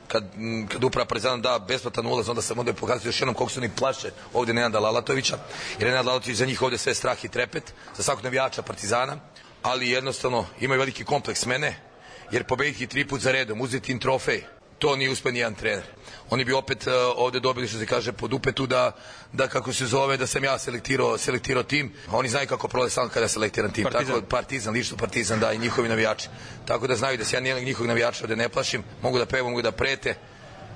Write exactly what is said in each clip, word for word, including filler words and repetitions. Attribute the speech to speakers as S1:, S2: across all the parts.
S1: Kad, kad uprava Partizana da besplatan ulaz, onda sam onda pokazati još jednom koliko su oni plaše ovde Nenada Lalatovića, jer Nenad Lalatović za njih ovde sve strah i trepet, za svakog navijača Partizana, ali jednostavno imaju veliki kompleks mene, jer pobediti tri put za redom, uzeti im trofej, to nije uspeo nijedan trener. Oni bi opet uh, ovde dobili, što se kaže, pod upetu da, da kako se zove, da sam ja selektirao, selektirao tim, a oni znaju kako prolaze sam kada selektiram tim.
S2: Partizan.
S1: Tako, Partizan, lično Partizan, da, i njihovi navijači. Tako da znaju da se ja nijednog njihovog navijača ovde ne plašim, mogu da pevam, mogu da prete,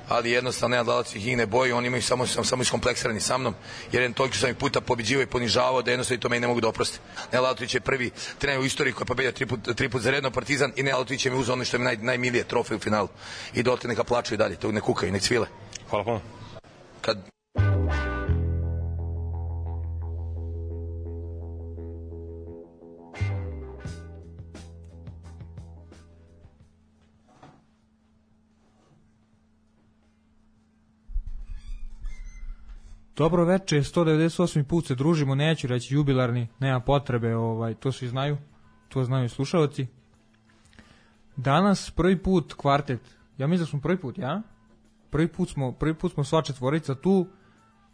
S1: ali jednostavno Nenad Lalatović ih ne boji, oni imaju samo, sam, samo iskompleksirani sa mnom, jer je toliko što sam ih puta pobeđivao i ponižavao da jednostavno i to meni ne mogu da oprosti. Nenad Lalatović je prvi trener u istoriji koji je pobedio tri put, tri put za redno Partizan i Nenad Lalatović je mi uzeo ono što je mi naj, najmilije, trofej u finalu. I dotle neka plaču i dalje, to ne kukaju, nek cvile.
S2: Hvala puno.
S1: Kad...
S3: Dobro veče, sto devedeset osmi put se družimo, neću reći jubilarni, nema potrebe, ovaj, to svi znaju, to znaju slušalci. Danas prvi put kvartet, ja mislim da smo prvi put, ja? Prvi put smo, prvi put smo sva četvorica tu,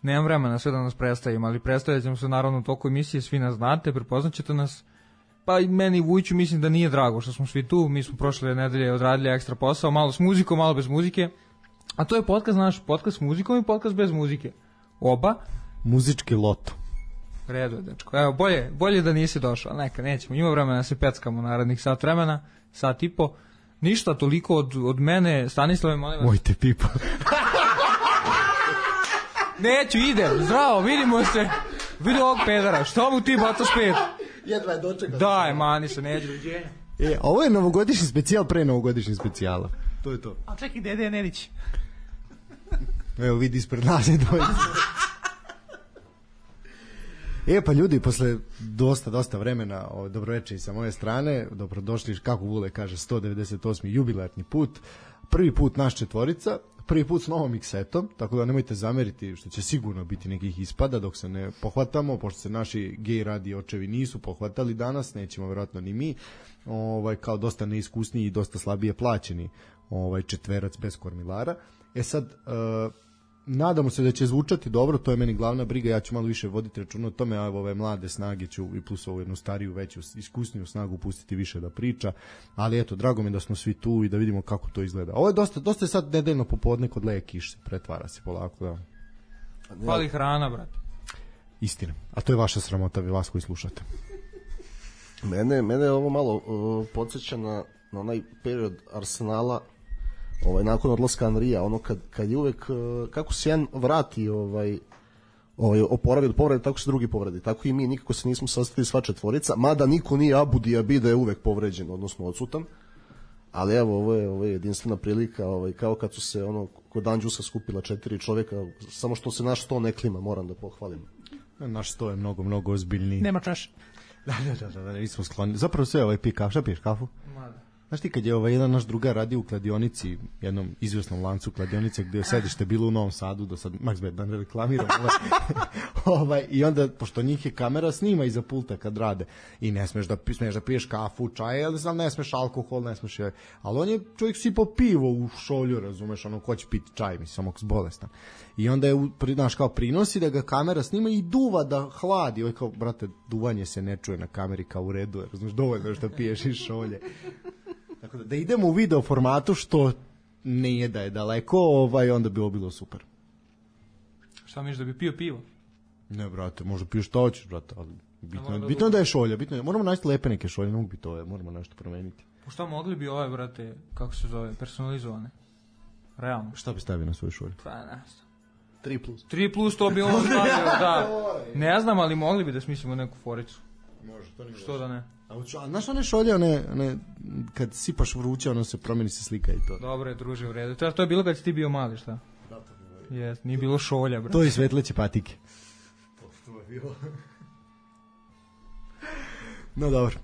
S3: nemam vremena sve da nas predstavimo, ali predstavljat ćemo se naravno u toku emisije, svi nas znate, prepoznaćete nas, pa i meni Vujiću mislim da nije drago što smo svi tu, mi smo prošle nedelje odradili ekstra posao, malo s muzikom, malo bez muzike, a to je podcast, znaš, podcast s muzikom i podcast bez muzike. Oba.
S4: Muzički loto.
S3: Redu je, dečko. Evo, bolje, bolje da nisi došao. Neka, nećemo. Ima vremena da se peckamo narednih sat vremena, sat i po. Ništa, toliko od, od mene. Stanislave, molim vas.
S4: Mojte pipa.
S3: Neću, idem. Zdravo, vidimo se. Vidi ovog pedara. Što mu ti bacaš pet?
S4: Jedva je dočekao.
S3: Daj, mani se, neđe. Doviđenja.
S4: E, ovo je novogodišnji specijal pre novogodišnji specijala. To je to.
S3: A čekaj, dede je Nedić.
S4: Evo vidi ispred nas je dvojica. E pa ljudi, posle dosta, dosta vremena, o, dobroveče i sa moje strane, dobrodošli, kako Vule kaže, sto devedeset osmi jubilarni put, prvi put naš četvorica, prvi put s novom miksetom, tako da nemojte zameriti što će sigurno biti nekih ispada dok se ne pohvatamo, pošto se naši gej radi očevi nisu pohvatali danas, nećemo vjerojatno ni mi, ovaj, kao dosta neiskusniji i dosta slabije plaćeni ovaj, četverac bez kormilara. E sad, uh, nadamo se da će zvučati dobro, to je meni glavna briga, ja ću malo više voditi računa o tome, a ove mlade snage ću i plus ovu jednu stariju, veću, iskusniju snagu pustiti više da priča, ali eto, drago mi da smo svi tu i da vidimo kako to izgleda. Ovo je dosta, dosta je sad nedeljno popodne kod leje kiše, pretvara se polako, da.
S3: Fali hrana, brate.
S4: Istina, a to je vaša sramota, vi vas koji slušate.
S5: Mene, mene je ovo malo uh, podsjeća na, na onaj period Arsenala, ovaj nakon odlaska Anrija, ono kad kad je uvek kako se jedan vrati ovaj ovaj oporavi od povrede, tako se drugi povredi. Tako i mi nikako se nismo sastali sva četvorica, mada niko nije Abu Diaby da je uvek povređen, odnosno odsutan. Ali evo, ovo je ovo je jedinstvena prilika, ovaj kao kad su se ono kod Anđusa skupila četiri čoveka, samo što se naš sto ne klima, moram da pohvalim.
S4: Naš sto je mnogo mnogo ozbiljniji.
S3: Nema čaše.
S4: Da, da, da, da, mi smo skloni. Zapravo sve ovaj pi kafu, šta piješ kafu? Mada. Znaš ti kad je ovaj jedan naš drugar radio u kladionici, jednom izvjesnom lancu kladionice gdje je sedište bilo u Novom Sadu, do sad Max Bet, da ne reklamiram, ovaj, ovaj, i onda, pošto njih je kamera snima iza pulta kad rade, i ne smeš da, smeš da piješ kafu, čaj, ali znam, ne smeš alkohol, ne smeš, ali on je čovjek sipao pivo u šolju, razumeš, ono, ko će piti čaj, mislim, samo bolestan. I onda je, znaš, kao prinosi da ga kamera snima i duva da hladi, ovaj kao, brate, duvanje se ne čuje na kameri kao u redu, razumeš, dovoljno što piješ iz šolje. Tako da, da idemo u video formatu, što nije da je daleko, ovaj, onda bi ovo bilo super.
S3: Šta misliš, da bi pio pivo?
S4: Ne, brate, možda piješ što hoćeš, brate, ali bitno je, bitno je da je šolja, bitno je, moramo naći lepe neke šolje, ne mogu biti ove, moramo nešto promeniti.
S3: Po šta mogli bi ove, brate, kako se zove, personalizovane? Realno.
S4: Šta bi stavio na svoju šolju?
S3: Pa, ne znam.
S5: tri plus.
S3: tri plus to bi ovo stavio, da. Ne znam, ali mogli bi da smislimo neku foricu.
S4: Može, to nije.
S3: Što da ne?
S4: A, a znaš one šolje, one, one, kad sipaš vruće, ono se promeni se slika i to.
S3: Dobro je, druže, u redu. To, to je bilo kad si ti bio mali, šta?
S4: Da, to je bilo.
S3: Jes, nije bilo šolja, brate.
S4: To je svetleće patike. To, to je bilo. No dobro.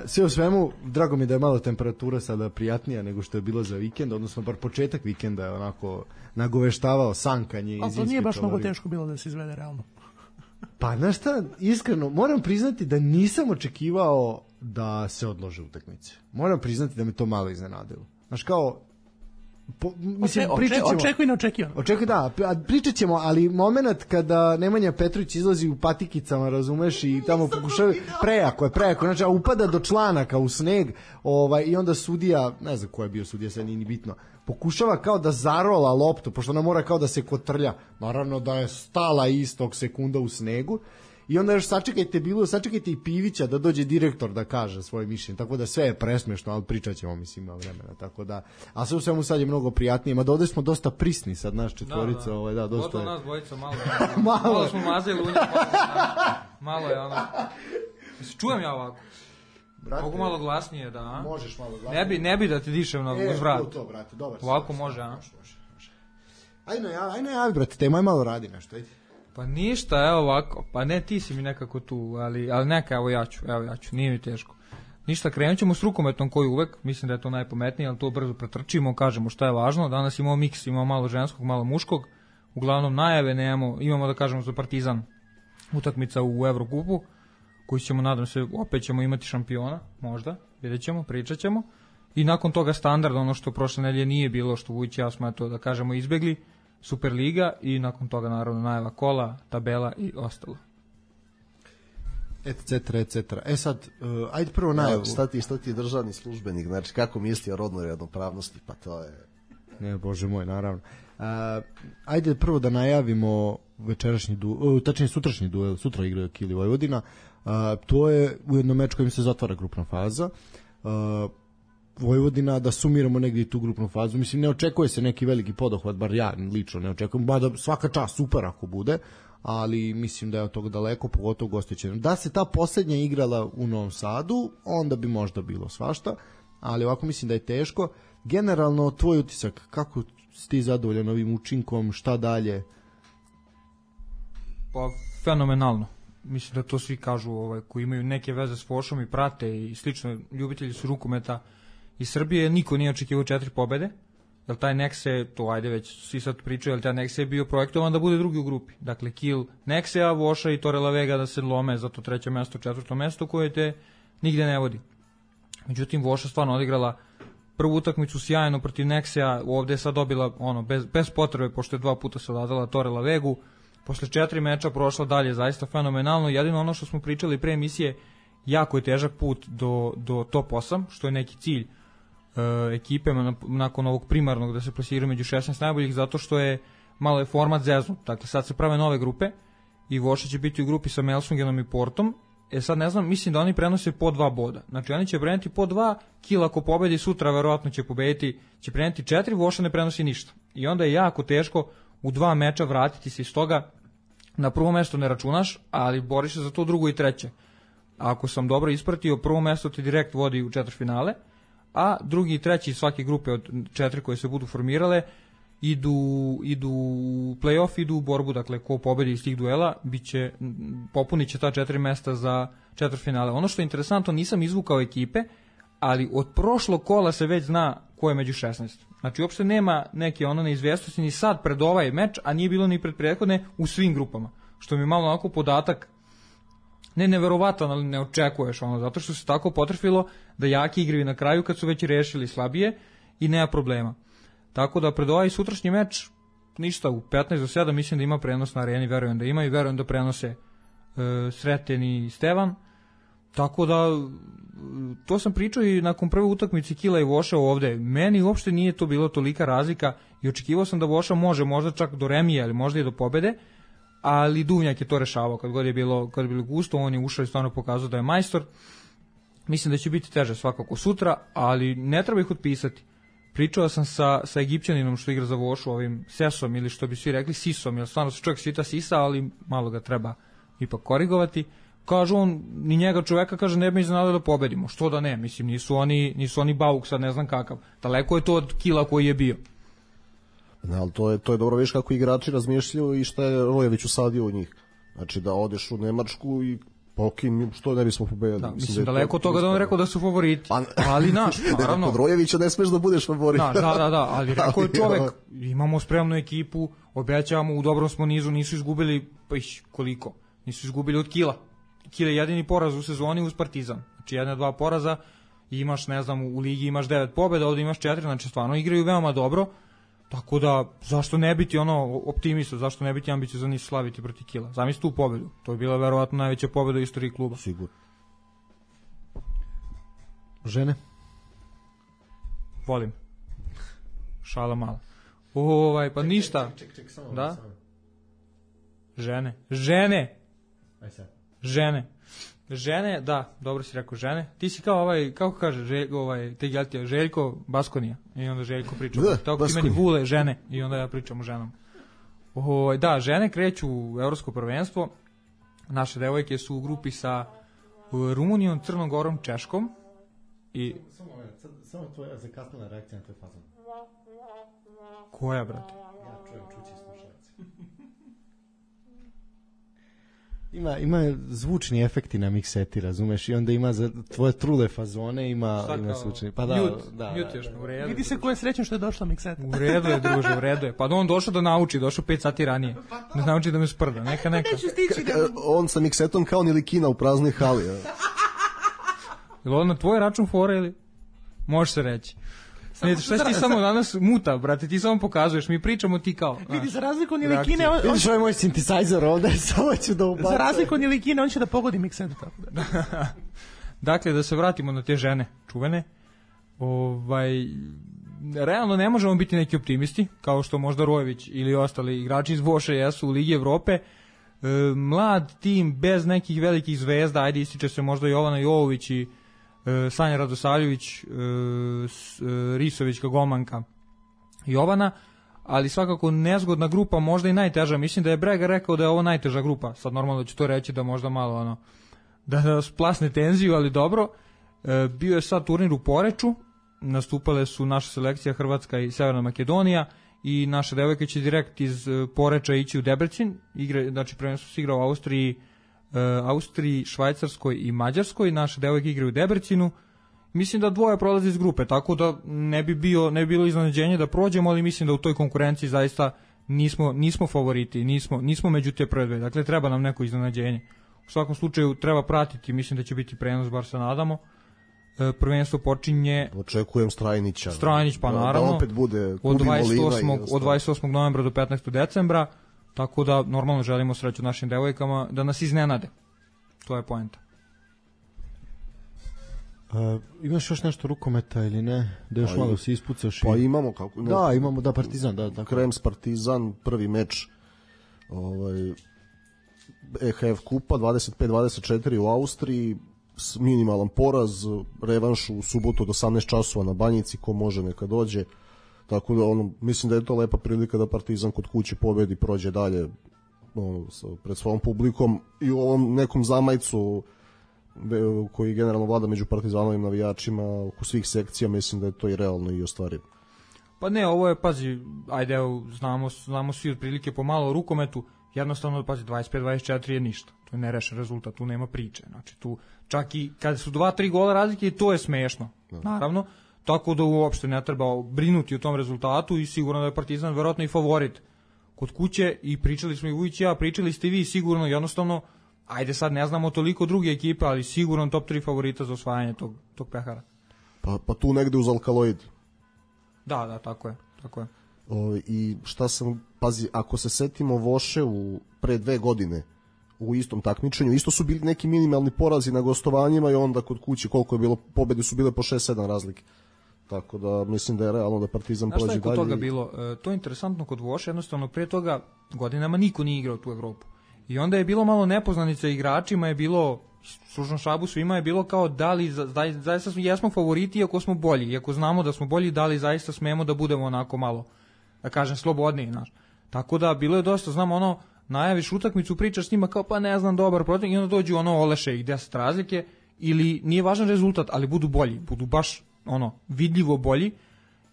S4: sve u svemu, drago mi da je malo temperatura sada prijatnija nego što je bilo za vikend, odnosno bar početak vikenda je onako nagoveštavao sankanje.
S2: Ali to nije baš mnogo teško bilo da se izvede realno.
S4: Pa znaš šta, iskreno, moram priznati da nisam očekivao da se odlože utakmice. Moram priznati da me to malo iznenadilo. Znaš kao, po, mislim,
S2: Oče,
S4: pričat ćemo,
S2: očekuj neočekivano.
S4: Očekuj, da, pričat ćemo, ali moment kada Nemanja Petrović izlazi u patikicama, razumeš, i tamo pokušava, prejako je, prejako, znači, a upada do članaka u sneg, ovaj, i onda sudija, ne znam ko je bio sudija, sad nije ni bitno, pokušava kao da zarola loptu, pošto ona mora kao da se kotrlja, naravno da je stala istog sekunda u snegu, i onda još sačekajte bilo, sačekajte i Pivića da dođe direktor da kaže svoje mišljenje, tako da sve je presmešno, ali pričat ćemo, mislim, ima vremena, tako da, a sve u svemu sad je mnogo prijatnije, ma da ovde smo dosta prisni sad, naš četvorica, da, da. Ovaj, da, dosta je.
S3: Nas dvojica, malo, malo, malo smo mazali u njih, malo, malo je ono, čujem ja ovako. Brate, mogu malo glasnije, da.
S4: Možeš malo glasnije.
S3: Ne bi, ne bi da ti dišem na
S4: e,
S3: vrat.
S4: E, to, brate, dobar.
S3: Ovako može, a?
S4: Može, može, može. Ajde, ajde, ajde, brate, te moj malo radi nešto, ajde.
S3: Pa ništa, evo ovako, pa ne, ti si mi nekako tu, ali, ali neka, evo ja ću, evo ja ću, nije mi teško. Ništa, krenut ćemo s rukometom koji uvek, mislim da je to najpametnije, ali to brzo pretrčimo, kažemo šta je važno. Danas imamo miks, imamo malo ženskog, malo muškog, uglavnom najave nemamo, imamo da kažemo za Partizan utakmica u Evrokupu, koji ćemo, nadam se, opet ćemo imati šampiona, možda, vidjet ćemo, pričat ćemo. I nakon toga standard, ono što prošle nedelje nije bilo, što Vujić ja smo to da kažemo izbegli, Superliga i nakon toga naravno najava kola, tabela i ostalo.
S4: Etc, et cetera. E sad, uh, ajde prvo najavu.
S5: Ja, šta ti, šta ti je državni službenik, znači kako misli o rodnoj ravnopravnosti, pa to je...
S4: Ne, bože moj, naravno. Uh, ajde prvo da najavimo večerašnji duel, uh, tačnije sutrašnji duel, sutra igraju Kili Vojvodina. Uh, to je ujedno meč kojim se zatvara grupna faza. Uh, Vojvodina, da sumiramo negdje i tu grupnu fazu, mislim, ne očekuje se neki veliki podohvat, bar ja lično ne očekujem, ba da svaka čast super ako bude, ali mislim da je od toga daleko, pogotovo gostićeno. Da se ta posljednja igrala u Novom Sadu, onda bi možda bilo svašta, ali ovako mislim da je teško. Generalno, tvoj utisak, kako si ti zadovoljan ovim učinkom, šta dalje?
S3: Pa, fenomenalno. Mislim da to svi kažu, ovaj, koji imaju neke veze s Fošom i prate i slično, ljubitelji su rukometa iz Srbije, niko nije očekivao četiri pobede, jer taj Nexe, to ajde već svi sad pričaju, jer taj Nexe je bio projektovan da bude drugi u grupi. Dakle, Kiel, Nexea, Voša i Torre la Vega da se lome za to treće mesto, četvrto mesto koje te nigde ne vodi. Međutim, Voša stvarno odigrala prvu utakmicu sjajno protiv Nexea, ovde je sad dobila ono, bez, bez potrebe, pošto je dva puta se odazvala Torre la Vegu, posle četiri meča prošla dalje, zaista fenomenalno, jedino ono što smo pričali pre emisije, jako je težak put do, do top osam, što je neki cilj ekipe nakon ovog primarnog da se plasiraju među šesnaest najboljih, zato što je malo je format zeznut. Dakle, sad se prave nove grupe i Voša će biti u grupi sa Melsungenom i Portom. E sad ne znam, mislim da oni prenose po dva boda. Znači oni će preneti po dva, Kiel ako pobedi sutra verovatno će pobediti, će preneti četiri, Voša ne prenosi ništa. I onda je jako teško u dva meča vratiti se iz toga. Na prvo mesto ne računaš, ali boriš se za to drugo i treće. Ako sam dobro ispratio, prvo mesto ti direkt vodi u četvrtfinale, a drugi i treći svake grupe od četiri koje se budu formirale idu, idu u play-off, idu u borbu, dakle ko pobedi iz tih duela biće, popunit će ta četiri mesta za četvrtfinale. Ono što je interesantno, nisam izvukao ekipe, ali od prošlog kola se već zna ko je među šesnaest. Znači uopšte nema neke ono neizvjesnosti ni sad pred ovaj meč, a nije bilo ni pred prethodne u svim grupama, što mi je malo onako podatak ne neverovatan, ali ne očekuješ ono, zato što se tako potrefilo da jaki igraju na kraju kad su već rešili slabije i nema problema. Tako da pred ovaj sutrašnji meč ništa, u petnaest do sedam mislim da ima prenos na areni, verujem da ima i verujem da prenose e, Sreten i Stevan. Tako da to sam pričao i nakon prve utakmice Kila i Voša ovde. Meni uopšte nije to bilo tolika razlika i očekivao sam da Voša može možda čak do remije, ali možda i do pobede. Ali Duvnjak je to rešavao kad god je bilo, kad je bilo gusto, on je ušao i stvarno pokazao da je majstor. Mislim da će biti teže svakako sutra, ali ne treba ih otpisati. Pričao sam sa, sa Egipćaninom što igra za Vošu, ovim Sesom ili što bi svi rekli Sisom, jer stvarno se čovjek svita Sisa, ali malo ga treba ipak korigovati. Kaže on, ni njega čoveka, kaže, ne bi iznenadilo da pobedimo. Što da ne, mislim, nisu oni, nisu oni Bauk sad ne znam kakav. Daleko je to od Kila koji je bio.
S5: Ne, ali to je, to je dobro, viš kako igrači razmišljaju i šta je Rojević usadio u njih. Znači da odeš u Nemačku i Pa okej, okay, što ne bismo pobedili.
S3: Da, mislim, mislim daleko od toga da on rekao da su favoriti. Pa, ali naš, naravno.
S5: Kod Rojevića ne smeš da budeš favorit.
S3: Da, da, da, da, ali rekao je čovek, imamo spremnu ekipu, obećavamo, u dobrom smo nizu, nisu izgubili, pa iš, koliko? Nisu izgubili od kila. Kila je jedini poraz u sezoni uz Partizan. Znači jedna, dva poraza i imaš, ne znam, u ligi imaš devet pobjeda, ovdje imaš četiri, znači stvarno igraju veoma dobro. Tako da, zašto ne biti ono optimista, zašto ne biti ambiciozan i slaviti protiv Kila? Zamisli tu pobedu. To je bila verovatno najveća pobeda u istoriji kluba.
S5: Sigurno.
S4: Žene?
S3: Volim. Šala mala. Ovaj, pa ništa.
S4: Ček, ček, ček, samo.
S3: Da? Žene. Žene!
S4: Aj sad.
S3: Žene. Žene, da, dobro si rekao, žene. Ti si kao ovaj, kako kaže, želj, ovaj, te Geltija, Željko Baskonija. I onda Željko priča.
S5: Da,
S3: tako ti meni Vule, žene. I onda ja pričam o ženama. O, da, žene kreću u evropsko prvenstvo. Naše devojke su u grupi sa Rumunijom, Crnom Gorom, Češkom. I...
S4: Samo, sad, samo tvoja zakasnila reakcija na tvoj fazon.
S3: Koja, brate?
S4: Ja čujem, čući slušalci. Ima, ima zvučni efekti na mikseti, razumeš, i onda ima za tvoje trule fazone, ima, ima zvučni. Pa da,
S3: mute,
S4: da,
S3: mute još, u redu.
S2: Vidi se ko je srećan što je došla mikseta.
S3: U redu je, druže, u redu je. Pa on došao da nauči, došao pet sati ranije. Da nauči da me sprda, neka, neka.
S2: Neću stići da...
S5: On sa miksetom kao Nilikina u praznoj hali.
S3: Je li ovo na tvoj račun fora ili? Može se reći. Ne, šta si ti samo danas muta, brate, ti samo pokazuješ, mi pričamo ti kao.
S2: Vidi, za razliku od Nilikine... On,
S4: vidiš ovaj moj synthesizer ovde, samo ću da ubacam.
S2: Za razliku od Nilikine, on će da pogodi miksetu. Tako da.
S3: Dakle, da se vratimo na te žene čuvene. Ovaj, realno ne možemo biti neki optimisti, kao što možda Rojević ili ostali igrači iz Voše jesu u Ligi Evrope. E, mlad tim, bez nekih velikih zvezda, ajde ističe se možda Jovana Jovović i Sanja Radosavljević, Risovićka golmanka Jovana, ali svakako nezgodna grupa, možda i najteža. Mislim da je Brega rekao da je ovo najteža grupa. Sad normalno ću to reći da možda malo ono, da, da splasne tenziju, ali dobro. Bio je sad turnir u Poreču, nastupale su naša selekcija Hrvatska i Severna Makedonija i naše devojke će direkt iz Poreča ići u Debrecin. Igre, znači prvenstvo se igra u Austriji, Austriji, Švajcarskoj i Mađarskoj. Naše devojke igraju u Debrecinu. Mislim da dvoje prolaze iz grupe, tako da ne bi bio ne bi bilo iznenađenje da prođemo, ali mislim da u toj konkurenciji zaista nismo nismo favoriti, nismo nismo među te prve dve. Dakle treba nam neko iznenađenje. U svakom slučaju treba pratiti, mislim da će biti prenos, bar se nadamo. E, prvenstvo počinje,
S5: očekujem Strajnića.
S3: Strajnić pa
S5: da,
S3: naravno.
S5: Da opet bude
S3: od dvadeset osmog od dvadeset osmog novembra do petnaestog decembra. Tako da normalno želimo sreću našim devojkama da nas iznenade. To je poenta.
S4: Uh, imaš još nešto rukometa ili ne? Da još pa malo se ispucaš?
S5: Pa
S4: i...
S5: imamo kako. Ne,
S4: da, imamo da Partizan, da, da.
S5: Krems Partizan, prvi meč ovaj E H F kupa dvadeset pet dvadeset četiri u Austriji, minimalan poraz, revanš u subotu od osamnaest časova na Banjici, ko može neka dođe. Tako da ono, mislim da je to lepa prilika da Partizan kod kuće pobedi, prođe dalje ono, pred svojom publikom i u ovom nekom zamajcu koji generalno vlada među partizanovim navijačima oko svih sekcija, mislim da je to i realno i ostvarivo.
S3: Pa ne, ovo je, pazi, ajde, evo, znamo, znamo svi otprilike pomalo o rukometu, jednostavno, pazi, dvadeset pet dvadeset četiri je ništa, to je nerešen rezultat, tu nema priče, znači tu, čak i kada su dva tri gola razlike, to je smešno, naravno, tako da uopšte ne treba brinuti o tom rezultatu i sigurno da je Partizan verovatno i favorit kod kuće i pričali smo i Vujić i ja, pričali ste vi sigurno, jednostavno, ajde sad ne znamo toliko druge ekipe, ali sigurno top tri favorita za osvajanje tog, tog pehara.
S5: Pa, pa tu negde uz Alkaloid.
S3: Da, da, tako je, tako je.
S5: O, I šta sam, pazi, ako se setimo Voše u pre dve godine u istom takmičenju, isto su bili neki minimalni porazi na gostovanjima i onda kod kuće koliko je bilo, pobede su bile po šest sedam razlike. Tako da mislim da je realno da Partizan prođe dalje.
S3: Znaš šta je kod toga bilo? E, to je interesantno kod Voše, jednostavno pre toga godinama niko nije igrao tu Evropu. I onda je bilo malo nepoznanica igračima, je bilo stručnom štabu svima je bilo kao da li zaista smo, jesmo favoriti iako smo bolji, iako znamo da smo bolji, da li zaista smemo da budemo onako malo, da kažem, slobodniji, znaš. Tako da bilo je dosta, znamo ono, najaviš utakmicu, pričaš s njima kao pa ne znam, dobar protiv, i onda dođu ono oleše ih deset razlike, ili nije važan rezultat, ali budu bolji, budu baš ono vidljivo bolji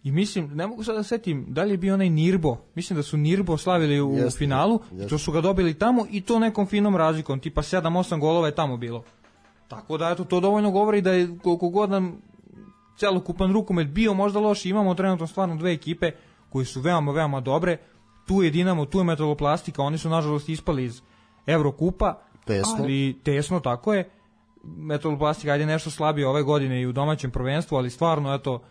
S3: I mislim, ne mogu sad da setim da li je bio onaj Nirbo, mislim da su Nirbo slavili u
S5: Jeste,
S3: finalu,
S5: jeste.
S3: i to su ga dobili tamo i to nekom finom razlikom, tipa sedam osam golova je tamo bilo. Tako da eto, to dovoljno govori da je koliko god nam celokupan rukomet bio možda loš, imamo trenutno stvarno dve ekipe koje su veoma, veoma dobre, tu je Dinamo, tu je Metaloplastika, oni su nažalost ispali iz Evrokupa,
S5: Tesno.
S3: ali tesno, tako je. Metaloplastika ajde nešto slabije ove godine i u domaćem prvenstvu, ali stvarno, eto,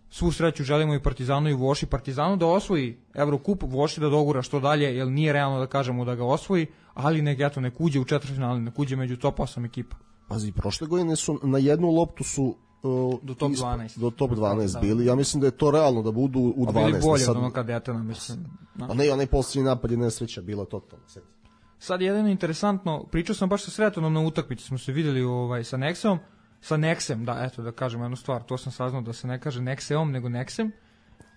S3: svu sreću želimo i Partizanu i Voši. Partizanu da osvoji Evrokup, Voši da dogura što dalje, jer nije realno da kažemo da ga osvoji, ali nek, eto, nek uđe u četvrtfinale, nek uđe među top osam ekipa.
S5: Pazi, prošle godine su na jednu loptu su uh,
S3: Do top
S5: isp-
S3: dvanaest.
S5: do top dvanaest
S3: Da.
S5: bili. Ja mislim da je to realno da budu u
S3: A
S5: dvanaest.
S3: bili bolje
S5: sad,
S3: od onog kadetena, mislim. Da.
S5: Pa ne, onaj posljednji napad je nesreća bila totalno. Sjeti.
S3: Sad jedino interesantno, pričao sam baš sa Sretanom na utakmici, smo se videli ovaj, sa Nexeom, sa Nexem, da, eto da kažem jednu stvar, to sam saznao da se ne kaže Nexeom, nego Nexem.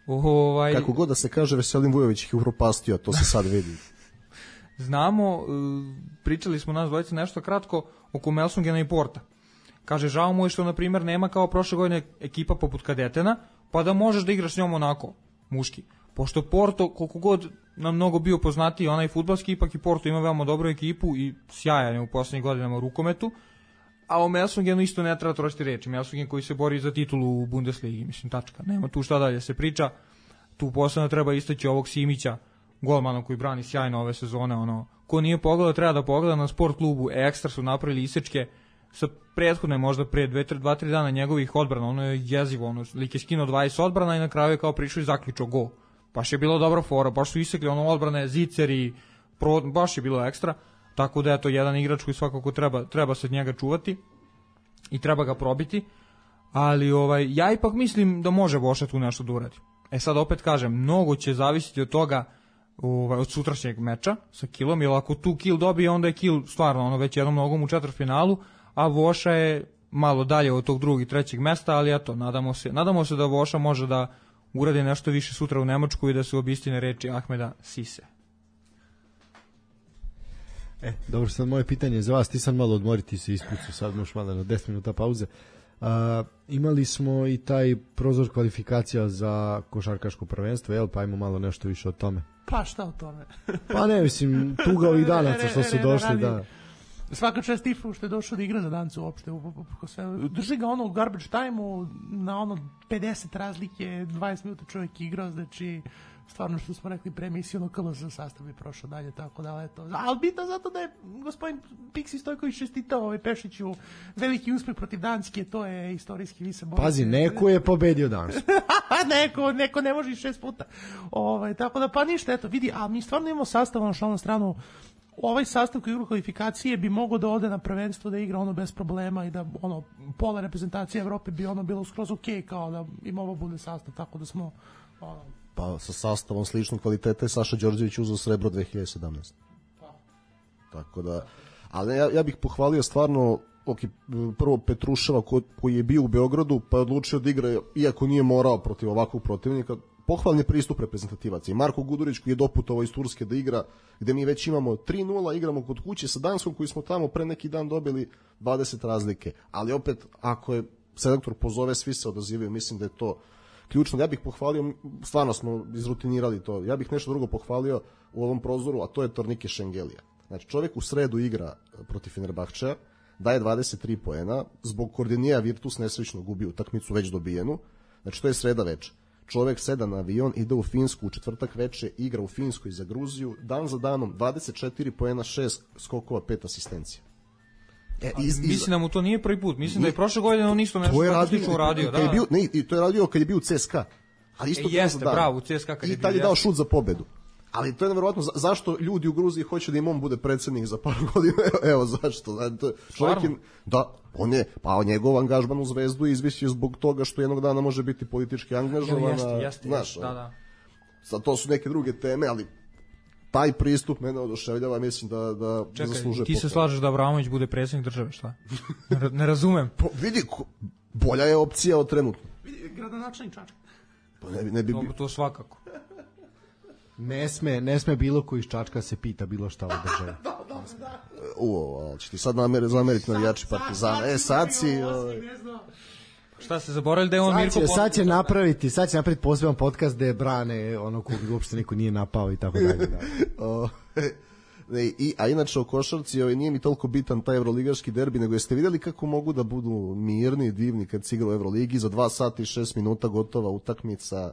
S3: Ovaj,
S5: Kako god da se kaže, Veselin Vujović ih upropastio, to se sad vidi.
S3: Znamo, e, pričali smo nas dvojice nešto kratko oko Melsungena i Porta. Kaže, žao mu je što, na primjer, nema kao prošle godine ekipa poput kadetena, pa da možeš da igraš s njom onako, muški. Pošto Porto, koliko god nam mnogo bio poznatiji onaj fudbalski, ipak i Porto ima veoma dobru ekipu i sjajan je u poslednjih godinama u rukometu, a o Melsungenu isto ne treba trošiti reči. Melsungen koji se bori za titulu u Bundesligi, mislim, tačka. Nema tu šta dalje se priča. Tu posebno treba istaći ovog Simića, golmana koji brani sjajno ove sezone. Ono, ko nije pogledao, treba da pogleda na sport klubu. Ekstra su napravili isečke sa prethodne možda pre dva tri dana njegovih odbrana. Ono je jezivo. Ono, lik je skinuo dvadeset odbrana i na kraju je kao prišao i zaključao gol. Baš je bilo dobra fora, baš su isekli ono odbrane, ziceri, pro, baš je bilo ekstra. Tako da je to jedan igrač koji svakako treba, treba se od njega čuvati i treba ga probiti. Ali ovaj, ja ipak mislim da može Voša tu nešto da uradi. E sad opet kažem, mnogo će zavisiti od toga, ovaj, od sutrašnjeg meča sa Kilom, jer ako tu Kil dobije, onda je Kil stvarno ono, već jednom nogom u četvrtfinalu, a Voša je malo dalje od tog drugog i trećeg mesta, ali eto, nadamo se, nadamo se da Voša može da uradi nešto više sutra u Nemačku i da se obistine reči Ahmeda Sise.
S4: E, dobro, sad moje pitanje je za vas, ti sad malo odmoriti se ispucu, sad možeš malo na deset minuta pauze. Uh, imali smo i taj prozor kvalifikacija za košarkaško prvenstvo, jel, pa ajmo malo nešto više o tome.
S2: Pa šta o tome?
S4: Pa ne, mislim, tuga ovih danaca što su došli, da.
S2: Svaka čast Tifu što je došao da igra za Dancu uopšte. Drži ga ono u garbage time-u na ono pedeset razlike, dvadeset minuta čovjek igrao, znači stvarno što smo rekli pre emisiju, ono K L S sastav je prošao dalje, tako da, eto. Ali bitno zato da je gospodin Piksi Stojković čestitao ovaj Pešiću veliki uspeh protiv Danske, to je istorijski vi se borite.
S4: Pazi, neko je pobedio Dansku.
S2: neko, neko ne može i šest puta. Ovaj, tako da, pa ništa, eto, vidi, a mi stvarno imamo sastav ono šalnu stranu. Ovaj sastav koji igra kvalifikacije bi mogao da ode na prvenstvo da igra ono bez problema i da ono pola reprezentacije Evrope bi ono bilo skroz okej, kao da im ovo bude sastav, tako da smo ono,
S5: Pa sa sastavom sličnog kvaliteta je Saša Đorđević uzeo srebro dve hiljade sedamnaeste.
S2: pa.
S5: Tako da, ali ja, ja bih pohvalio stvarno ok, prvo Petruševa ko, koji je bio u Beogradu pa je odlučio da igra, iako nije morao protiv ovakvog protivnika. Pohvalni pristup reprezentativaca. I Marko Gudurić koji je doputovao iz Turske da igra, gde mi već imamo tri nula, igramo kod kuće sa Danskom koji smo tamo pre neki dan dobili dvadeset razlike. Ali opet, ako je selektor pozove, svi se odazivaju, mislim da je to ključno. Ja bih pohvalio, stvarno smo izrutinirali to, ja bih nešto drugo pohvalio u ovom prozoru, a to je Tornike Šengelija. Znači, čovjek u sredu igra protiv Fenerbahčeja, daje dvadeset tri poena, zbog Koordinija Virtus nesrećno gubi utakmicu već dobijenu, znači to je sreda veče. Čovjek seda na avion, ide u Finsku u četvrtak veče, igra u Finskoj za Gruziju, dan za danom, dvadeset četiri poena, šest skokova, pet asistencija.
S3: E, iz, iz... Mislim da mu to nije prvi put, mislim da je prošle godine on isto nešto
S5: tako
S3: slično uradio.
S5: Da, je bio, ne, i to je radio kad je bio u C S K A. Ali isto
S3: e, jeste, bravo, u C S K A kad je bio.
S5: I tad je dao šut za pobedu. Ali to je nevjerovatno, za, zašto ljudi u Gruziji hoće da im on bude predsjednik za par godina, evo, evo zašto. Da, čovjek je, da, on je, pa njegov angažman u Zvezdu izvisio zbog toga što jednog dana može biti politički angažovan.
S3: Jeste, jeste,
S5: znaš,
S3: da, da.
S5: Sad to su neke druge teme, ali taj pristup mene oduševljava, mislim da, da
S3: Čekaj,
S5: zaslužuje
S3: ti se
S5: pohvalu.
S3: slažeš da Abramović bude predsjednik države, šta? Ne, ne razumem.
S5: Po, vidi, ko, bolja je opcija od trenutno.
S2: Vidi, gradonačelnik Čačka.
S5: Pa ne, ne bi...
S3: To, to svakako.
S4: Ne sme, ne sme bilo ko iz Čačka se pita bilo šta o državi.
S2: Da, da, da.
S5: Uo, ali će ti sad namer, zameriti navijači Partizana. E, sad si...
S3: Šta ste zaboravili da je on Mirko
S4: Sad će,
S3: Postić?
S4: sad će napraviti, sad će napraviti poseban podcast gde brane ono kog uopšte niko nije napao i tako dalje. Da.
S5: O, ne, i, a inače o košarci ovaj, nije mi toliko bitan taj evroligaški derbi, nego jeste vidjeli kako mogu da budu mirni i divni kad se igra u Evroligi, za dva sata i šest minuta gotova utakmica.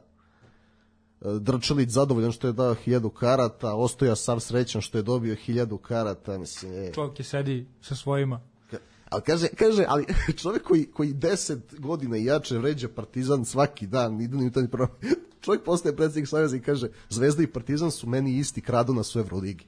S5: Drčelić zadovoljan što je dao hiljadu karata, Ostoja sav srećan što je dobio hiljadu karata, mislim, je.
S3: Čovjek je sedi sa svojima.
S5: Ali kaže, kaže, ali čovjek koji, koji deset godina i jače vređa Partizan svaki dan, idu ni prvo. Čovjek postaje predsjednik Saveza i kaže, Zvezda i Partizan su meni isti, kradu nas u Evroligi.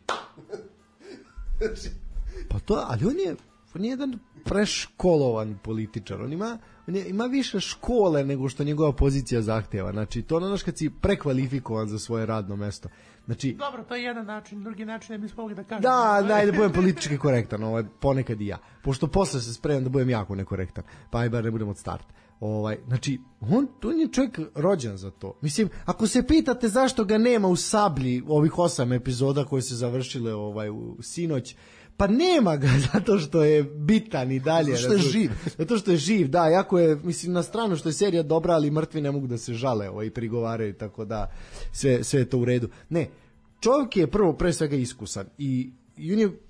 S4: Pa to, ali on je, on je jedan preškolovan političar, on ima, on je, ima više škole nego što njegova pozicija zahteva, znači to ono kad si prekvalifikovan za svoje radno mesto. Znači,
S2: dobro, to je jedan način, drugi način ne bismo mogli da kažemo.
S4: da, daj da budem politički korektan, ovaj, ponekad i ja, pošto posle se spremam da budem jako nekorektan, pa aj bar ne budem od starta. Ovaj, znači, on, on je čovjek rođen za to. Mislim, ako se pitate zašto ga nema u Sablji ovih osam epizoda koje se završile ovaj, u sinoć, pa nema ga zato što je bitan i dalje.
S5: Zato što je živ.
S4: Zato što je živ, da, jako je, mislim, na stranu što je serija dobra, ali mrtvi ne mogu da se žale ovaj, i prigovaraju, tako da sve, sve je to u redu. Ne, čovjek je prvo pre svega iskusan i, i on je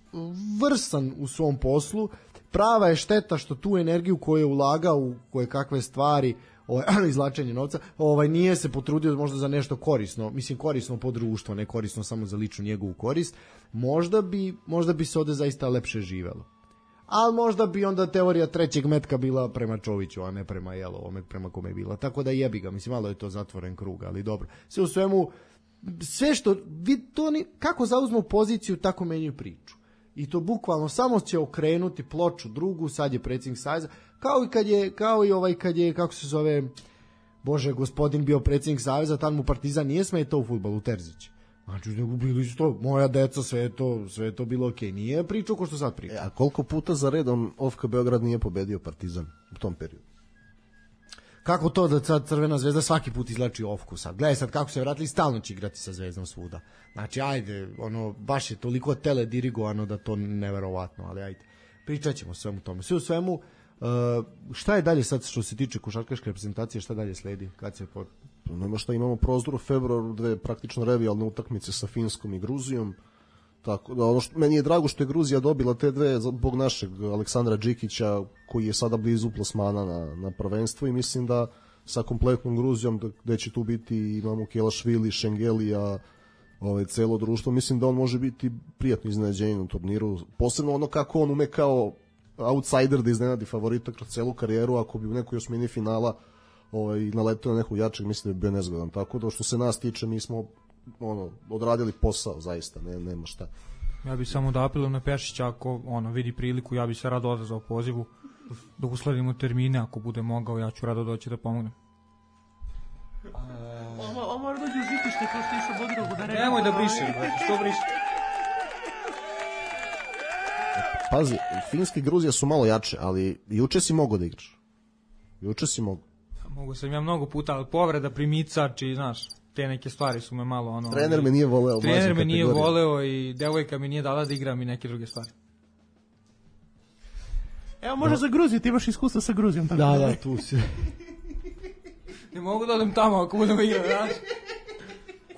S4: vrsan u svom poslu. Prava je šteta što tu energiju koju je ulagao u koje kakve stvari, ovaj, izlačenje novca, ovaj, nije se potrudio možda za nešto korisno, mislim korisno po društvo, ne korisno samo za ličnu njegovu korist, možda bi, možda bi se ovde zaista lepše živelo. Ali možda bi onda teorija trećeg metka bila prema Čoviću, a ne prema jelo, ovome prema kome je bila. Tako da jebi ga, mislim, malo je to zatvoren krug, ali dobro. Sve u svemu, sve što, vi to ni, kako zauzmu poziciju, tako menjaju priču. I to bukvalno samo će okrenuti ploču drugu, sad je predsjednik Saveza, kao i kad je, kao i ovaj kad je, kako se zove, bože, gospodin bio predsjednik Saveza, tad mu Partizan nije smetao u fudbalu, Terzić. Znači, nego bili su to, moja deca, sve je to, sve je to bilo okej. Okay. Nije pričao ko što sad priča.
S5: E, a koliko puta za redom O F K Beograd nije pobedio Partizan u tom periodu?
S4: Kako to da sad Crvena zvezda svaki put izlači ofku sad? Gledaj sad kako se vratili, stalno će igrati sa Zvezdom svuda. Znači, ajde, ono, baš je toliko teledirigovano da to neverovatno, ali ajde. Pričat ćemo svemu tome. Sve u svemu, uh, šta je dalje sad što se tiče košarkaške reprezentacije, šta dalje sledi? Kad se po...
S5: Nema šta, imamo prozor u februaru, dve praktično revijalne utakmice sa Finskom i Gruzijom. Tako da ono što meni je drago što je Gruzija dobila te dve zbog našeg Aleksandra Džikića koji je sada blizu plasmana na, na prvenstvo i mislim da sa kompletnom Gruzijom gde će tu biti imamo Kelašvili, Šengelija, ovaj celo društvo, mislim da on može biti prijatno iznenađenje na turniru, posebno ono kako on ume kao outsider da iznenadi favorita kroz celu karijeru, ako bi u nekoj osmini finala ovaj naletio na nekog jačeg, mislim da bi bio nezgodan. Tako da što se nas tiče, mi smo ono odradili posao zaista, ne nema šta.
S3: Ja bih samo da apelujem na Pešića, ako ono vidi priliku, ja bih se rado odazvao pozivu da usledimo termine, ako bude mogao, ja ću rado doći da pomognem.
S2: Ovo mora dođe u žitište kao što išao Bodirogu da rekao.
S3: Nemoj da brišeš, brate, što brišeš?
S5: Pazi, Finska i Gruzija su malo jače, ali juče si mogao da igraš. Juče si mogao.
S3: Mogu sam ja mnogo puta, ali povreda, primicač i, znaš, te neke stvari su me malo ono...
S5: Trener me nije voleo.
S3: Trener me nije voleo i devojka mi nije dala da igram i neke druge stvari.
S2: Evo, može no. za Gruziju, ti imaš iskustva sa Gruzijom. Tako
S4: da, da, tu si.
S3: Ne mogu da odem tamo ako budemo igrati, znaš?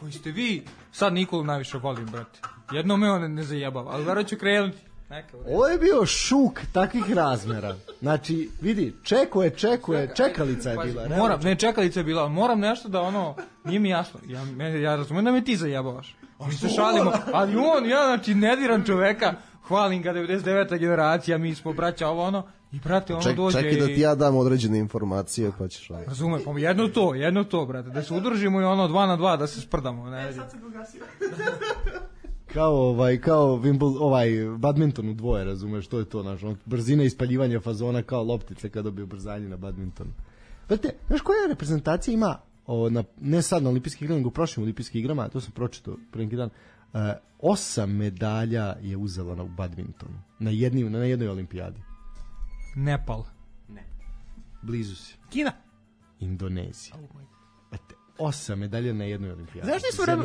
S3: Koji ste vi? Sad Nikolu najviše volim, brate. Jedno me on ne zajebava, ali vero ću krenuti. Neka,
S4: ovo je bio šuk takvih razmera. Znači, vidi, čeko je, čeko je, čekalica je bila.
S3: Pa, moram, ne, čekalica je bila, ali moram nešto da ono, nije mi jasno. Ja, ja razumijem da me ti zajebavaš. Mi se šalimo, ali on, ja, znači, ne diram čoveka, hvalim ga devedeset deveta generacija, mi smo braća ovo ono, i brate, ono
S5: Ček,
S3: dođe
S5: čekaj
S3: i...
S5: da ti ja dam određene informacije, pa ćeš...
S3: Razumijem, pa jedno to, jedno to, brate, da se udružimo i ono dva na dva, da se sprdamo. Ne,
S2: e, sad se pogasio.
S4: Kao ovaj kao Wimbledon, ovaj badminton u dvoje, razumeš, to je to naš, on, brzina ispaljivanja fazona kao loptice kada bi ubrzanje na badmintonu. Znate, znaš koja reprezentacija ima o, na, ne sad na olimpijskih igrama, nego u prošlim olimpijskim igrama, to sam pročitao pre neki dan, uh, osam medalja je uzela na badmintonu, na, jedni, na jednoj olimpijadi.
S3: Nepal.
S4: Ne. Blizu si.
S2: Kina.
S4: Indonezija.
S2: Oh my.
S4: osam medalja na jednoj olimpijadi.
S2: Znaš nisu vreme,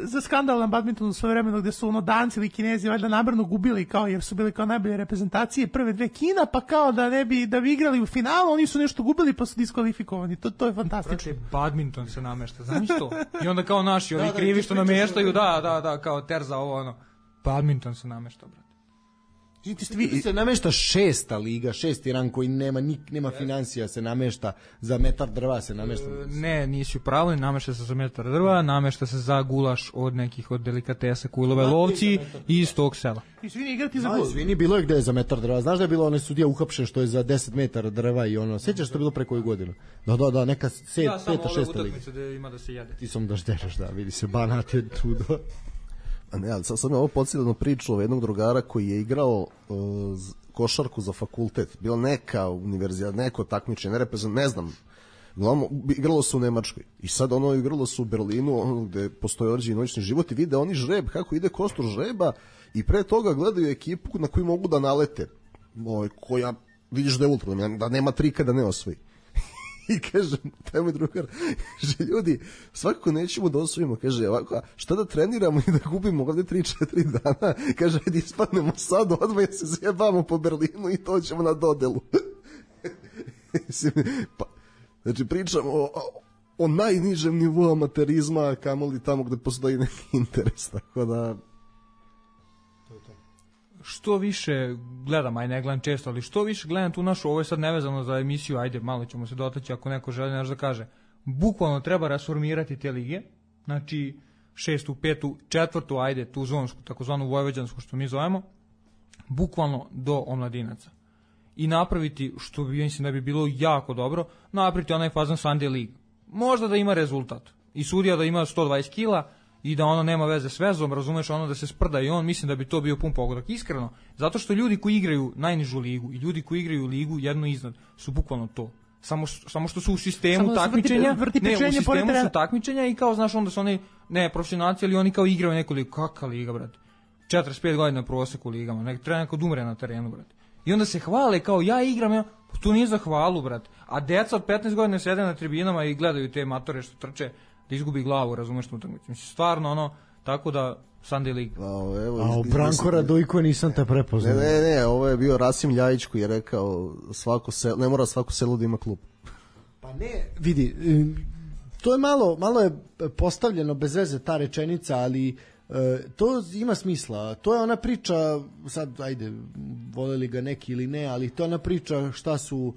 S2: za skandal na badmintonu svoje vremeno gde su ono Danci ili Kinezi valjda namerno gubili kao jer su bili kao najbolje reprezentacije prve dve Kina, pa kao da ne bi da bi igrali u finalu, oni su nešto gubili pa su diskvalifikovani. To to je fantastično.
S3: Prate, badminton se namešta, znaš to? I onda kao naši, oni krivi što nameštaju, da, da, da, kao terza ovo ono. Badminton se namešta, brate.
S4: Vi se namešta šesta liga, šesti rang koji nema nik, nema financija, se namešta za metar drva, se namešta.
S3: Ne, nisi u pravu, namešta se za metar drva, namešta se za gulaš od nekih od delikatesa Kujlove lovci i iz tog sela.
S2: I svi igrati za
S4: gul.
S2: gul.
S4: Izvini, bilo je gde je za metar drva. Znaš da je bilo onaj sudija uhapšen što je za deset metara drva i ono, sećaš što je bilo pre koju godinu? Da, da, da, neka set,
S3: ja,
S4: peta, šesta liga.
S3: Da, ima da se jede.
S4: Ti sam da ždereš, da, vidi se, Banat je tu do...
S5: A ne, ali sad sam je ovo podsjetljeno priču o jednog drugara koji je igrao uh, košarku za fakultet. Bila neka univerzija, neko takmičenje, ne reprezent, ne znam. Uglavnom, igralo se u Nemačkoj. I sad ono igralo se u Berlinu, ono gde postoje određeni noćni život i vide oni žreb, kako ide kostur žreba i pre toga gledaju ekipu na koju mogu da nalete. Ovaj, koja, vidiš da je ultra, da nema trika da ne osvoji. I kažem, taj moj drugar, kaže, ljudi, svakako nećemo da osvojimo, kaže, ovako, šta da treniramo i da gubimo ovde tri četiri dana, kaže, ajde ispadnemo sad, odmah se zjebamo po Berlinu i to ćemo na dodelu. Pa, znači, pričamo o, o, o najnižem nivou amaterizma, kamoli tamo gde postoji neki interes, tako da...
S3: Što više gledam, aj ne gledam često, ali što više gledam tu našu, ovo je sad nevezano za emisiju, ajde, malo ćemo se dotaći ako neko želi nešto da kaže. Bukvalno treba rasformirati te lige, znači šestu, petu, četvrtu, ajde, tu zonsku, takozvanu vojvođansku što mi zovemo, bukvalno do omladinaca. I napraviti, što bi, mislim da bi bilo jako dobro, napraviti onaj fazan Sunday League. Možda da ima rezultat. I sudija da ima sto dvadeset kila, i da ono nema veze s vezom, razumeš, ono da se sprda i on, mislim da bi to bio pun pogodak. Iskreno, zato što ljudi koji igraju najnižu ligu i ljudi koji igraju ligu jedno iznad su bukvalno to. Samo, samo što su u sistemu takmičenja,
S2: vrti, vrti
S3: ne, u sistemu su takmičenja i kao, znaš, onda su oni, ne, profesionalci, ali oni kao igraju neku ligu. Kakva liga, brate? četrdeset pet godina proseku ligama, nek treba neko da umre na terenu, brate. I onda se hvale kao, ja igram, ja, pa to nije za hvalu, brate. A deca od petnaest godina sede na tribinama i gledaju te matore što trče, da izgubi glavu, razumeš tu utakmicu. Mislim, stvarno, ono, tako da Sunday League.
S5: A, evo,
S4: A u Branko Radojko nisam te prepoznao.
S5: Ne, ne, ne, ovo je bio Rasim Ljajić koji je rekao, svako selo, ne mora svako selo da ima klub.
S4: Pa ne, vidi, to je malo, malo je postavljeno bez veze ta rečenica, ali to ima smisla. To je ona priča, sad, ajde, voleli ga neki ili ne, ali to je ona priča šta su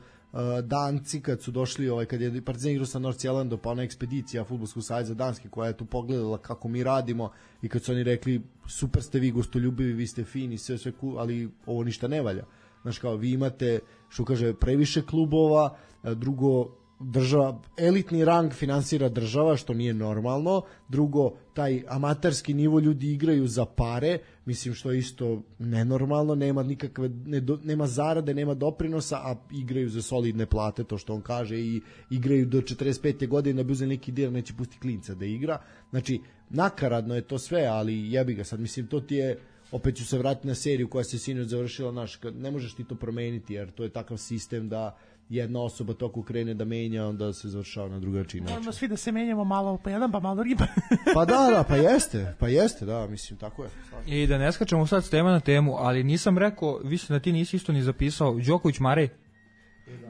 S4: Danci kad su došli, ovaj, kad je Partizan igrao sa Nordsjællandom, pa ona ekspedicija Fudbalskog saveza Danske koja je tu pogledala kako mi radimo i kad su oni rekli super ste vi gostoljubivi, vi ste fini, sve sve cool, ali ovo ništa ne valja. Znaš, kao vi imate, što kaže, previše klubova, drugo, država, elitni rang finansira država, što nije normalno, drugo, taj amaterski nivo ljudi igraju za pare, mislim što je isto nenormalno, nema nikakve, ne do, nema zarade, nema doprinosa, a igraju za solidne plate, to što on kaže, i igraju do četrdeset pete godine, da bi uzeli neki dir, neće pustiti klinca da igra, znači, nakaradno je to sve, ali jebi ga sad, mislim, to ti je, opet ću se vratiti na seriju koja se sinoć završila, naš, ne možeš ti to promeniti, jer to je takav sistem da jedna osoba toku krene da menja, onda se završava na drugačiji način.
S2: Moramo svi da se menjamo malo pa jedan, pa malo drugi. Pa,
S4: pa da, da, pa jeste, pa jeste, da, mislim, tako je.
S3: I da ne skačemo sad s tema na temu, ali nisam rekao, mislim da ti nisi isto ni zapisao, Đoković Marej.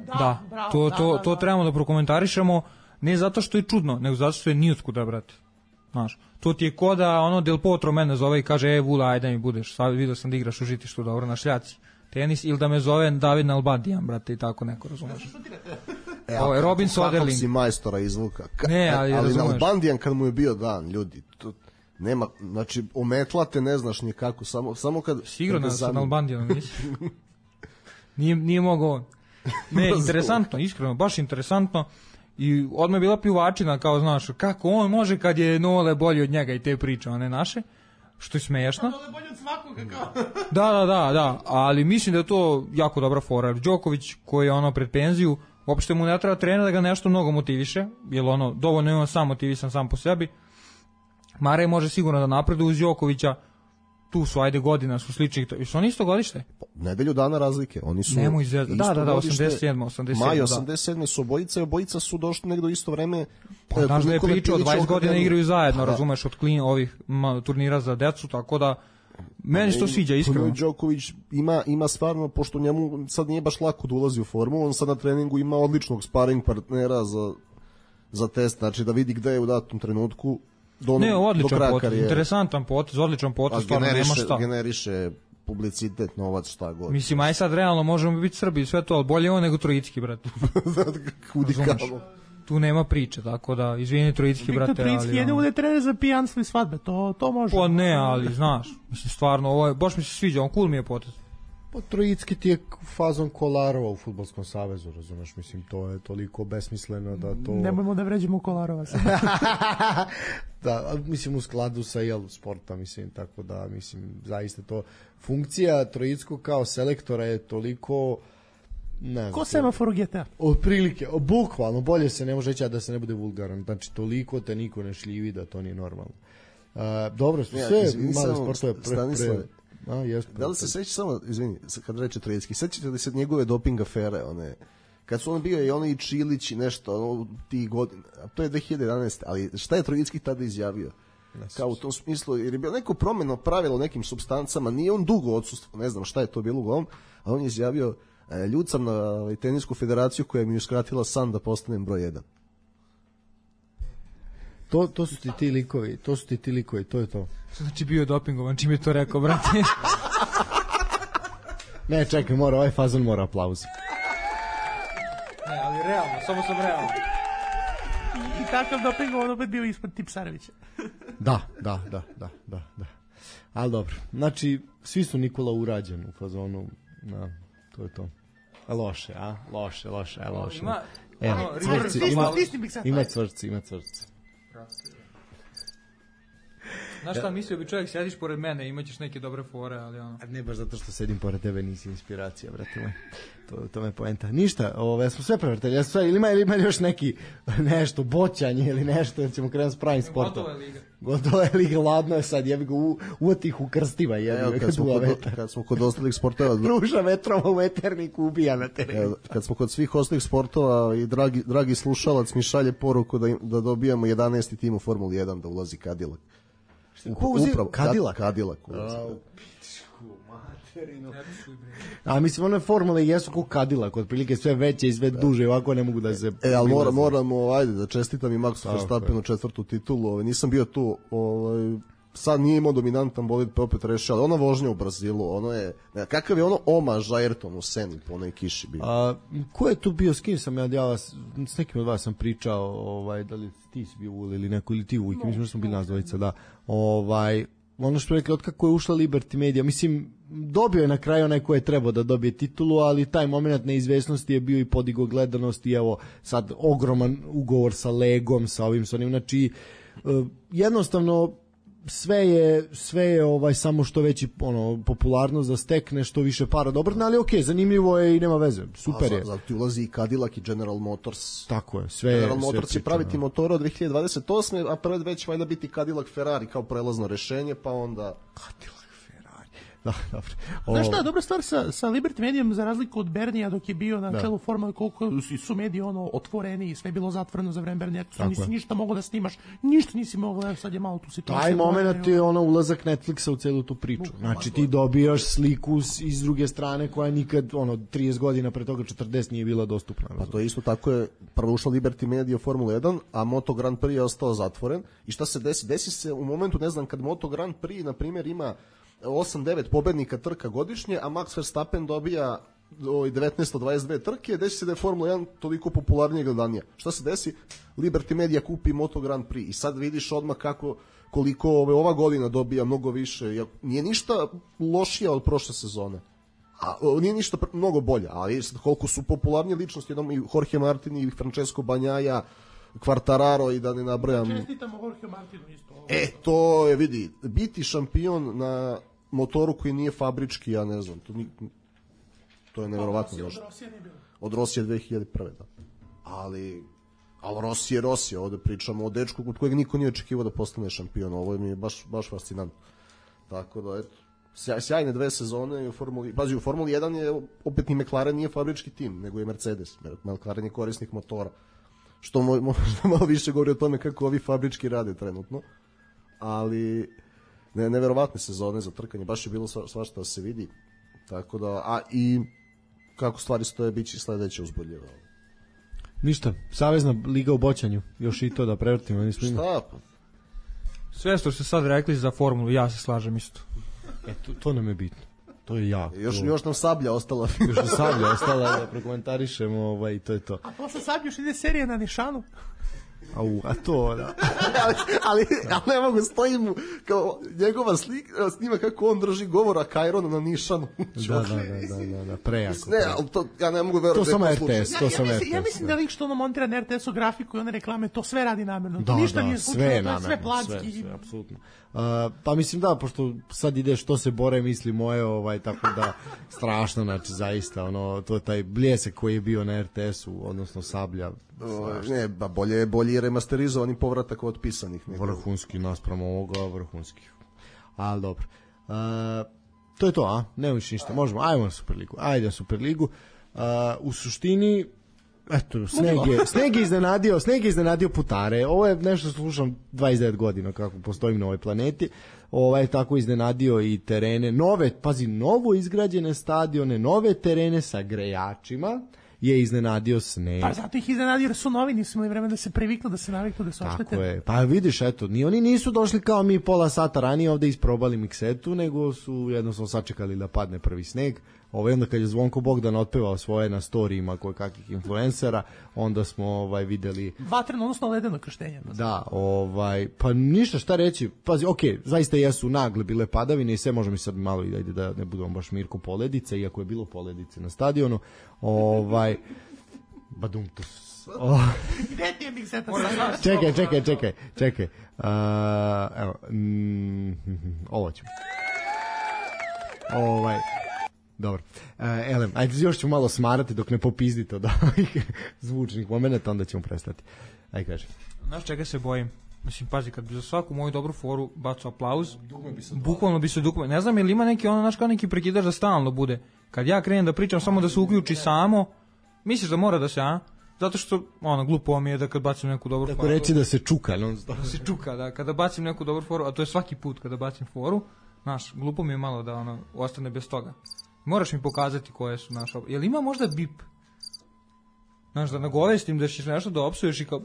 S2: Da,
S3: da,
S2: bravo,
S3: to,
S2: da,
S3: to,
S2: da,
S3: to
S2: da.
S3: trebamo da prokomentarišemo, ne zato što je čudno, nego zato što je nijotkuda, brate. Znaš, to ti je ko da ono Del Potro mene zove i kaže, e, Vula, ajde mi budeš, sad vidio sam da igraš u žitištu, dobro, na šljaci. Tenis, ili da me zove David Nalbandijan, brate, i tako neko, razumeš.
S5: E,
S3: Ovo je Robin Soderling.
S5: Kako si majstora izvuka. Ka,
S3: ne, ali,
S5: ali
S3: razumeš.
S5: Nalbandijan kad mu je bio dan, ljudi, to, nema, znači, ometlate ne znaš nikako, samo, samo kad...
S3: Sigurno sa Nalbandijanom, nisi? nije, nije mogao on. Ne, interesantno, iskreno, baš interesantantno. I odmah je bila pljuvačina, kao, znaš, kako on može kad je Nole bolji od njega i te priče, one naše. Što je smiješno.
S2: Nole bolji od svakoga, kao.
S3: Da, da, da, da, ali mislim da je to jako dobra fora. Jer Đoković, koji je ono pred penziju, uopšte mu ne treba trener da ga nešto mnogo motiviše, jer ono, dovoljno je on sam motivisan sam po sebi. Marej može sigurno da napreduje uz Đokovića, tu su, ajde godina su slični, su oni isto godište?
S5: Nedelju dana razlike, oni su
S3: Nemo izvijezda, da, da, da, osamdeset sedam, osamdeset sedam,
S5: maj
S3: da.
S5: osamdeset sedam su obojica i obojica su došli negdje u isto vreme.
S3: Pa, znaš da je priča, od dvadeset godina igraju zajedno,
S5: da.
S3: Razumeš, od klin, ovih ma, turnira za decu, tako da meni se to sviđa, iskreno.
S5: Novak Đoković ima, ima stvarno, pošto njemu sad nije baš lako da ulazi u formu, on sad na treningu ima odličnog sparing partnera za, za test, znači da vidi gde je u datom trenutku. Do,
S3: ne, odličan potez,
S5: karijere.
S3: Interesantan potez, odličan potez, stvarno nema šta.
S5: Generiše publicitet, novac, šta god.
S3: Mislim, aj sad realno možemo biti Srbi i sve to, ali bolje on nego Trojicki, brate.
S5: Kudi kamo.
S3: Tu nema priče, tako da, izvini Trojicki, brate.
S2: Viktor Trojicki jedno bude trener za pijanstvo i svadbe, to, to može.
S3: Pa ne, ali znaš, mislim, stvarno, ovo je, baš mi se sviđa, on cool mi je potez.
S4: Pa Trojicki ti je fazon Kolarova u Fudbalskom savezu, razumeš, mislim, to je toliko besmisleno da to...
S2: Nemojmo da vređemo Kolarova.
S4: Da, mislim, u skladu sa jel, sporta, mislim, tako da, mislim, zaista to... Funkcija Trojickog kao selektora je toliko... Ne znam,
S2: ko semafor u G T A?
S4: Otprilike, bukvalno, bolje se ne može reći da se ne bude vulgaran, znači toliko te niko ne šljivi da to nije normalno. Uh, dobro, sve ja, male sportove pre... pre a, jest,
S5: da li se seća samo, izvini, kad reče Trojicki, sećate li se njegove doping afere, one... Kad su on bio i oni i Čilić i nešto, ono, tih godina, a to je dve hiljade jedanaeste. Ali šta je Trojicki tada izjavio? Kao u tom smislu, jer je bilo neko promjeno pravilo nekim supstancama, nije on dugo odsustvo, ne znam šta je to bilo uglavnom, a on je izjavio, ljud sam na tenisku federaciju koja mi je uskratila san da postanem broj jedan.
S4: To, to su ti ti likovi, to su ti ti likovi, to je to.
S3: Znači bio je dopingovan, čim je to rekao, brate?
S4: Ne, čekaj, mora, ovaj fazon mora aplauz.
S3: Ne, ali realno, samo sam realno.
S2: I, i takav dopingovan opet bio ispod Tipsarevića.
S4: Da, da, da, da, da, da. Ali dobro, znači, svi su Nikola urađen u fazonu, na, to je to. A loše, a? Loše, loše, a loše.
S3: Ima,
S4: Evo,
S3: ono,
S4: cvrci,
S3: River-
S4: ima,
S2: Stisni-
S4: ima cvrci, ima cvrci.
S3: Znaš šta, mislio bi čovjek, sjediš pored mene, imaćeš neke dobre fore, ali ono...
S4: A ne baš zato što sedim pored tebe, nisi inspiracija, brate moj. To, to me poenta. Ništa, ove, smo sve prevrtali, ja sve, ili ima, ili ima još neki nešto, boćanje ili nešto, jer ćemo krenuti s pravim sportom.
S3: Gotova je liga.
S4: Gotova je liga, ladno je sad, jebi ga, u, uvotih u krstiva, jebi ga,
S5: kad, smo kod, kad smo kod ostalih sportova...
S4: Ruža vetrova u veterniku ubija na terenu.
S5: Evo, kad smo kod svih ostalih sportova i dragi, dragi slušalac mi šalje poruku da, da dobijamo jedanaesti tim u Formuli jedan da ulazi Cadillac.
S4: Ko uzim?
S5: Upravo,
S4: Cadillac?
S5: Cadillac.
S4: A mislim, one formule jesu ko Cadillac, otprilike sve veće i sve duže, ovako ne mogu da se...
S5: E, ali mora, moramo, ajde, da čestitam i Maxu Verstappenu četvrtu titulu, ovaj, nisam bio tu, ovaj, sad nije imao dominantan bolid, pa opet rešio, ali ona vožnja u Brazilu, ono je, ne, kakav je ono omaž Ayrtonu u Seni po onoj kiši bio?
S4: A, ko je tu bio, s kim sam ja, ja s nekim od vas sam pričao, ovaj, da li ti si bio Uli ili neko, ili ti Ujke, mislim da smo bili nas dvojica, da, ovaj, ono što rekli, od kako je ušla Liberty Media, mislim, dobio je na kraju onaj ko je trebao da dobije titulu, ali taj moment neizvesnosti je bio i podigo gledanost i evo sad ogroman ugovor sa Legom, sa ovim, sa onim, znači, jednostavno, sve je sve je ovaj samo što veći ono popularnost da stekne što više para dobro, ali okej, okay, zanimljivo je i nema veze. Super je.
S5: Zato ti ulazi i Cadillac i General Motors.
S4: Tako je, sve
S5: General
S4: sve
S5: Motors će praviti motore od dve hiljade dvadeset osme, a pred već valjda biti Cadillac Ferrari kao prelazno rešenje, pa onda
S4: Cadillac Ferrari. Da, dobro.
S2: Znaš šta, dobra stvar sa, sa Liberty Medijom, za razliku od Bernija dok je bio na da. čelu Formule, koliko su mediji ono otvoreni i sve je bilo zatvoreno za vreme Bernija, tu nisi je. ništa mogao da snimaš, ništa nisi mogao, sad je malo tu situacija.
S4: Taj moment je ono ulazak Netflixa u celu tu priču. Znači ti dobijaš sliku iz druge strane koja nikad, ono, trideset godina pre toga četrdeset nije bila dostupna.
S5: Pa to je isto tako je, prvo ušla Liberty Media u Formula jedan, a Moto Grand Prix je ostao zatvoren. I šta se desi? Desi se u momentu, ne znam, kad Moto Grand Prix, na primjer, ima osam devet pobednika trka godišnje, a Max Verstappen dobija devetnaest od dvadeset dve trke, desi se da je Formula jedan toliko popularnije gledanija. Šta se desi? Liberty Media kupi Moto Grand Prix i sad vidiš odmah kako, koliko ove, ova godina dobija mnogo više. Nije ništa lošija od prošle sezone. A, nije ništa mnogo bolje, ali sad koliko su popularnije ličnosti, jednom i Jorge Martin i Francesco Bagnaia, Quartararo i da ne nabrajam.
S2: Čestitamo Jorge Martinu isto.
S5: E, to je, vidi, biti šampion na motoru koji nije fabrički, ja ne znam, to, ni, to je nevjerovatno.
S2: Od Rosije nije bilo.
S5: Od Rosije dve hiljade prve, da. Ali, ali Rosije je Rosije, ovde pričamo o dečku kod kojeg niko nije očekivao da postane šampion, ovo mi je baš, baš fascinantno. Tako da, eto, sjaj, sjajne dve sezone u Formuli, pazi, u Formuli jedan je opet ni McLaren nije fabrički tim, nego je Mercedes. McLaren je korisnik motora. Što mo, možda malo više govori o tome kako ovi fabrički rade trenutno. Ali ne, neverovatne sezone za trkanje, baš je bilo sva, svašta da se vidi. Tako da, a i kako stvari stoje, bit će sledeće uzbudljivo.
S4: Ništa, Savezna liga u boćanju, još i to da prevrtimo. Nismo
S5: Šta?
S3: Sve što ste sad rekli za formulu, ja se slažem isto.
S4: E, to, to nam je bitno. To je jako.
S5: Još, još nam Sablja ostala.
S4: Još nam Sablja ostala da prokomentarišemo, ovaj, to je to.
S2: A posle sad još ide serija na Nišanu.
S4: Au, a to, da.
S5: ali, ali, ali ne mogu, stojim mu kao njegova slika, snima kako on drži govora Kajrona na Nišanu.
S4: da, da, da, da, da, da, prejako.
S5: Ne, ali to, ja ne mogu verovati.
S4: To samo R T S, to
S2: ja,
S4: samo
S2: ja,
S4: R T S.
S2: mislim, ja mislim da lik što ono montira na R T S-u grafiku i one reklame, to sve radi namjerno.
S4: Da,
S2: Ništa
S4: da,
S2: nije
S4: sve
S2: slučajno,
S4: je
S2: to je
S4: namerno,
S2: sve planski.
S4: sve, sve, apsolutno. Uh, pa mislim da, pošto sad ide što se bore misli moje, ovaj, tako da strašno, znači zaista, ono, to je taj bljesak koji je bio na R T S-u, odnosno Sablja.
S5: O, ne, ba bolje je bolje remasterizovani povratak od pisanih. Nego.
S4: Vrhunski naspram ovoga, vrhunski. Ali dobro. Uh, to je to, a? Nema više ništa. Možemo, ajmo na Superligu. Ajde na Superligu. Uh, u suštini, eto, Sneg je, Sneg je iznenadio, Sneg je iznenadio putare. Ovo je nešto što slušam dvadeset devet godina kako postojim na ovoj planeti. Ovaj tako iznenadio i terene, nove, pazi, novo izgrađene stadione, nove terene sa grejačima je iznenadio Sneg.
S2: Pa zato ih iznenadio jer su novi, nisu imali vremena da se priviknu, da se naviknu, da se oštete.
S4: Tako je. Pa vidiš, eto, ni oni nisu došli kao mi pola sata ranije ovde isprobali miksetu, nego su jednostavno sačekali da padne prvi sneg. Ovaj, onda kad je Zvonko Bogdan otpevao svoje na storijima koje kakvih influencera, onda smo ovaj videli
S2: vatreno, odnosno ledeno krštenje.
S4: Da, ovaj, pa ništa šta reći. Pazi, okej, okay, zaista jesu nagle bile padavine i sve, možemo i sad malo i ajde da ne budemo baš Mirko poledice, iako je bilo poledice na stadionu. Ovaj badumtus. Oh.
S2: Gde ti je mikseta?
S4: Čekaj, čekaj, čekaj, čekaj. Uh, evo, mm, ovo ću. Ovaj Dobro. Uh, Elem, ajde još ću malo smarati dok ne popizdite od ovih zvučnih momenta, onda ćemo prestati. Ajde kaži.
S3: Znaš čega se bojim? Mislim, pazi, kad bi za svaku moju dobru foru bacu aplauz, bukvalno bi se dukme. Ne znam, ili ima neki, ono, znaš, kao neki prekidač da stalno bude. Kad ja krenem da pričam, samo da se uključi samo, misliš da mora da se, a? Zato što, ono, glupo mi je da kad bacim neku dobru
S4: Tako
S3: foru...
S4: Tako reći da se čuka, non stop.
S3: Da se čuka, da. Kada bacim neku dobru foru, a to je svaki put kada bacim foru, znaš, glupo mi je malo da, ono, ostane bez toga. Moraš mi pokazati koje su naše... Jel ima možda bip? Znaš, da nagovestim da ćeš nešto da opsuješ i kao...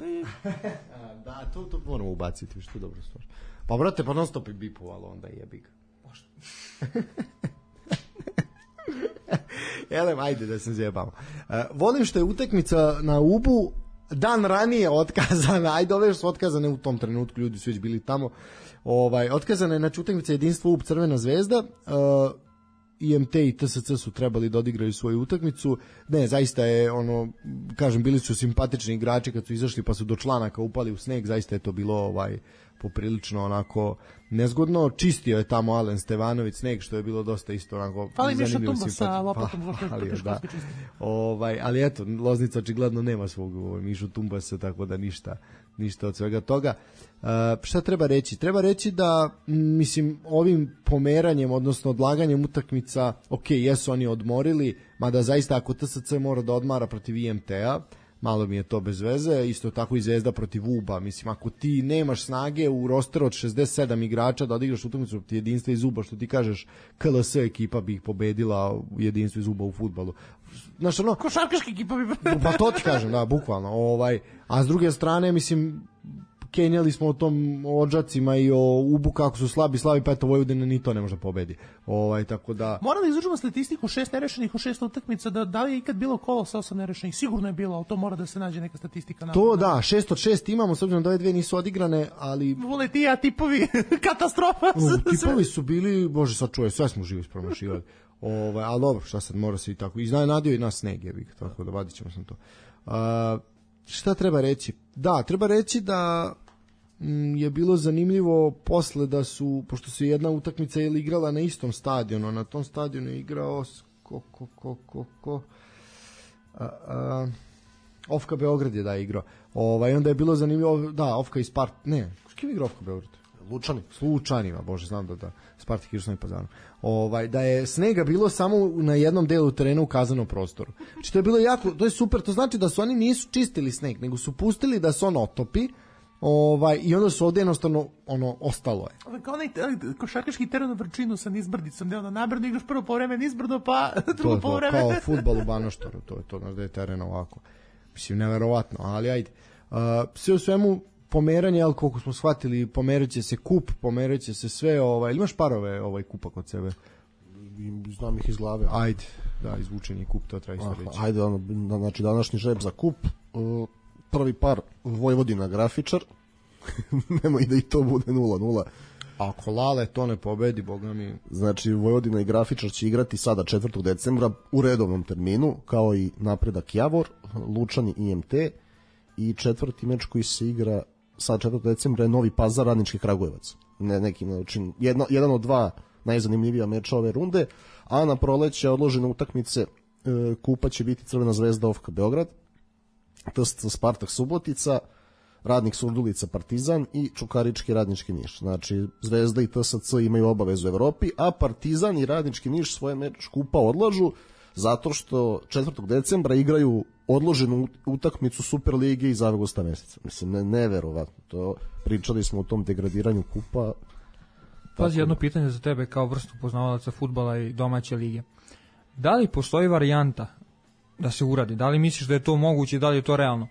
S4: Da, to, to moramo ubaciti, što je dobro stvar. Pa, brate, pa non stop i bipovalo, onda jebi ga. Možda. Elem, ajde da se zjebamo. Uh, volim što je utakmica na Ubu dan ranije otkazana, ajde, ove su otkazane u tom trenutku, ljudi su već bili tamo. Ovaj, otkazana je, znači, utakmica jedinstvo Ub Crvena zvezda, uh, I M T i T S C su trebali da odigraju svoju utakmicu. Ne, zaista je ono, kažem, bili su simpatični igrači kad su izašli pa su do članaka upali u sneg, zaista je to bilo ovaj poprilično onako nezgodno. Čistio je tamo Alen Stevanović sneg, što je bilo dosta isto onako
S2: Fali
S4: zanimljivo.
S2: Miša Tumba sa lopatom,
S4: pa, ali, da. ovaj, ali eto, Loznica očigledno nema svog ovaj, Mišu Tumbasa, tako da ništa ništa od svega toga. Uh, šta treba reći? Treba reći da, mislim, ovim pomeranjem, odnosno odlaganjem utakmica, ok, jesu oni odmorili, mada zaista ako T S C mora da odmara protiv I M T-a, malo mi je to bez veze, isto tako i Zvezda protiv Uba, mislim, ako ti nemaš snage u rosteru od šezdeset sedam igrača da odigraš utakmicu protiv jedinstva iz Uba, što ti kažeš, K L S ekipa bi ih pobedila u jedinstvu iz Uba u fudbalu. Znaš, ono,
S2: košarkaška ekipa bi...
S4: Pa to ti kažem, da, bukvalno. Ovaj, a s druge strane, mislim, kenjali smo o tom o Odžacima i o Ubu kako su slabi, slabi, pa eto Vojvodina ni to ne može pobedi. Ovaj, tako da...
S2: Moram da izvučemo statistiku šest nerešenih u šest utakmica, da, da li je ikad bilo kolo sa osam nerešenih? Sigurno je bilo, ali to mora da se nađe neka statistika.
S4: To da, šest od šest imamo, s obzirom da ove dve nisu odigrane, ali...
S2: Voletija, tipovi, katastrofa.
S4: U, tipovi su bili, bože, sad čuje, sve smo živi ispromašivali. Ovaj, ali dobro, šta sad, mora se i tako. Iznenadio i nas sneg, jebik, tako da vadit ćemo sam to. Uh, šta treba reći? Da, treba reći da m, je bilo zanimljivo posle da su, pošto se jedna utakmica je igrala na istom stadionu, na tom stadionu je igrao ko, ko, ko, ko, ko, a, a, Ofka Beograd je da igrao. Ovaj, onda je bilo zanimljivo, da, Ofka iz Spart, ne, kim igra Ofka Beograd?
S5: Lučani.
S4: S Lučanima, bože, znam da da. Spartak igrao s Novim Pazarom. Ovaj, da je snega bilo samo na jednom delu terena u kazanom prostoru. Znači to je bilo jako, to je super, to znači da su oni nisu čistili sneg, nego su pustili da se on otopi. Ovaj, i onda su ovde jednostavno ono ostalo je.
S2: Kao onaj košarkaški teren u Vrčinu sa nizbrdicom, gde onda nabrdo igraš prvo povreme nizbrdo, pa drugo povreme.
S4: Kao fudbal u Banoštoru, to je to, znaš da je teren ovako. Mislim, neverovatno, ali ajde. Uh, sve u svemu, pomeranje, ali koliko smo shvatili, pomerat će se kup, pomerat će se sve, ovaj, ili imaš parove ovaj kupa kod sebe?
S5: Znam ih iz glave.
S4: Ajde, da, izvučen je kup, to treba isto reći.
S5: Ajde, ono, znači današnji žreb za kup, uh, prvi par Vojvodina Grafičar, nemoj da i to bude nula nula.
S4: Ako Lale to ne pobedi, boga mi...
S5: Znači, Vojvodina i Grafičar će igrati sada četvrtog decembra u redovnom terminu, kao i Napredak Javor, Lučani I M T, i četvrti meč koji se igra sad četvrtog decembra je Novi Pazar, Radnički Kragujevac. Ne, neki način, jedno, jedan od dva najzanimljivija meča ove runde, a na proleće odložene utakmice e, kupa će biti Crvena zvezda O F K Beograd, T S C Spartak Subotica, Radnik Surdulica Partizan i Čukarički Radnički Niš. Znači, Zvezda i T S C imaju obavezu u Evropi, a Partizan i Radnički Niš svoje meč kupa odlažu zato što četvrtog decembra igraju odloženu utakmicu Superlige iz avgusta meseca. Mislim, ne, neverovatno. To, pričali smo o tom degradiranju kupa.
S3: Pazi, jedno pitanje za tebe kao vrstu poznavalaca fudbala i domaće lige. Da li postoji varijanta da se uradi? Da li misliš da je to moguće i da li je to realno?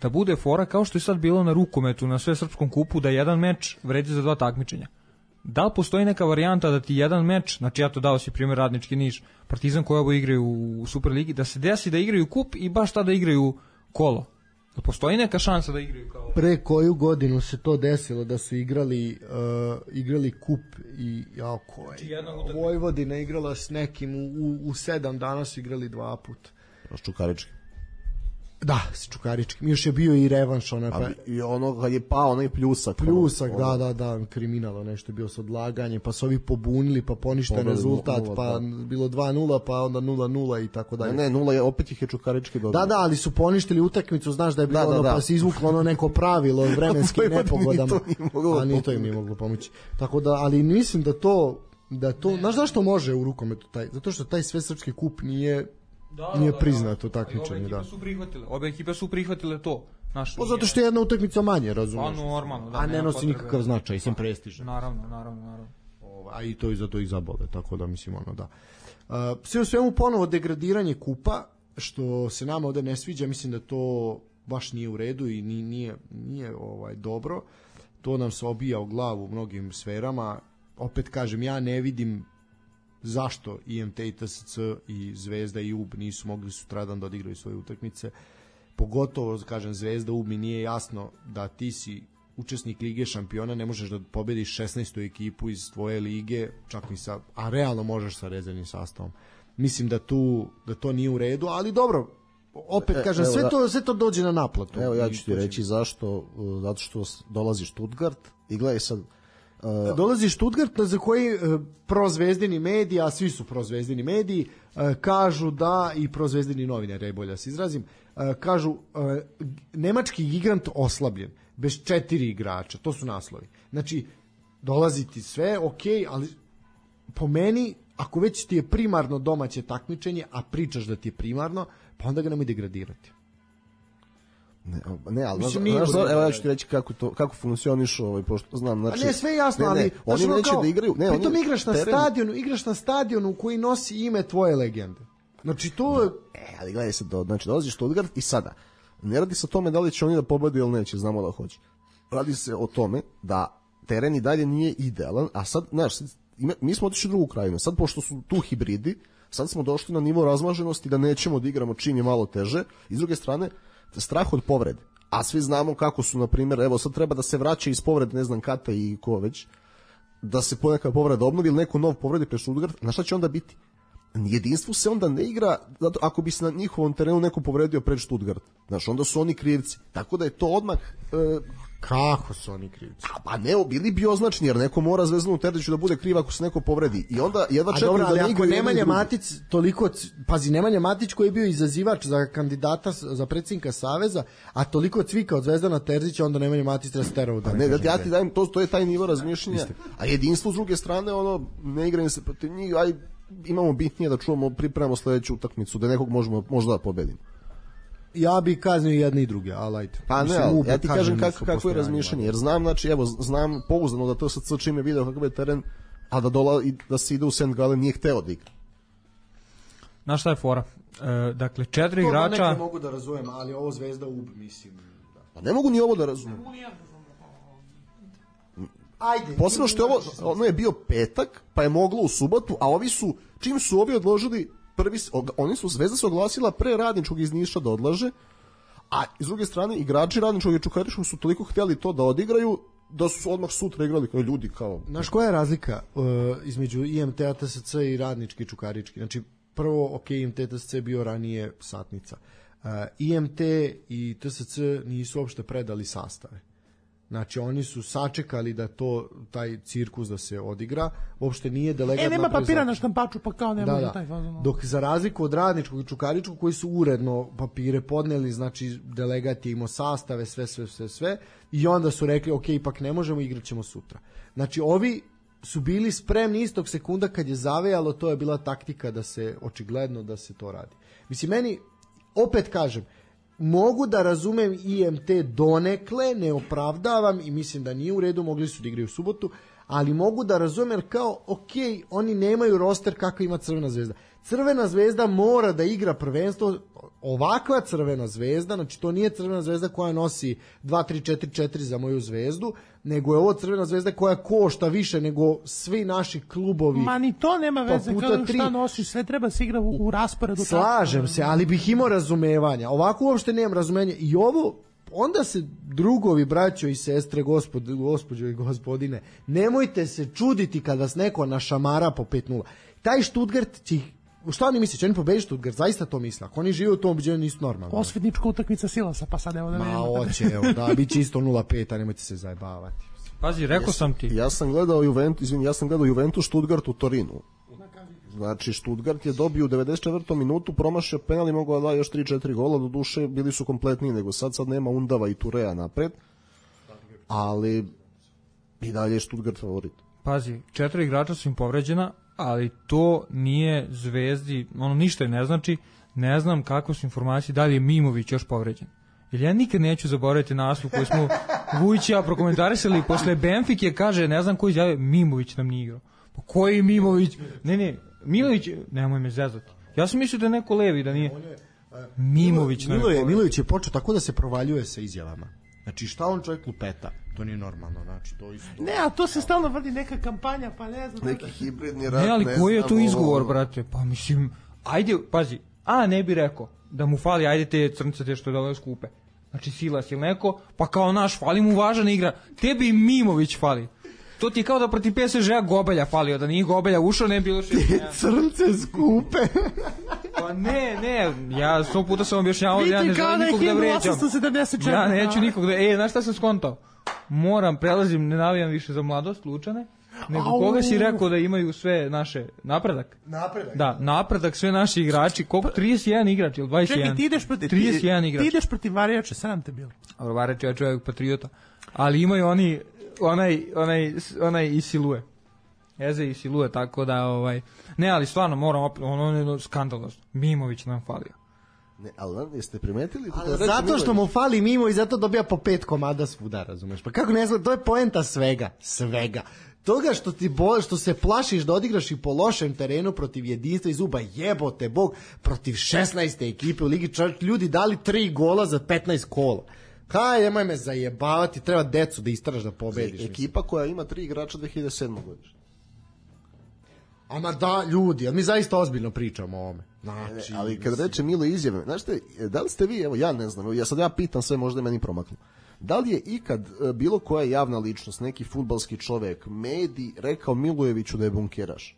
S3: Da bude fora kao što je sad bilo na rukometu, na svesrpskom kupu, da jedan meč vredi za dva takmičenja. Da li postoji neka varijanta da ti jedan meč, znači ja to dao si primjer Radnički Niš, Partizan koji obo igraju u Superligi, da se desi da igraju kup i baš tada igraju kolo? Da postoji neka šansa da igraju kao...
S4: Pre koju godinu se to desilo da su igrali uh, igrali kup i ja koje? Vojvodina igrala s nekim u, u, u sedam dana su igrali dva puta.
S5: Čukarički.
S4: Da, s Čukaričkim. Još je bio i revanš onaj pa...
S5: i ono kad je pao onaj pljusak.
S4: Pljusak,
S5: ono,
S4: da, da, da, kriminalo nešto je bio s odlaganjem, pa su ovi pobunili, pa poništen Pobili rezultat, nula, pa da. Bilo dva nula, pa onda nula nula i tako dalje.
S5: Ne, ne, nula je, opet ih je Čukarički dobio.
S4: Da, da, ali su poništili utakmicu, znaš da je bilo da, da, ono, da. Pa se izvuklo ono neko pravilo vremenski nepogodama. A ni to im nije moglo pomoći. Tako da, ali mislim da to, da to, znaš zašto može u rukometu taj? Zato što taj svesrpski kup nije Da, nije da, priznato da, takmičenje, da.
S3: Obe ekipe su prihvatile, obe ekipe su prihvatile to. Naš,
S4: pa zato što je jedna utakmica manje, razumiješ.
S3: Pa normalno, da.
S4: A ne nosi nikakav značaj, sem prestiža.
S3: Naravno, naravno, naravno.
S4: A i to i zato ih zabole, tako da mislim ono da. Uh, sve u svemu ponovo degradiranje kupa, što se nama ovde ne sviđa, mislim da to baš nije u redu i nije, nije, nije ovaj, dobro. To nam se obija u glavu u mnogim sferama. Opet kažem, ja ne vidim zašto I M T i T S C i Zvezda i U B nisu mogli sutradan da odigraju svoje utakmice. Pogotovo, kažem, Zvezda, U B mi nije jasno da ti si učesnik Lige šampiona, ne možeš da pobediš šesnaestu ekipu iz tvoje lige, čak ni sa, a realno možeš sa rezervnim sastavom. Mislim da tu da to nije u redu, ali dobro, opet kažem, e, sve, to, sve to dođe na naplatu.
S5: Evo ja ću ti reći zašto, zato što dolazi Stuttgart i gledaj sad,
S4: Uh, dolazi Stuttgart za koji uh, prozvezdini mediji, a svi su prozvezdini mediji, uh, kažu da, i prozvezdini novinari, bolje da se izrazim, uh, kažu uh, nemački gigant oslabljen, bez četiri igrača, to su naslovi. Znači, dolazi ti sve, ok, ali po meni, ako već ti je primarno domaće takmičenje, a pričaš da ti je primarno, pa onda ga nemoj degradirati.
S5: Ne, ne, ali Mislim, znaš, znaš, evo ja ću ti reći kako to kako funkcioniše ovaj pošto znam, znači.
S4: A ne, sve jasno,
S5: ne, ne,
S4: ali
S5: oni neće da igraju, ne,
S4: oni igraš na teren... stadionu, igraš na stadionu koji nosi ime tvoje legende. Znači to je,
S5: e, ali gledaj se, do, znači dolaziš Stuttgart i sada ne radi se o tome da li će oni da pobede ili neće, znamo da hoće. Radi se o tome da teren i dalje nije idealan, a sad, znaš, mi smo otišli u drugu krajinu. Sad pošto su tu hibridi, sad smo došli na nivo razmaženosti da nećemo da igramo čim je malo teže. I s druge strane, strah od povrede. A svi znamo kako su, na primjer, evo sad treba da se vraća iz povrede, ne znam, Kata i ko već, da se poneka povreda obnovi ili neko nov povredi pre Stuttgart, na šta će onda biti? Jedinstvo se onda ne igra, zato ako bi se na njihovom terenu neko povredio pred Stuttgart. Znaš, onda su oni krivci. Tako da je to odmah e,
S4: Kako su oni krivci?
S5: A, pa ne, bili bi označni, jer neko mora Zvezdanu Terziću da bude kriv ako se neko povredi. I onda jedva čekaju da ne igraju.
S4: Nemanja Matić toliko, pazi, Nemanja Matić koji je bio izazivač za kandidata za predsjednika Saveza, a toliko cvika od Zvezdana Terzića, onda Nemanja Matić treba sterao da
S5: ne. Ne, da ja ti dajem, to, to je taj nivo razmišljanja. A jedinstvo s druge strane, ono, ne igraju se protiv njih, aj imamo bitnije da čuvamo, pripremamo sledeću utakmicu, da nekog možemo možda da pobedimo.
S4: Ja bih kaznio jedne i druge, ali ajde.
S5: Pa ne, ali, ja ti kažem kako, kako je razmišljanje, jer znam, znači, evo, znam pouzdano da T S C čim je video kakav je teren, a da, dola, da se ide u Saint Gallen nije hteo da igra.
S3: Znaš šta je fora? E, dakle, četiri
S4: to
S3: igrača...
S4: To neke mogu da razumem, ali ovo Zvezda ub, mislim. Da.
S5: Pa ne mogu ni ovo da razumem.
S4: Ajde.
S5: Posebno što je ovo, ono je bio petak, pa je moglo u subotu, a ovi su, čim su ovi odložili prvi, oni su, Zvezda se oglasila pre Radničkog iz Niša da odlaže, a s druge strane igrači Radničkog i Čukaričkog su toliko htjeli to da odigraju da su odmah sutra igrali kao ljudi kao...
S4: Znaš koja je razlika uh, između I M T-a, T S C i Radnički i Čukarički? Znači, prvo, ok, I M T, T S C bio ranije satnica. Uh, I M T i T S C nisu uopšte predali sastave. Znači, oni su sačekali da to, taj cirkus da se odigra, uopšte nije delegat...
S2: E, nema papira na štampaču, pa kao ne da, može da. Taj fazon.
S4: Dok za razliku od Radničkog i Čukaričkog, koji su uredno papire podneli, znači, delegat je imao sastave, sve, sve, sve, sve, i onda su rekli, ok, ipak ne možemo, igrat ćemo sutra. Znači, ovi su bili spremni istog sekunda kad je zavejalo, to je bila taktika da se, očigledno, da se to radi. Mislim, meni, opet kažem, mogu da razumem I M T donekle, ne opravdavam i mislim da nije u redu, mogli su da igraju u subotu, ali mogu da razumem kao, ok, oni nemaju roster kako ima Crvena zvezda. Crvena zvezda mora da igra prvenstvo, ovakva Crvena zvezda, znači to nije Crvena zvezda koja nosi dva tri četiri četiri za moju zvezdu, nego je ovo Crvena zvezda koja košta više nego svi naši klubovi.
S2: Ma ni to nema veze, kao šta nosiš, sve treba se igra u, u rasporedu.
S4: Slažem tako. se, ali bih imao razumevanja. Ovako uopšte nemam razumenja. I ovo, onda se drugovi, braćo i sestre, gospod, gospođo i gospodine, nemojte se čuditi kad vas neko našamara po pet nula. Taj Stuttgart će ih, šta oni misle, će oni pobediti Stuttgart, zaista to misle. Ako oni žive u tom ubeđenju nisu normalno.
S2: Osvetnička utakmica Silasa, pa sad evo da
S4: Ma,
S2: nema.
S4: Ma oće, evo, da, bit će isto nula pet, a nemojte se zajebavati.
S3: Pazi, rekao sam ti.
S5: Ja sam gledao Juventus, izvini, ja sam gledao Juventus Stuttgart u Torinu. Znači, Stuttgart je dobio u devedeset četvrtoj minutu, promašio penal i mogao da da još tri četiri gola, do duše bili su kompletniji nego sad, sad nema Undava i Turea napred, ali i dalje je Stuttgart favorit.
S3: Pazi, četiri igrača su im povređena, ali to nije Zvezdi, ono ništa ne znači, ne znam kakve su informacije, da li je Mimović još povređen. Jer ja nikad neću zaboraviti naslov koji smo Vujić i ja prokomentarisali posle Benfike, kaže, ne znam ko izjave, Mimović nam nije igrao. Pa koji Mimović? Ne, ne, Milović, nemoj me zezati. Ja sam mislio da je neko levi, da nije. Mimović.
S4: Milo je, Milović je počeo tako da se provaljuje sa izjavama. Znači, šta on čovjek lupeta? To nije normalno, znači, to isto...
S2: Ne, a to se stalno vrdi neka kampanja, pa ne znam...
S5: Neki hibridni rat,
S3: ne, ali
S5: ne
S3: koji je to izgovor,
S5: ovo...
S3: brate? Pa mislim, ajde, pazi, a ne bi rekao da mu fali, ajde te crnce te što je dole skupe. Znači, Silas ili neko, pa kao naš, fali mu važan igra. Tebi Mimović fali. To ti je kao da protiv P S G-a Gobelja falio, da nije Gobelja ušao, ne bi bilo što...
S4: Crnce skupe.
S3: Pa ne, ne, ja sto puta sam objašnjavao da ja ne želim nikog da vređam. Ja neću nikog da... E, znaš šta sam skontao? Moram, prelazim, ne navijam više za Mladost, Lučane, nego Au. Koga si rekao da imaju sve naše... Napredak?
S4: Napredak.
S3: Da, napredak, sve naši igrači. Koliko? trideset jedan igrač ili dvadeset jedan?
S2: Čekaj, ti ideš protiv...
S3: trideset jedan igrač.
S2: Ti ideš protiv Varjača, sram te bilo.
S3: Varjač je čovjek patriota. Ali imaju oni... onaj onaj onaj i Silue. Eze i Silue, tako da ovaj ne, ali stvarno moram opet, ono je skandalozno. Mimović nam falio.
S5: Ne, ali jeste primetili
S4: to? Ali zato što mu fali Mimo i zato dobija po pet komada svuda, razumeš? Pa kako ne znam, to je poenta svega, svega. Toga što ti bo, što se plašiš da odigraš i po lošem terenu protiv jedinstva i zuba, jebote bog, protiv šesnaeste ekipe u ligi, čak ljudi dali tri gola za petnaest kola. Kaj, nemoj me zajebavati, treba decu da istraš da pobediš.
S5: Ekipa mislim. Koja ima tri igrača dve hiljade sedme godište.
S4: Ama da, ljudi, mi zaista ozbiljno pričamo o ovome.
S5: Znači, ne, ali kad reče Milo izjave, znaš te, da li ste vi, evo ja ne znam, ja sad ja pitam sve, možda je meni promaklo. Da li je ikad bilo koja javna ličnost, neki fudbalski čovek, medij, rekao Milojeviću da je bunkeraš?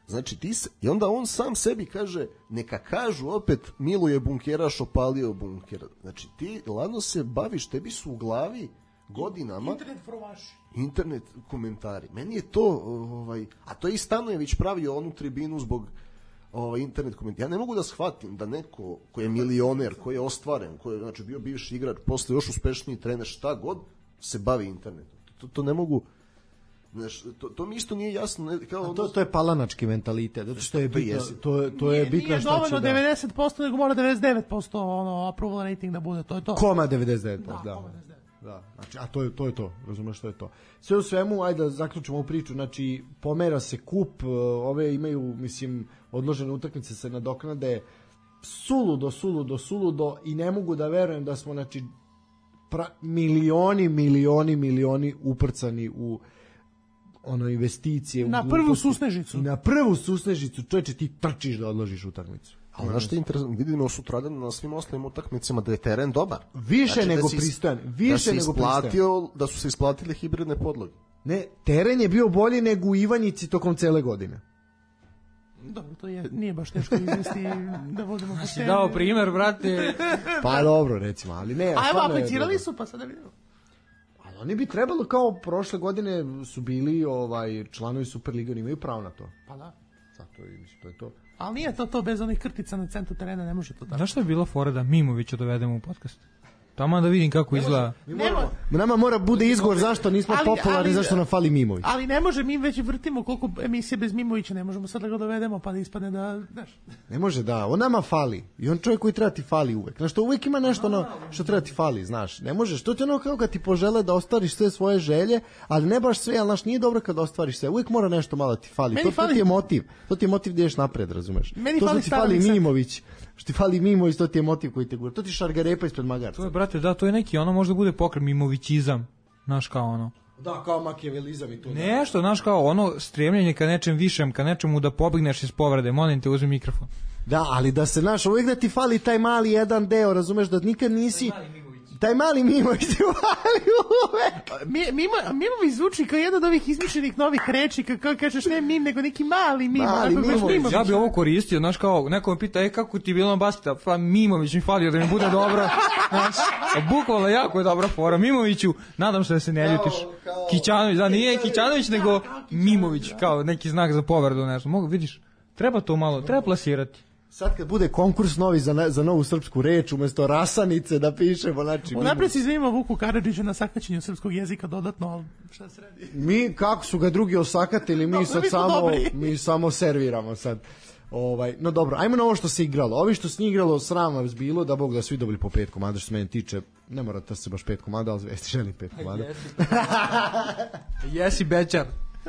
S5: Znači ti se, i onda on sam sebi kaže, neka kažu opet Miluje bunkeraš, opalio bunker. Znači ti ladno se baviš, tebi su u glavi godinama
S2: Internet frovaši.
S5: internet komentari. Meni je to, ovaj, a to je i Stanojević pravio onu tribinu zbog ovaj, internet komentari. Ja ne mogu da shvatim da neko ko je milioner, ko je ostvaren, ko je znači, bio bivši igrač, posle još uspešniji trener, šta god, se bavi internetom. To, to ne mogu... Znaš, to, to mi isto nije jasno. Ne, kao
S4: to, to je palanački mentalitet, zato što je bitno, to, to je
S2: nije,
S4: bitno
S2: nije
S4: šta će
S2: dovoljno
S4: da...
S2: devedeset posto, nego mora devedeset devet posto ono, approval rating da bude, to je to.
S4: Koma devedeset devet posto,
S2: da.
S4: da.
S2: Koma devedeset devet.
S4: Da, znači, a to je, to je to, razumeš što je to. Sve u svemu, ajde da zaključimo ovu priču, znači, pomera se kup, ove imaju, mislim, odložene utakmice se nadoknade, suludo, suludo, suludo i ne mogu da verujem da smo, znači, pra, milioni, milioni, milioni uprcani u ono investicije.
S2: Na
S4: u
S2: prvu susnežicu.
S4: I na prvu susnežicu, čovječe, ti trčiš da odložiš utakmicu.
S5: Ali znaš što je interesantno, vidimo sutradan na svim ostalim utakmicama da je teren dobar.
S4: Više
S5: znači,
S4: nego
S5: da si,
S4: pristojan, više
S5: da
S4: nego
S5: pristojan. Da su se isplatile hibridne podloge.
S4: Ne, teren je bio bolji nego u Ivanjici tokom cele godine.
S2: Dobro, to je, nije baš teško izvesti da vodimo po
S3: Si dao primer, brate.
S4: Pa dobro, recimo, ali ne.
S2: A evo, aplicirali su, pa sada vidimo.
S4: Ali oni bi trebalo, kao prošle godine su bili ovaj, članovi Superlige, oni imaju pravo na to.
S2: Pa da.
S4: Zato i mislim, to je to.
S2: Ali nije to to bez onih krtica na centru terena, ne može to tako.
S3: Znaš što je bila fora da Mimovića dovedemo u podcast? Tamo da vidim kako ne izgleda.
S2: Nema.
S4: Nama mora bude izgovor zašto nismo ali, popularni, ali, zašto nam fali Mimović.
S2: Ali ne može, mi već vrtimo koliko emisije bez Mimovića, ne možemo sad da ga dovedemo pa da ispadne da, znaš.
S4: Ne može da, on nama fali. I on čovjek koji treba ti fali uvek. Znaš, to uvek ima nešto ono što treba ti fali, znaš. Ne možeš, to ti ono kao kad ti požele da ostvariš sve svoje želje, ali ne baš sve, ali znaš, nije dobro kad ostvariš sve. Uvek mora nešto malo ti fali. To, fali. To ti je motiv. To ti je motiv da ideš napred, razumeš.
S2: Meni
S4: to
S2: fali
S4: što ti fali Mimović. Što ti fali Mimović, to ti je motiv koji te gura. To ti šargarepa ispred magarca.
S3: To je, brate, da, to je neki, ono možda bude pokret Mimovićizam. Znaš, kao ono.
S4: Da, kao makijavelizam i to.
S3: Nešto, znaš, kao ono stremljenje ka nečem višem, ka nečemu da pobegneš iz povrede. Molim te, uzmi mikrofon.
S4: Da, ali da se, znaš, uvijek da ti fali taj mali jedan deo, razumeš, da nikad nisi... Taj mali Mimović ti fali uvek.
S2: Mimo, Mimović zvuči kao jedan od ovih izmišljenih novih reči, kako kažeš ne Mim, nego neki mali Mimo.
S4: Mali Mimović.
S3: Ja bi ovo koristio, znaš, kao, neko me pita, e, kako ti je bilo na basketa? Pa Mimović mi falio da mi bude dobro. Znaš, bukvalno jako je dobra fora. Mimoviću, nadam se da se ne ljutiš. Kićanović, da, nije Kićanović, nego Mimović, kao neki znak za povredu, nešto. Mogu, vidiš, treba to malo, treba plasirati.
S4: Sad kad bude konkurs novi za, ne, za novu srpsku reč, umjesto rasanice da pišemo, znači...
S2: Unapred se izvinimo Vuku Karadžiću na sakaćenju srpskog jezika dodatno, ali šta se radi?
S4: Mi, kako su ga drugi osakatili, mi
S2: no,
S4: sad
S2: mi
S4: samo,
S2: dobri.
S4: mi samo serviramo sad. Ovaj, no dobro, ajmo na ovo što se igralo. Ovi što se igralo, sram vas bilo, da Bog da svi dobili po pet komada, što se mene tiče, ne mora da se baš pet komada, ali Zvesti želi pet komada.
S3: Jesi bečar.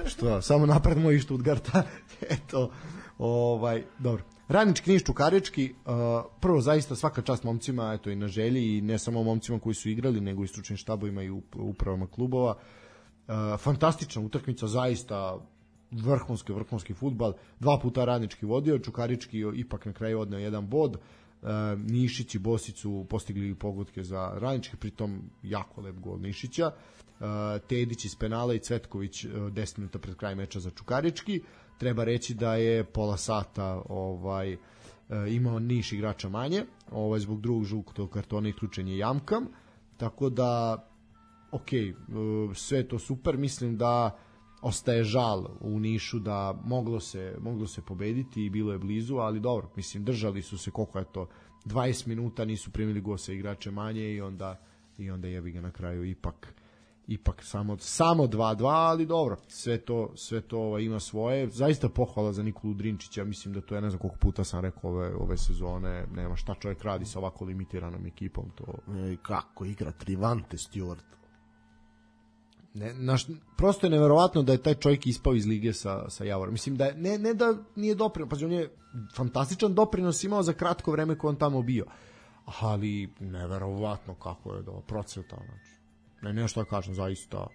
S4: Što, samo napred moj Štutgarta. Eto, ovaj, dobro. Radnički Niš Čukarički, uh, prvo zaista svaka čast momcima, eto i na želji, i ne samo momcima koji su igrali, nego i stručnim štabovima i upravama klubova. Uh, fantastična utakmica, zaista vrhunski, vrhunski fudbal. Dva puta Radnički vodio, Čukarički ipak na kraju odneo jedan bod. Uh, Nišić i Bosić su postigli pogodke za Radnički, pritom jako lep gol Nišića. Uh, Tedić iz penala i Cvetković uh, deset minuta pred kraj meča za Čukarički. Treba reći da je pola sata ovaj, imao Niš igrača manje, ovaj, zbog drugog žutog kartona isključen je Jamkam, tako da ok, sve to super, mislim da ostaje žal u Nišu da moglo se, moglo se pobediti i bilo je blizu, ali dobro, mislim, držali su se koliko je to, dvadeset minuta nisu primili gol sa igrače manje i onda, i onda jebi ga na kraju ipak ipak samo samo dva dva, ali dobro, sve to sve to ovaj, ima svoje. Zaista pohvala za Nikolu Drinčića, mislim da to je, ne znam koliko puta sam rekao ove ove sezone, nema šta čovjek radi sa ovako limitiranom ekipom, to
S5: e, kako igra Trivante Stewart.
S4: Ne, naš, prosto je neverovatno da je taj čovjek ispao iz lige sa sa Javorom. Mislim da ne ne da nije doprinos, pa on je fantastičan doprinos imao za kratko vreme koje on tamo bio. Ali neverovatno kako je do procveta, znači. Ne, ne što da kažem, zaista.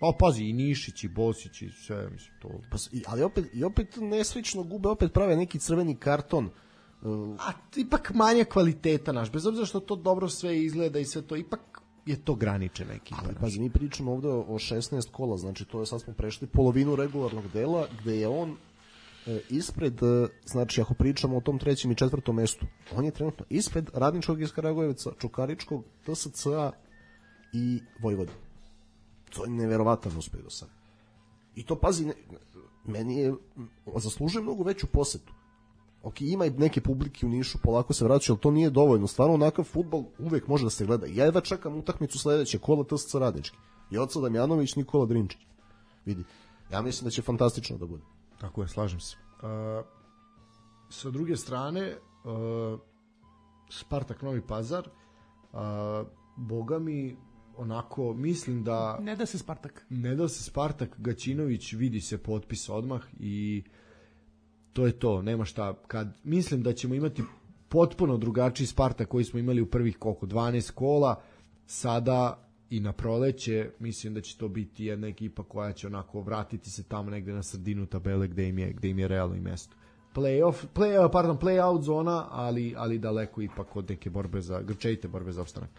S4: Pa pazi, i Nišić, i Bosić, i sve, mislim, to...
S5: Pa, ali opet, i opet neslično gube, opet prave neki crveni karton.
S4: Uh... A ipak manje kvaliteta, naš, bez obzira što to dobro sve izgleda i sve to, ipak je to graničen neki.
S5: Ali pazi, mi pričamo ovde o šesnaest kola, znači to je, sad smo prešli polovinu regularnog dela, gde je on e, ispred, e, znači ako pričamo o tom trećem i četvrtom mestu, on je trenutno ispred Radničkog iz Kragujevca, Čukaričkog, T S C A i Vojvodine. To je neverovatan uspeh do sada. I to, pazi, ne, meni je, zaslužuje mnogo veću posetu. Ok, ima i neke publike u Nišu, polako se vraćaju, ali to nije dovoljno. Stvarno, onakav fudbal uvek može da se gleda. Ja jedva čekam utakmicu sledeće, kola T S C Radnički. Joca Damjanović, Nikola Drinčić. Vidi, ja mislim da će fantastično da bude.
S4: Tako je, slažem se. Uh, sa druge strane, uh, Spartak Novi Pazar, uh, boga mi, onako, mislim da...
S2: Ne da se Spartak.
S4: Ne da se Spartak, Gaćinović, vidi se potpis odmah i to je to, nema šta. Kad mislim da ćemo imati potpuno drugačiji Spartak koji smo imali u prvih koliko, dvanaest kola, sada i na proleće, mislim da će to biti jedna ekipa koja će onako vratiti se tamo negde na sredinu tabele gde im je, gde im je realno i mesto. Play-off, play, pardon, play-out zona, ali, ali daleko ipak od neke borbe za, grčejite borbe za opstanak.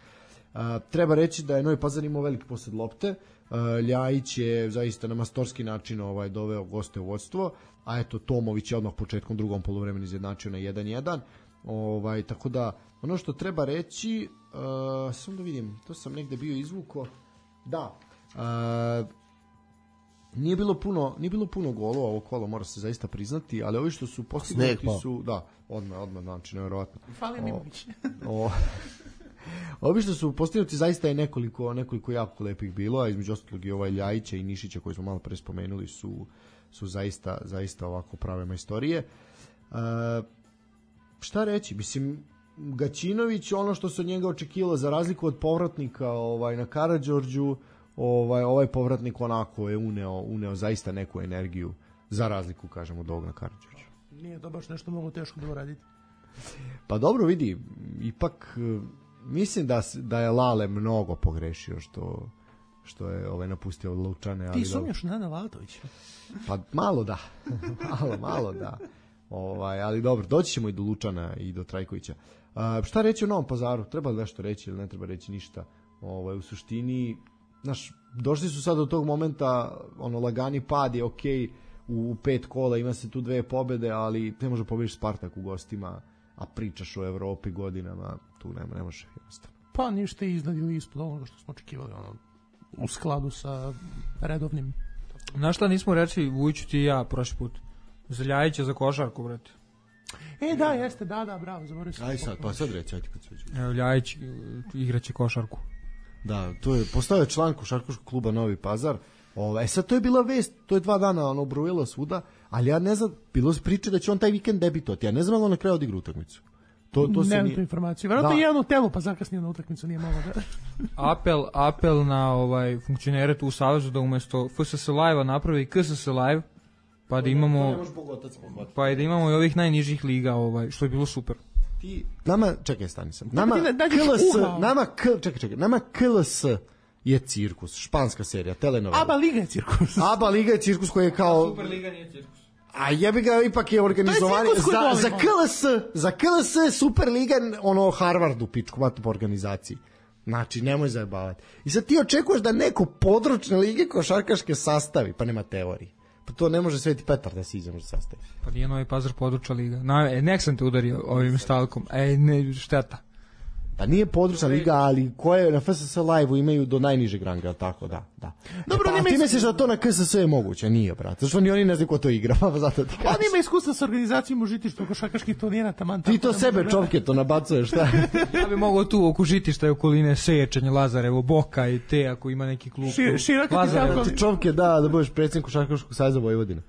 S4: Uh, treba reći da je Novi Pazar imao veliki posed lopte. uh, Ljajić je zaista na mastorski način ovaj, doveo goste u vodstvo, a eto Tomović je odmah početkom drugom poluvremena izjednačio na jedan jedan. Ovaj, tako da ono što treba reći, uh, samo da vidim, to sam negde bio izvuko, da, uh, nije bilo puno, nije bilo puno golova ovo kolo, mora se zaista priznati, ali ovi što su postignuti su, da, odmah, odmah, znači nevjerovatno.
S2: Fali Mimović.
S4: O, ovi što su postignuti zaista je nekoliko, nekoliko jako lepih bilo, a između ostalog i ovaj Ljajića i Nišića koji smo malo pre spomenuli su, su zaista, zaista ovako prave majstorije. Uh, šta reći, mislim, Gaćinović, ono što se od njega očekivalo, za razliku od povratnika ovaj, na Karađorđu, ovaj, ovaj povratnik onako je uneo, uneo zaista neku energiju, za razliku, kažemo, od ovog na Karađorđu.
S2: Nije to baš nešto mnogo teško bilo raditi.
S4: Pa dobro, vidi, ipak mislim da, da je Lale mnogo pogrešio što, što je ovaj, napustio Lučane. Ali
S2: ti sumnjaš na Lalatovića?
S4: Pa malo da, malo, malo da. Ovaj, ali dobro, doći ćemo i do Lučana i do Trajkovića. A, šta reći o Novom Pazaru? Treba li nešto reći ili ne treba reći ništa? Ovaj, u suštini, znaš, došli su sad do tog momenta, ono, lagani pad je okej, u pet kola ima se tu dve pobede, ali ne može pobediš Spartak u gostima, a pričaš o Evropi godinama, tu nema, ne može jednostavno.
S2: Pa ništa iznad ili ispod onoga što smo očekivali, ono, u skladu sa redovnim.
S3: Znaš šta nismo reći, Vujiću ti i ja prošli put? Za Ljajića, za košarku, brate.
S2: E, da, jeste, da, da, bravo, zaboravio sam.
S4: Aj sad, pa sad reći, ajde kad se već.
S3: Evo, Ljajić igraće košarku.
S4: Da, to je, postao je član košarkaškog kluba Novi Pazar. Ove, sad to je bila vest, to je dva dana ono brujilo svuda, ali ja ne znam, bilo se priče da će on taj vikend debitovati, ja ne znam ali on na kraju odigra utakmicu. To, to
S2: Nemam
S4: nije...
S2: tu informaciju, vjerojatno je jedno telo pa zakasnio na utakmicu, nije malo da...
S3: apel, apel na ovaj funkcionere tu u Savezu da umesto F S S Live-a napravi K S S Live, pa da imamo pa i da imamo i ovih najnižih liga, ovaj, što je bilo super.
S4: Ti, nama, čekaj, stani sam. Nama K L S, nama K, čekaj, čekaj, nama K L S je cirkus, španska serija, telenovela.
S2: Aba Liga je cirkus.
S4: Aba Liga je cirkus koji je kao...
S3: Super Liga nije cirkus.
S4: A jebi ga, ipak je organizovani...
S2: Je
S4: za, za K L S, za K L S Super Liga, ono, Harvardu, pičku, matno po organizaciji. Znači, nemoj zajebavati. I sad ti očekuješ da neko područne lige košarkaške sastavi, pa nema teorije. Pa to ne može Sveti Petar da se iđe može sastaviti.
S3: Pa nije Novi Pazar područja liga. Na, e, nek sam te udario ovim stalkom. E, ne, šteta.
S4: Pa nije područna liga, ali koje na F S S Live-u imaju do najnižeg ranga, tako da, da.
S2: Dobro,
S4: e, pa, ti misliš da to na K S S je moguće? Nije, brate. Zašto ni oni ne znaju ko to igra, pa zato ti kažem.
S2: On ima iskustva sa organizacijom u žitištu košarkaških turnira, taman.
S4: Ti to sebe čovke to nabacuješ, šta?
S3: Ja bi mogao tu oko žitišta i okoline Sečanje, Lazarevo, Boka i te, ako ima neki klub.
S2: Šir, široko
S4: Lazarevo. Ti čovke, da, da budeš predsjednik košarkaškog saveza Vojvodine.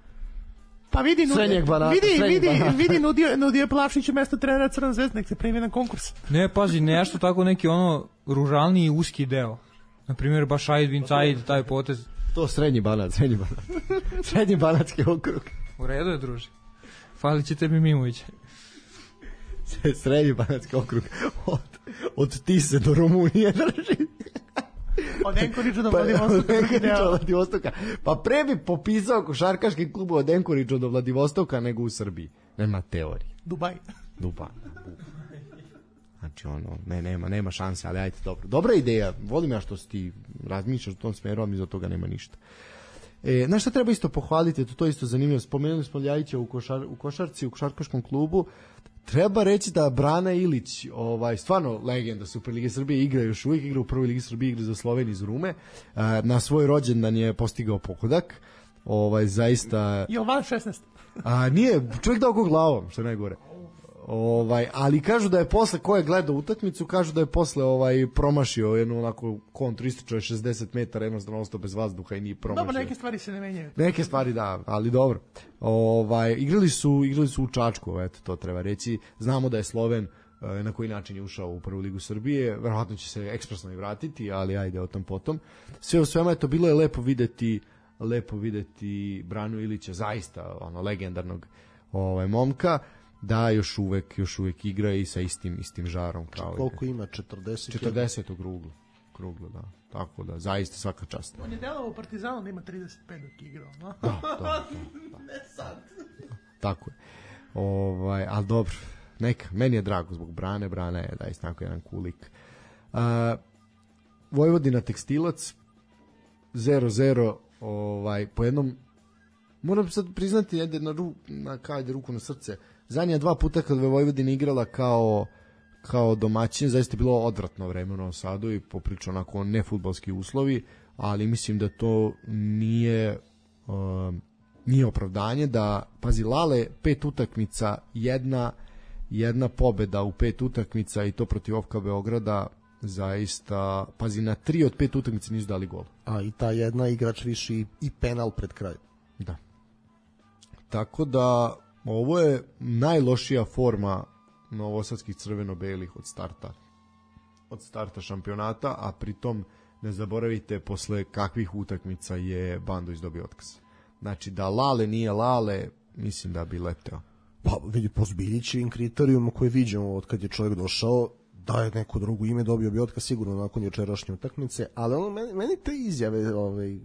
S2: Pa vidi, nudi,
S4: banata,
S2: vidi, vidi,
S4: banata.
S2: vidi, nudio, nudio Plavšiću mesto trenera Crna zvezda, nek se primi na konkurs.
S3: Ne, pazi, nešto tako neki ono ružalniji i uski deo. Naprimjer, baš Aid Vincaid, taj potez.
S4: To srednji banat, srednji banat. Srednji banatski okrug.
S3: U redu je, druži. Falit će tebi Mimović.
S4: Srednji banatski okrug. Od, od Tise do Rumunije drži.
S2: Od Enkoriđa do
S4: Pa,
S2: Vladivostoka.
S4: od Vladivostoka. Pa pre bi popisao košarkaški klub od Enkoriđa do Vladivostoka nego u Srbiji. Nema teorije.
S2: Dubaj.
S4: Dubaj. Znači ono, ne, nema, nema šanse, ali ajde, dobro. Dobra ideja, volim ja što si ti razmišljaš u tom smeru, ali mi za toga nema ništa. E, znaš šta treba isto pohvaliti, to, to isto zanimljivo, spomenuli smo Ljajića u, košar, u košarci, u košarkaškom klubu, treba reći da Brana Ilić, ovaj, stvarno legenda Superlige Srbije, igra još uvijek, igra u prvoj Ligi Srbije, igra za Sloveniju iz Rume, a, na svoj rođendan je postigao pogodak, ovaj, zaista...
S2: Jovan šesnaest.
S4: A, nije, čovjek dao go glavom, što je najgore. Ovaj, ali kažu da je posle, ko je gledao utakmicu, kažu da je posle ovaj, promašio jednu onako kontru, ističao je šezdeset metara, jednostavno ostao bez vazduha i nije promašio.
S2: Dobro, neke stvari se ne menjaju.
S4: Neke stvari da, ali dobro. Ovaj, igrali su, igrali su u Čačku, eto, to treba reći. Znamo da je Sloven na koji način je ušao u prvu ligu Srbije, verovatno će se ekspresno i vratiti, ali ajde o tom potom. Sve u svema, eto, bilo je lepo videti, lepo videti Branu Ilića, zaista ono legendarnog ovaj momka, da još uvek još uvek igra i sa istim istim žarom kao.
S5: Koliko ima? četrdeset
S4: četrdeset kruglo. Kruglo, da. Tako da zaista svaka čast.
S2: On je delovao u Partizanu da ima trideset pet dok je igrao, no?
S4: Da, da, da, da.
S2: Ne sad.
S4: Tako je. Ovaj, al dobro. Neka, meni je drago zbog Brane, Brana je da je tako jedan kulik. Uh, Vojvodina Tekstilac zero zero, ovaj po jednom, moram sad priznati, ajde na ru, na kajde ruku na srce. Zadnja dva puta kad je Vojvodina igrala kao kao domaćin, zaista je bilo odvratno vreme u Novom Sadu i poprično onako nefudbalski uslovi, ali mislim da to nije uh, nije opravdanje da, pazi, Lale, pet utakmica, jedna jedna pobeda u pet utakmica i to protiv O F K Beograda, zaista, pazi, na tri od pet utakmica nisu dali gol.
S5: A i ta jedna igrač viši i penal pred kraj.
S4: Da. Tako da ovo je najlošija forma novosadskih crveno-belih od starta od starta šampionata, a pritom ne zaboravite posle kakvih utakmica je Bandović dobio otkaz. Znači da Lale nije Lale, mislim da bi leteo.
S5: Pa vidi, po Zbiljićevim kriterijuma koje vidimo od kad je čovjek došao, da je neko drugo ime, dobio bi otkaz sigurno nakon jučerašnje utakmice, ali ono, meni, meni te izjave ovaj,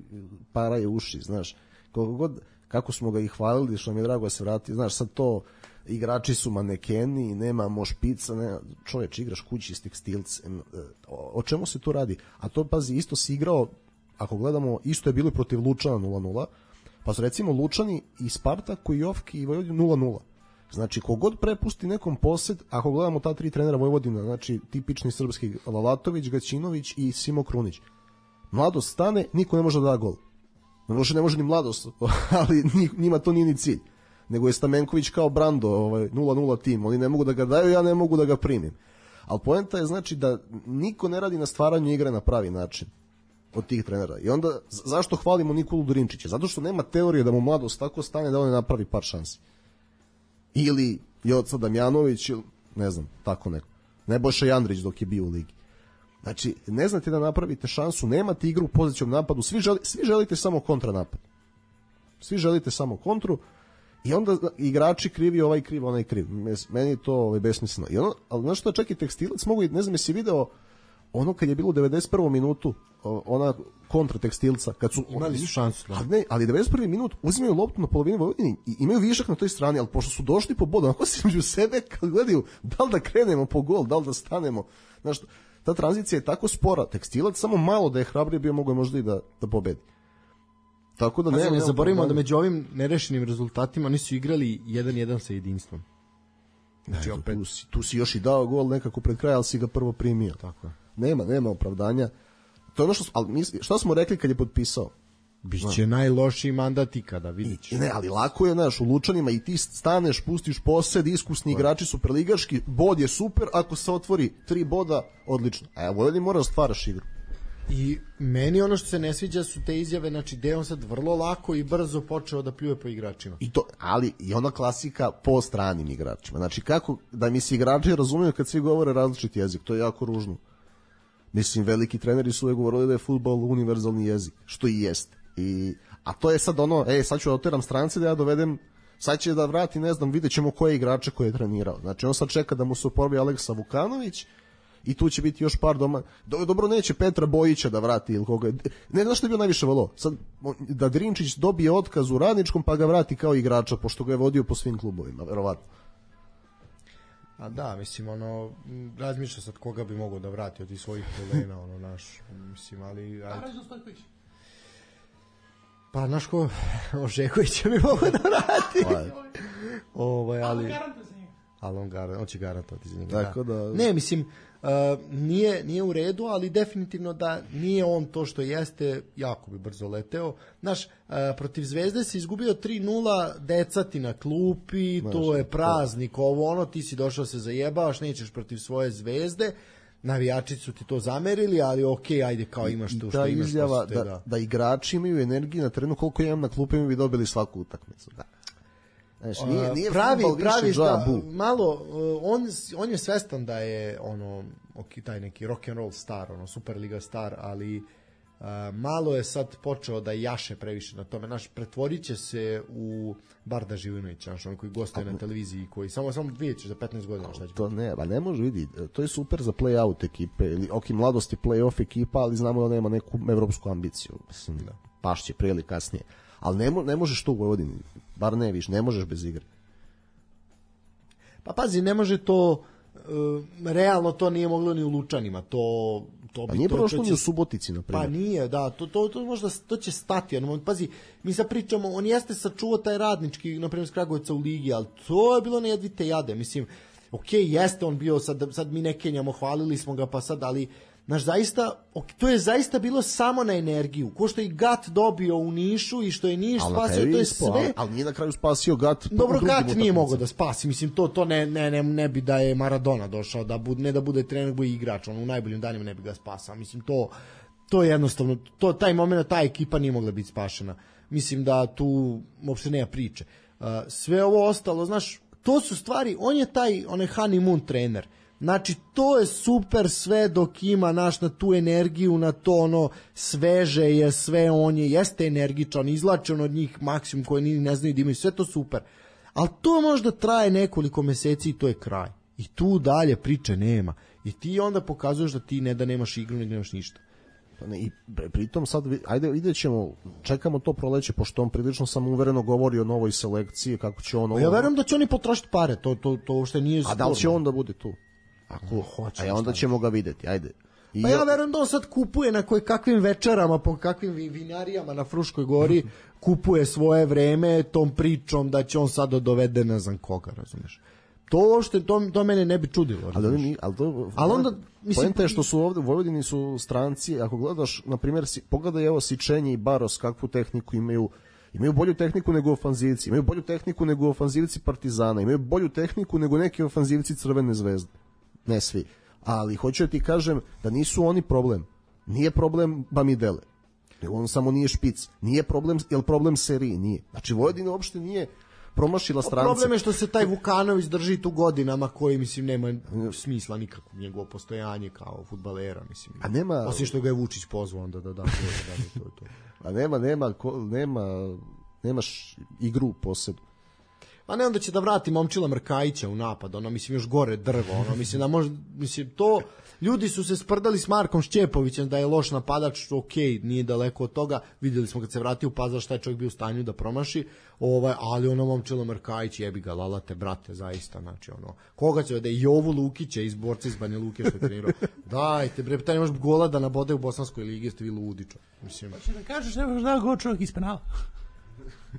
S5: paraju uši, znaš, koliko god, kako smo ga i hvalili, što mi je drago da se vrati, znaš, sad to, igrači su manekeni, nemamo špica, ne, čoveč, igraš kući iz Tekstilcem, o, o čemu se tu radi? A to, pazi, isto si igrao, ako gledamo, isto je bilo protiv Lučana nula nula, pa su recimo Lučani i Spartak i Jofki i Vojvodina nula nula. Znači, kogod prepusti nekom posed, ako gledamo ta tri trenera Vojvodina, znači tipični srpski Lalatović, Gaćinović i Simo Krunić, Mladost stane, niko ne može da da gol. Ne može, ne može ni Mladost, ali njima to nije ni cilj. Nego je Stamenković kao Brando, ovaj, nula nula tim, oni ne mogu da ga daju, ja ne mogu da ga primim. Ali poenta je, znači, da niko ne radi na stvaranju igre na pravi način od tih trenera. I onda, zašto hvalimo Nikolu Durinčića? Zato što nema teorije da mu Mladost tako stane da on ne napravi par šansi. Ili Joca Damjanović, ili ne znam, tako neko. Nebojša Jandrić dok je bio u ligi. Znači, ne znate da napravite šansu, nemate igru u pozicijom napadu, svi, želi, svi želite samo kontranapad. Svi želite samo kontru i onda igrači krivi, ovaj kriv, onaj kriv. Meni je to ovaj, besmisleno. I ono, ali znaš što, čak i Tekstilac mogu, ne znam, jesi video ono kad je bilo u devedeset prvom minutu, ona kontra Tekstilca, kad su
S4: imali su šansu,
S5: ali ne, ali devedeset prvi minut uzimaju loptu na polovini Vojvodine i imaju višak na toj strani, ali pošto su došli po bodu, onako se među sebe kad gledaju da li da krenemo po gol, da li da stanemo. Znaš, ta tranzicija je tako spora, Tekstilac samo malo da je hrabrije bio, mogo je možda i da, da pobedi. Tako da ne,
S4: ne, ne zaboravimo
S5: da
S4: među ovim nerešenim rezultatima nisu igrali jedan jedan sa jedinstvom.
S5: Znači, opet, tu, si, tu si još i dao gol nekako pred kraj, ali si ga prvo primio.
S4: Tako je.
S5: Nema, nema opravdanja. To je ono što, ali misli, šta smo rekli kad je potpisao?
S4: Biće no. najlošiji mandat ikada, vidit ćeš.
S5: Ne, ali lako je, znaš, u Lučanima i ti staneš, pustiš posed, iskusni igrači superligaški, bod je super, ako se otvori tri boda, odlično. A ja Vojvodin mora da stvaraš igru.
S4: I meni ono što se ne sviđa su te izjave, znači da je on sad vrlo lako i brzo počeo da pljuje po igračima.
S5: I to, ali i ona klasika po stranim igračima. Znači kako da mi se igrači razumiju kad svi govore različit jezik, to je jako ružno. Mislim, veliki treneri su uvek govorili da je fudbal univerzalni jezik, što i jeste. I, a to je sad ono, e, sad ću da oteram strance da ja dovedem, sad će da vrati, ne znam, vidjet ćemo koje igrače koje je trenirao. Znači on sad čeka da mu se oporavi Aleksa Vukanović i tu će biti još par doma. Dobro, neće Petra Bojića da vrati ili koga. Ne znaš što je bio najviše valo? Sad da Drinčić dobije otkaz u Radničkom pa ga vrati kao igrača, pošto ga je vodio po svim klubovima, verovatno.
S4: A da, mislim, ono, razmišlja sad koga bi mogao da vrati od tih svojih kolena, ono, naš, mislim, ali...
S2: Arađo Stojković.
S4: Pa, znaš ko, Ožeković mi mogu da vrati. Ovaj, ali...
S2: Garantuje za njega.
S4: Ali on, gar, on će garantovati za njega.
S5: Tako da...
S4: Ne, mislim, uh, nije, nije u redu, ali definitivno da nije on to što jeste, jako bi brzo leteo. Znaš, uh, protiv Zvezde si izgubio tri nula, deca ti na klupi, znaš, to je praznik, ovo ono, ti si došao se zajebavaš, nećeš protiv svoje Zvezde, navijači su ti to zamerili, ali ok, ajde, kao imaš to što imaš.
S5: Izjava
S4: te,
S5: da,
S4: da.
S5: da igrači imaju energiju na terenu, koliko imam na klupi, mi bi dobili svaku utakmicu. Da. Znaš, nije, nije
S4: pravi, pravi
S5: da,
S4: malo, on, on je svestan da je ono, ok, taj neki rock and roll star, ono, Superliga star, ali uh, malo je sad počeo da jaše previše na tome. Naš, pretvorit će se u Barda Živinovića, naš, on koji gostuje na televiziji, koji samo, samo vidjet ćeš za petnaest godina šta će.
S5: To ne, ba ne može vidi, to je super za play-out ekipe, ili ok, mladost je play-off ekipa, ali znamo da nema neku evropsku ambiciju, mislim, da pašće prije ili kasnije. Ali ne, mo, ne možeš to u Vojvodini, bar ne viš, ne možeš bez igre.
S4: Pa pazi, ne može to, uh, realno to nije moglo ni u Lučanima, to... to
S5: pa
S4: bi,
S5: nije
S4: to,
S5: prošlo
S4: to
S5: ni
S4: će,
S5: u Subotici, na primjer.
S4: Pa nije, da, to, to, to možda, to će stati, ono, pazi, mi sad pričamo, on jeste sačuvao taj radnički, na primjer, s Kragujevca u ligi, ali to je bilo nejedvite jade, mislim, ok, jeste on bio, sad, sad mi ne kenjamo, hvalili smo ga, pa sad, ali... Znaš, zaista, to je zaista bilo samo na energiju. Ko što je Gat dobio u Nišu i što je Niš
S5: al
S4: spasio, to je sve...
S5: Ali, ali nije na kraju spasio Gat.
S4: Dobro, Gat nije mogao da spasi. Mislim, to, to ne, ne, ne, ne bi da je Maradona došao, da bude, ne da bude trener, bude igrač. On u najboljim danima ne bi ga spasao. Mislim, to, to je jednostavno, to, taj moment, ta ekipa nije mogla biti spašena. Mislim da tu uopšte nema priče. Uh, sve ovo ostalo, znaš, to su stvari, on je taj, onaj honeymoon trener. Znači, to je super sve dok ima naš na tu energiju, na to ono sveže je sve, on je, jeste energičan, izlače on od njih maksimum koje ni ne znaju da imaju, sve to super. Ali to možda traje nekoliko meseci i to je kraj. I tu dalje priče nema. I ti onda pokazuješ da ti ne da nemaš igru, ne nemaš ništa.
S5: I pritom sad, ajde vidjet ćemo, čekamo to proleće, pošto on prilično samouvereno govori o novoj selekciji, kako će on...
S4: Ja verujem da će oni potrošiti pare, to, to, to uopšte nije sporno.
S5: A da li će on da bude tu? Ako hoće, a onda ćemo ga videti, ajde.
S4: I pa ja verujem da on sad kupuje na koje kakvim večerama, po kakvim vinarijama na Fruškoj gori, kupuje svoje vreme tom pričom da će on sad dovede ne znam koga, razumeš. To uopšte, to, to mene ne bi čudilo.
S5: Ali, ali, ali, to,
S4: ali onda, mislim...
S5: Pojenta je što su ovde, u Vojvodini su stranci, ako gledaš, na primjer, si, pogledaj evo Sičenje i Baros, kakvu tehniku imaju, imaju bolju tehniku nego ofanzivci, imaju bolju tehniku nego ofanzivci Partizana, imaju bolju tehniku nego neki ofanzivci Crvene zvezde. Ne svi. Ali hoću da ti kažem da nisu oni problem. Nije problem Bamidele. On samo nije špic. Nije problem, jel problem seriji? Nije. Znači Vojvodina uopšte nije promašila strance.
S4: Problem je što se taj Vukanović drži tu godinama koji, mislim, nema smisla nikako njegovo postojanje kao fudbalera, mislim.
S5: A nema...
S4: Osim što ga je Vučić pozvao onda da da to, da, to, to.
S5: A nema, nema, nema, nemaš igru posebno.
S4: Pa ne, onda će da vrati Momčila Mrkajića u napad, ono, mislim, još gore drvo, ono, mislim, da možda, mislim, to, ljudi su se sprdali s Markom Šćepovićem da je loš napadač, ok, nije daleko od toga, vidjeli smo kad se vratio u Pazar šta je čovjek bio u stanju da promaši, ovaj, ali ono, Momčila Mrkajić, jebi ga, lalate, brate, zaista, znači, ono, koga će, da je Jovu Lukića iz borca iz Banja Luke što je trenirao, dajte, bre, taj nemaš gola da nabode u Bosanskoj ligi, ste vi ludi, čo, mislim.
S2: Pa će da kažeš, ne možeš da go čovjek iz penala.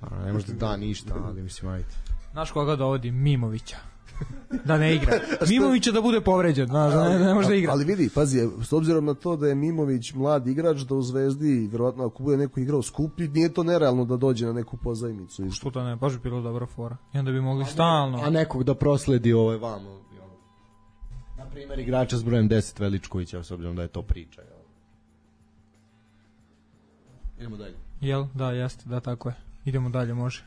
S4: A, ne možda da ništa, ali mislim, ajde.
S3: Znaš koga dovodi? Mimovića. Da ne igra. Mimovića da bude povređen, znaš, ne, ne može da igra.
S5: Ali vidi, pazi, s obzirom na to da je Mimović mlad igrač, da u Zvezdi, verovatno ako bude neko igrao skuplji, nije to nerealno da dođe na neku pozajmicu.
S3: Što to ne, baš bi bilo dobra fora. I onda bi mogli stalno...
S4: A nekog da prosledi ovaj vamo. Na primjer, igrača s brojem deset Veličkovića, s obzirom da je to priča. Jel? Idemo dalje.
S3: Jel? Da, jeste, da, tako je. Idemo dalje, može.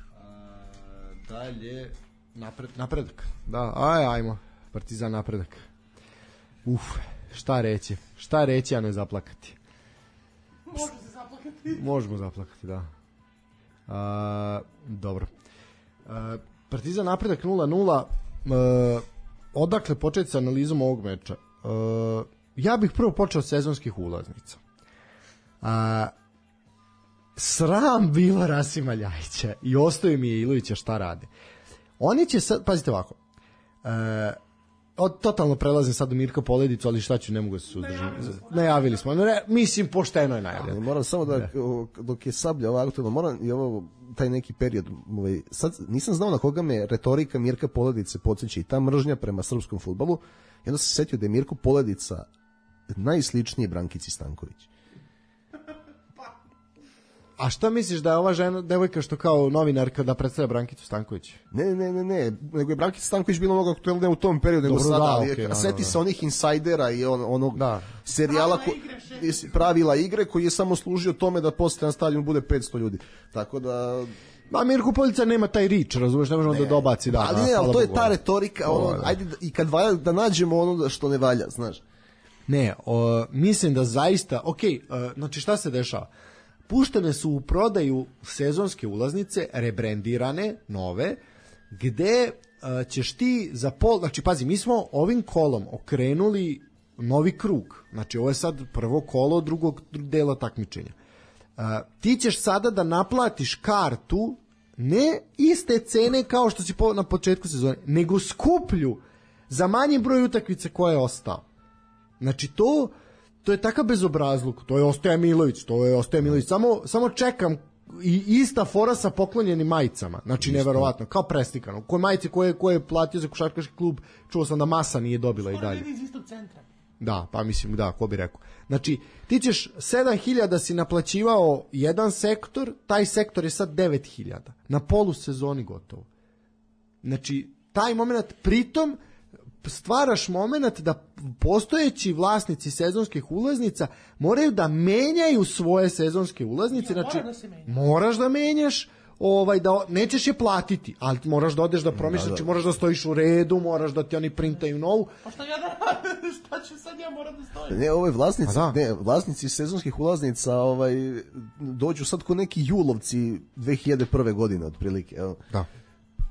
S4: Dalje napred, napredak. Da, aj, ajmo. Partizan napredak. Uf, šta reći? Šta reći, a ne zaplakati?
S2: Može se zaplakati.
S4: Možemo zaplakati, da. A, dobro. A, Partizan napredak nula nula. A, odakle početi sa analizom ovog meča? A, ja bih prvo počeo od sezonskih ulaznica. A, sram bilo Rasima Ljajića i ostaje mi je Ilovića šta rade. Oni će sad, pazite ovako, e, od, totalno prelazim sad u Mirka Poledicu, ali šta ću, ne mogu se suzdržati. Najavili smo. Ne, mislim, pošteno je najavljeno.
S5: Moram samo da, dok je Sablja ovo aktualno, moram i ovo, taj neki period, ovaj, sad nisam znao na koga me retorika Mirka Poledice podsjeća i ta mržnja prema srpskom fudbalu, i onda se setio da je Mirko Poledica najsličniji Brankici Stanković.
S4: A šta misliš da je ova žena, devojka što kao novinarka da predstavlja Brankicu Stanković?
S5: Ne, ne, ne, ne, nego je Brankica Stanković bilo mnogo aktuelne u tom periodu, nego
S4: Dobro,
S5: sada,
S4: da,
S5: ali
S4: okay,
S5: a seti
S4: da, da.
S5: se onih insajdera i on, onog
S4: Da.
S5: serijala ko, pravila igre koji je samo služio tome da posle na stadionu bude petsto ljudi. Tako da...
S4: Ma Mirko Poledica nema taj rič, razumeš, ne možemo da dobaci. Da,
S5: ali
S4: da,
S5: ne, ali to je
S4: Bogu.
S5: ta retorika, ono,
S4: da.
S5: ajde da, i kad valja da nađemo ono što ne valja, znaš.
S4: Ne, o, mislim da zaista, ok, uh, znači šta se dešava? Puštene su u prodaju sezonske ulaznice, rebrendirane, nove, gde uh, ćeš ti za pol, znači pazi, mi smo ovim kolom okrenuli novi krug, znači ovo je sad prvo kolo drugog dela takmičenja. Uh, ti ćeš sada da naplatiš kartu ne iste cene kao što si po, na početku sezone, nego skuplju za manji broj utakmica koje je ostao. Znači to to je takav bezobrazluk, to je Ostoja Milović, to je Ostoja Milović, samo, samo čekam i ista fora sa poklonjenim majicama, znači isto. Neverovatno, kao prestikano, koje majice koje, koje je platio za košarkaški klub, čuo sam da Masa nije dobila i dalje.
S2: Iz istog centra.
S4: Da, pa mislim, da, ko bi rekao. Znači, ti ćeš sedam hiljada si naplaćivao jedan sektor, taj sektor je sad devet hiljada, na polusezoni gotovo. Znači, taj moment, pritom, stvaraš moment da postojeći vlasnici sezonskih ulaznica moraju da menjaju svoje sezonske ulaznice,
S2: ja,
S4: znači
S2: mora da se menja.
S4: moraš da menjaš, ovaj da nećeš je platiti, ali moraš da odeš da promišljaš, znači moraš da stojiš u redu, moraš da ti oni printaju novu.
S2: Pa šta ja da šta ću sad ja moram da stojim?
S5: Ne, ove vlasnici,
S4: da.
S5: ne, vlasnici sezonskih ulaznica, ovaj dođu sad ko neki julovci dve hiljade prve godine otprilike, evo.
S4: Da.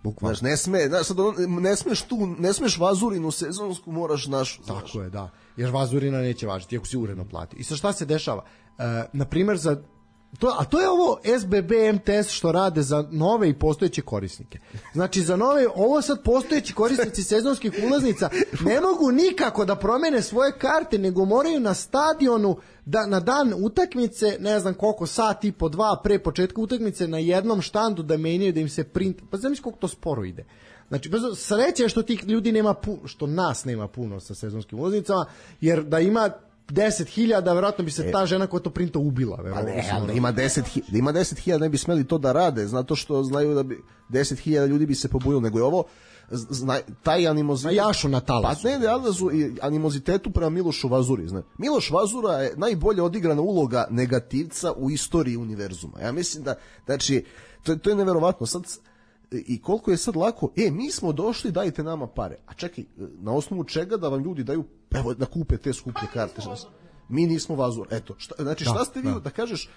S4: Bukvalno.
S5: Znaš, ne sme, znaš, sad ono, ne smeš tu, ne smeš Vazurinu sezonsku, moraš našu.
S4: Tako
S5: znaš.
S4: je, da. Jer Vazurina neće važiti, ako si uredno plati. I sad šta se dešava? E, na primjer, za to, a to je ovo S B B M T S što rade za nove i postojeće korisnike. Znači za nove, ovo sad postojeći korisnici sezonskih ulaznica ne mogu nikako da promene svoje karte, nego moraju na stadionu da na dan utakmice, ne znam koliko, sat i po dva pre početka utakmice na jednom štandu da menjaju, da im se print, pa znam koliko to sporo ide. Znači, sreće je što tih ljudi nema puno, što nas nema puno sa sezonskim ulaznicama, jer da ima deset hiljada, verovatno bi se ta žena koja to printa ubila.
S5: Pa ne, ali da ima deset hiljada, da ima deset hiljada ne bi smeli to da rade, zato što znaju da bi deset hiljada ljudi bi se pobunilo, nego je ovo zna, taj animozitet.
S4: Na jašu na talasu.
S5: Pa ne, ne, animozitetu prema Milošu Vazuri. Zna. Miloš Vazura je najbolje odigrana uloga negativca u istoriji univerzuma. Ja mislim da, znači, to, to je neverovatno. Sad, i koliko je sad lako, e, mi smo došli, dajte nama pare. A čekaj, na osnovu čega da vam ljudi daju, evo, da kupe te skuplje karte. Mi nismo Vazura. Eto, šta, znači, šta ste vi da, da kažeš,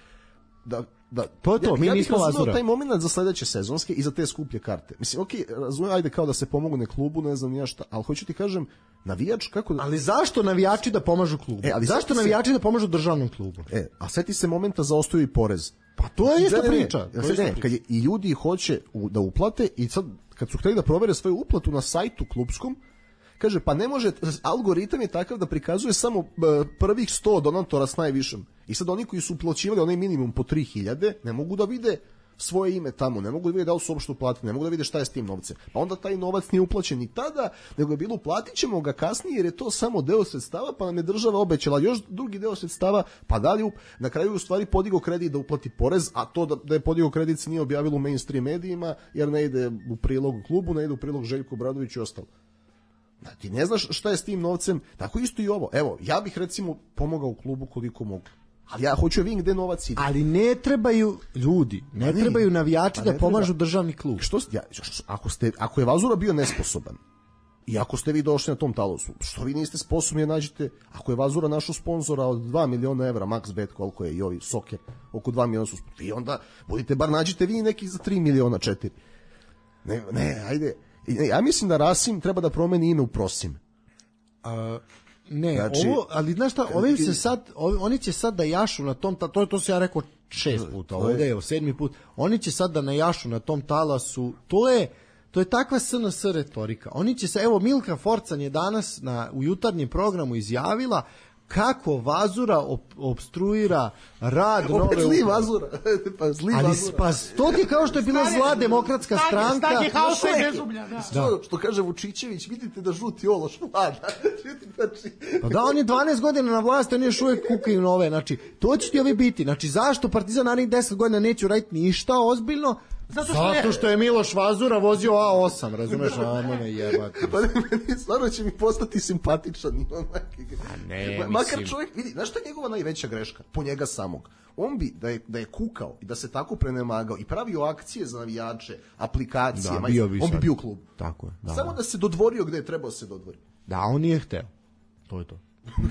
S5: da, da,
S4: to je to,
S5: ja,
S4: mi
S5: ja
S4: nismo Vazura.
S5: taj moment za sledeće sezonske i za te skuplje karte. Mislim, okej, okay, razumijem, ajde kao da se pomogne klubu, ne znam ja šta, ali hoću ti kažem, navijač, kako da...
S4: Ali zašto navijači da pomažu klubu?
S5: E, ali
S4: zašto navijači se... da pomažu državnom klubu?
S5: E, a seti se momenta za ostaju i porez.
S4: Pa to je ista
S5: ne,
S4: priča.
S5: Ne,
S4: to je ista
S5: ne,
S4: priča.
S5: kad je, i ljudi hoće u, da uplate i sad kad su hteli da provere svoju uplatu na sajtu klubskom, kaže, pa ne može, algoritam je takav da prikazuje samo uh, prvih sto donatora s najvišim. I sad oni koji su uplaćivali onaj minimum po tri hiljade, ne mogu da vide svoje ime tamo, ne mogu da vide da li su uopšte uplatili, ne mogu da vide šta je s tim novcem. Pa onda taj novac nije uplaćen ni tada, nego je bilo uplatit ćemo ga kasnije jer je to samo deo sredstava, pa nam je država obećala još drugi deo sredstava, pa da li na kraju u stvari podigao kredit da uplati porez, a to da, da je podigao kredit se nije objavilo u mainstream medijima, jer ne ide u prilog klubu, ne ide u prilog Željku Obradoviću i ostalo. Ti ne znaš šta je s tim novcem, tako isto i ovo. Evo, ja bih recimo pomogao klubu koliko mogu. Ali ja hoću vidim gde novac ide.
S4: Ali ne trebaju ljudi, ne, ne trebaju navijači da pomažu treba. državni klub.
S5: Što ja, ako ste ako je Vazura bio nesposoban i ako ste vi došli na tom talosu, što vi niste sposobni da nađete, ako je Vazura našao sponzora od dva miliona evra, MaxBet koliko je i ovi Soker, oko dva miliona su, vi onda budite bar nađite vi neki za tri miliona četiri. Ne, ne, ajde. Ja mislim da Rasim treba da promeni ime u Prosim.
S4: A ne,
S5: znači,
S4: ovo, ali znaš šta, ovim se sad, ovi, oni će sad da jašu na tom, to, to se ja rekao šest puta, ovdje je sedmi put, oni će sad da najašu na tom talasu, to je, to je takva S N S retorika. Oni će se, evo Milka Forcan je danas na, u jutarnjem programu izjavila kako Vazura op, obstruira rad nove
S5: opet zli Vazura. pa zli
S4: ali,
S5: Vazura.
S4: Pa to ti kao što je bila zla demokratska
S2: Stanje,
S4: stranka.
S2: stanje haosa i bezublja, da.
S5: Što, što kaže Vučićević, vidite da žuti ološ vlada. znači...
S4: Pa da, on je dvanaest godina na vlasti, oni još uvijek kukaju nove. Znači, to će ti ovi biti. Znači, zašto Partizan narednih deset godina neće uraditi ništa ozbiljno? Zato što, Zato što je Miloš Vazura vozio A osam, razumeš? A mene jebati.
S5: Pa ne, meni stvarno će mi postati simpatičan.
S4: A ne,
S5: Ma, makar
S4: mislim...
S5: čovjek, vidi, znaš šta je njegova najveća greška? Po njega samog. On bi, da je, da je kukao i da se tako prenemagao i pravio akcije za navijače, aplikacije,
S4: da,
S5: maj,
S4: bio bi
S5: on bi
S4: sad.
S5: bio u klubu.
S4: Tako je. Da,
S5: Samo da se dodvorio gde je trebao se dodvori.
S4: Da, on nije hteo. To je to.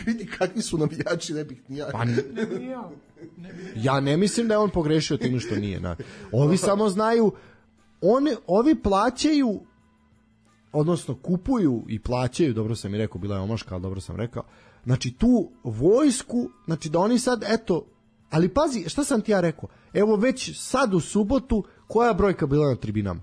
S5: Vidi kakvi su navijači, ne bih ni ja.
S4: Pa, ja ne mislim da je on pogrešio tim što nije. Na. Ovi samo znaju, oni, ovi plaćaju, odnosno kupuju i plaćaju, dobro sam i rekao, bila je omaška, ali dobro sam rekao, znači tu vojsku, znači da oni sad, eto, ali pazi, šta sam ti ja rekao, evo već sad u subotu, koja brojka bila na tribinama?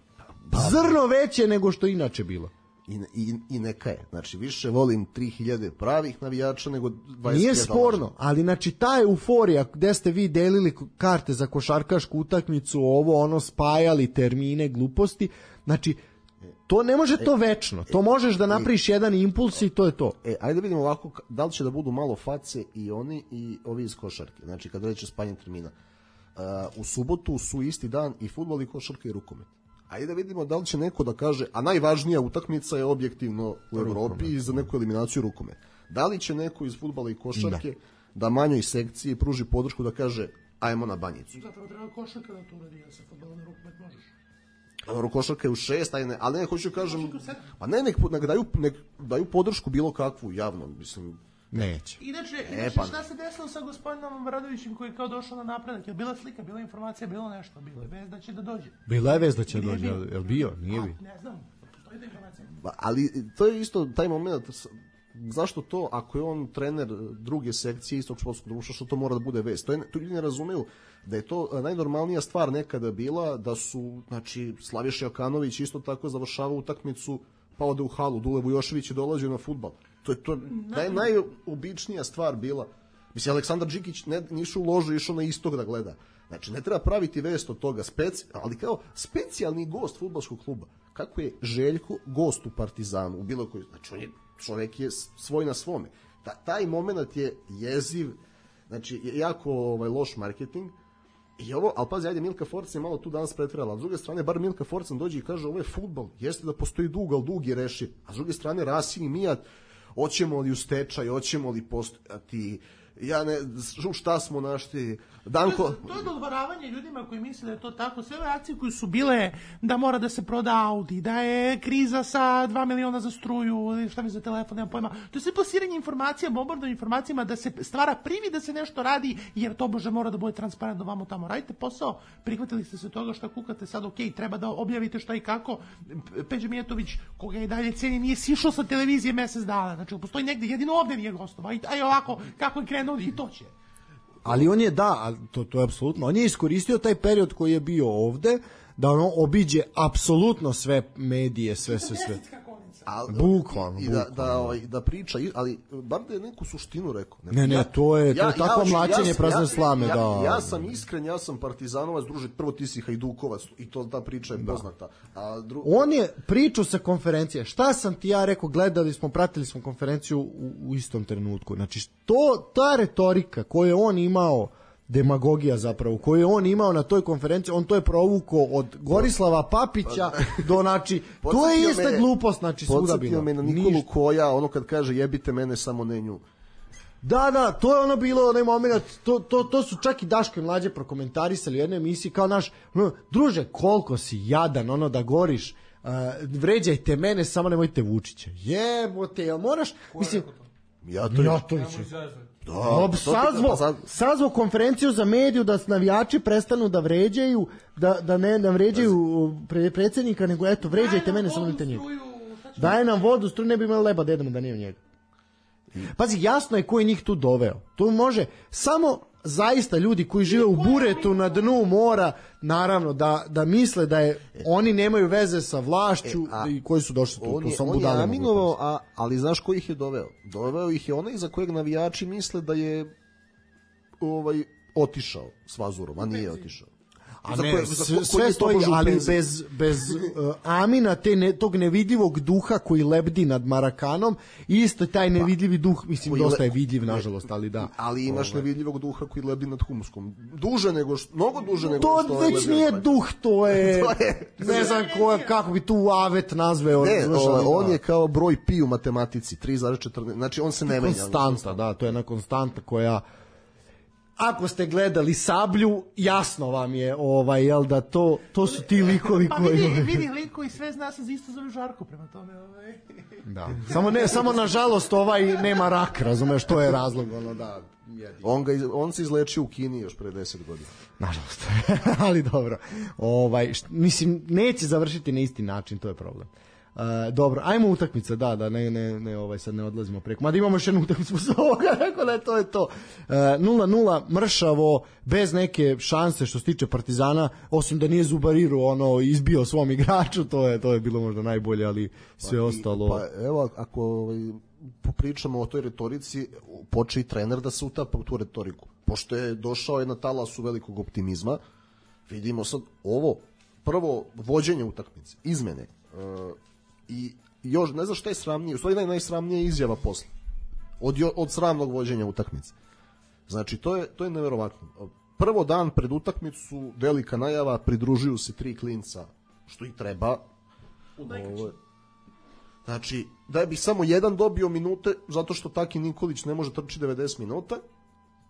S4: Zrno veće nego što inače bilo.
S5: I, i, I neka je. Znači, više volim tri hiljade pravih navijača nego dvadeset hiljada.
S4: Nije sporno, ali znači ta euforija gde ste vi delili karte za košarkašku utakmicu, ovo, ono, spajali termine, gluposti, znači, to ne može to večno. To možeš da napraviš jedan impuls i to je to.
S5: E, ajde da vidimo ovako, da li će da budu malo face i oni i ovi iz košarke. Znači, kada reće spajanje termina. Uh, u subotu su isti dan i fudbal i košarka i rukomet. Ajde da vidimo da li će neko da kaže, a najvažnija utakmica je objektivno u Evropi i za neku eliminaciju rukomet. Da li će neko iz fudbala i košarke da, da manjoj sekciji pruži podršku da kaže, ajmo na Banjicu.
S2: Zapravo treba košarka da to uradi, ja sa fudbalom i rukomet možeš.
S5: Košarka je u šest, ajde ne, ali ne, hoću kažem, pa ne, nek, nek, daju, nek daju podršku bilo kakvu, javno, mislim.
S4: Neće.
S2: Inače,
S5: e,
S2: inače
S5: pa...
S2: šta se desilo sa gospodinom Radovićem koji je kao došao na napredak? Je bila slika, bila informacija, bilo nešto, bilo je vez da će da dođe.
S4: Bila je vez da će da dođe, je li bio? Nije bi.
S2: Ne znam, postoji da informacija.
S5: Ali to je isto taj moment, zašto to, ako je on trener druge sekcije istog športskog društva, što to mora da bude vez? To, je, to ljudi ne razumeju da je to najnormalnija stvar nekada bila, da su, znači, Slaviša Jokanović isto tako završavao utakmicu, pa ode u halu, Dule Vujošević je dolazio na fudbal. To je to naj, najobičnija stvar bila. Mislim, Aleksandar Đikić ne, nišu u ložu, išao na istok da gleda. Znači, ne treba praviti vest od toga, speci, ali kao specijalni gost fudbalskog kluba. Kako je Željko gost u Partizanu, u bilo koji, znači, on je, čovjek je svoj na svome. Ta, taj moment je jeziv, znači, jako ovaj, loš marketing. I ovo, ali pazi, ajde, Milka Forcan je malo tu danas pretjerala, a s druge strane, bar Milka Forcan dođe i kaže, ovo je fudbal, jeste da postoji dug, ali dug je rešiv. A s druge strane, Rasim i Mijat, hoćemo li u stečaj, hoćemo li postojati, ja ne, šta smo našli, Danko...
S2: To je, to je dodvoravanje ljudima koji misle da je to tako. Sve ove akcije koje su bile da mora da se proda Audi, da je kriza sa dva miliona za struju, šta mi za telefon, nemam pojma. To je sve plasiranje informacija, bombardovanje informacijama da se stvara privi da se nešto radi, jer to bože mora da bude transparentno vamo tamo. Radite posao, prihvatili ste se toga šta kukate sad, ok, treba da objavite šta i kako. Peđa Mijatović, koga je dalje ceni, nije sišao sa televizije mesec dana. Znači, postoji negde, jedino ovde nije gostova. A i ovako, kako je krenuo i to će.
S4: Ali on je, da, to, to je apsolutno, on je iskoristio taj period koji je bio ovde, da ono obiđe apsolutno sve medije, sve, sve, sve.
S5: Al,
S4: bukvalno,
S5: i da, da, ovaj, da priča, ali bar da je neku suštinu rekao.
S4: Ne, ne, to je, to je ja, takvo ja, mlačenje ja, prazne
S5: ja,
S4: slame.
S5: Ja,
S4: da.
S5: ja sam iskren, ja sam partizanovac, druže, prvo ti si hajdukovac i to ta priča je da. Poznata. A dru...
S4: On je pričao sa konferencije. Šta sam ti ja rekao, gledali smo, pratili smo konferenciju u, u istom trenutku. Znači, to, ta retorika koju je on imao, demagogija zapravo, koju je on imao na toj konferenciji, on to je provukao od Gorislava Papića do, znači, to je ista me, glupost, znači, svuda bila.
S5: Podsjetio me na Nikolu Ništa. Koja, ono kad kaže jebite mene, samo ne nju.
S4: Da, da, to je ono bilo, onaj moment, to, to, to su čak i Daško i Mlađe prokomentarisali u jednoj emisiji, kao naš, no, druže, koliko si jadan, ono da goriš, uh, vređajte mene, samo nemojte Vučića. Jebote, jel moraš, mislim,
S5: Mijatović.
S4: Da, sazvo, sazvo konferenciju za mediju da navijači prestanu da vređaju, da, da ne da vređaju pre, predsjednika, nego eto, vređajte mene, samo nemojte njega. Daje nam vodu, struju, ne bi imali leba da jedemo da nije njega. Pazi, jasno je ko je njih tu doveo. Tu može samo zaista ljudi koji žive u buretu na dnu mora, naravno da, da misle da je oni nemaju veze sa vlašću e, a, i koji su došli tu.
S5: On je, on je aminovao, a, ali znaš ko ih je doveo? Doveo ih je onaj za kojeg navijači misle da je ovaj otišao s Vazurom, a nije otišao.
S4: A ne, koje, sve, sve stoji, ali bez, bez uh, amina te ne, tog nevidljivog duha koji lebdi nad Marakanom, isto taj nevidljivi duh, mislim, dosta je vidljiv, nažalost, ali da.
S5: Ali imaš ovaj. nevidljivog duha koji lebdi nad Humuskom. Duže nego što, mnogo duže nego
S4: to
S5: što...
S4: To već nije duh, to je, to je ne znam ko, kako bi tu avet nazveo.
S5: Ne, o, on je kao broj pi u matematici, tri zarez četrnaest, znači on se ne menja.
S4: Konstanta, da, to je jedna konstanta koja... Ako ste gledali Sablju, jasno vam je ovaj jel da to to su ti likovi
S2: pa
S4: koji
S2: vidi, vidi liko i sve zna se isto zove Žarko prema tome, ovaj.
S4: Da. Samo ne samo nažalost ovaj nema rak, razumeš, to je razlog ono da jedi.
S5: On ga on se izlečio u Kini još pre deset godina.
S4: Nažalost. Ali dobro. Ovaj št, mislim neće završiti na isti način, to je problem. Uh, dobro, ajmo utakmica, da, da, ne, ne, ne, ovaj, sad ne odlazimo preko. Mada imamo još jednu utakmicu s ovoga, tako da je to je to. nula nula, mršavo, bez neke šanse što se tiče Partizana, osim da nije Zubariru ono izbio svom igraču, to je to je bilo možda najbolje, ali sve pa, ostalo.
S5: Pa evo, ako ovaj, popričamo o toj retorici, poče i trener da se utapa u tu retoriku. Pošto je došao je na talasu velikog optimizma, vidimo sad ovo, prvo vođenje utakmice, izmene, uh, i još ne znam šta je sramnije, u stvari naj, najsramnije izjava posle od, od sramnog vođenja utakmice. Znači to je, to je neverovatno. Prvo dan pred utakmicu velika najava, pridružuju se tri klinca, što i treba. Ovo, znači da bi samo jedan dobio minute zato što Taki Nikolić ne može trči devedeset minuta,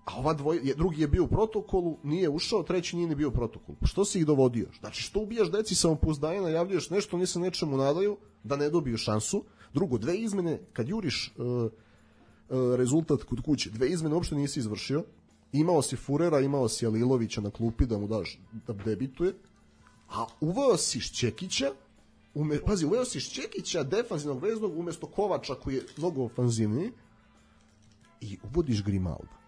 S5: a ova dvoj, drugi je bio u protokolu, nije ušao, treći nije ni bio u protokolu. Što si ih dovodio? Znači što ubijaš deci samopouzdanje, najavljuješ nešto, oni se nečemu nadaju da ne dobiju šansu. Drugo, dve izmene, kad juriš uh, uh, rezultat kod kuće, dve izmene uopšte nisi izvršio. Imao si Furera, imao si Alilovića na klupi da mu daš da debituje, a uveo si Šćekića, ume, pazi, uveo si Šćekića, defanzivnog veznog, umesto Kovača koji je mnogo ofanzivniji, i uvodiš Grimalda.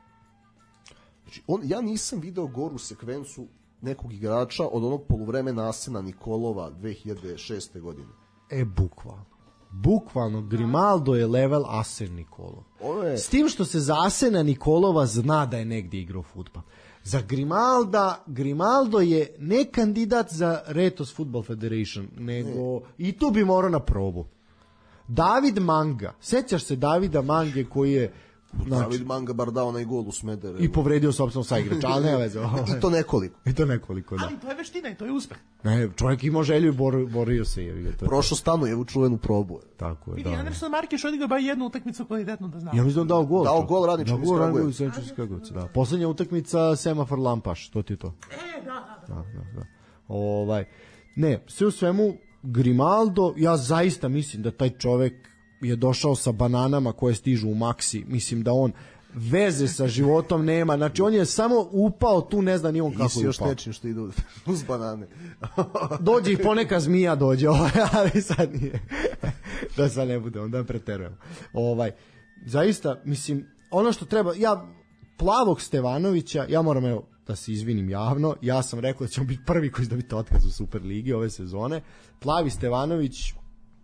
S5: Znači, on, ja nisam video goru sekvencu nekog igrača od onog poluvremena Asena Nikolova dve hiljade šeste godine.
S4: E, bukvalno. Bukvalno, Grimaldo je level Asen Nikolov.
S5: Je...
S4: S tim što se za Asena Nikolova zna da je negdje igrao fudbal. Za Grimalda, Grimaldo je ne kandidat za Retos Football Federation, nego ne. I tu bi morao na probu. David Manga, sećaš se Davida Mange koji je
S5: znači, David Manga bar dao onaj gol u Smederevu.
S4: I povredio sopstvenog saigrača, ali ne veze.
S5: I to nekoliko.
S4: I to nekoliko, da.
S2: Ali to je veština i to je uspeh.
S4: Ne, čovjek imao želju i bor, borio se. Je, to
S5: Prošao Stanu u čuvenu probu.
S4: Tako je,
S2: vidi,
S4: da.
S2: Anderson Markeš odigrao ba jednu utakmicu kvalitetno da znam.
S4: Ja mislim da dao gol.
S5: Dao gol Radničkom iz Kragujevca.
S4: Kragujevca, da. Poslednja utakmica Semafor Lampaš, to ti je to.
S2: E, da, da.
S4: Da, da, da. Ovaj, ne, sve u svemu, Grimaldo, ja zaista mislim da taj čovek je došao sa bananama koje stižu u maksi. Mislim da on veze sa životom nema, znači on je samo upao tu, ne zna ni on kako je upao. I
S5: još nečim što idu uz banane.
S4: Dođe i poneka zmija dođe, ovaj, ali sad nije. Da sad ne bude, onda preterujemo. Ovaj, zaista, mislim, ono što treba, ja, Plavog Stevanovića, ja moram evo da se izvinim javno, ja sam rekao da ćemo biti prvi koji će dobiti otkaz u Superligi ove sezone. Plavi Stevanović,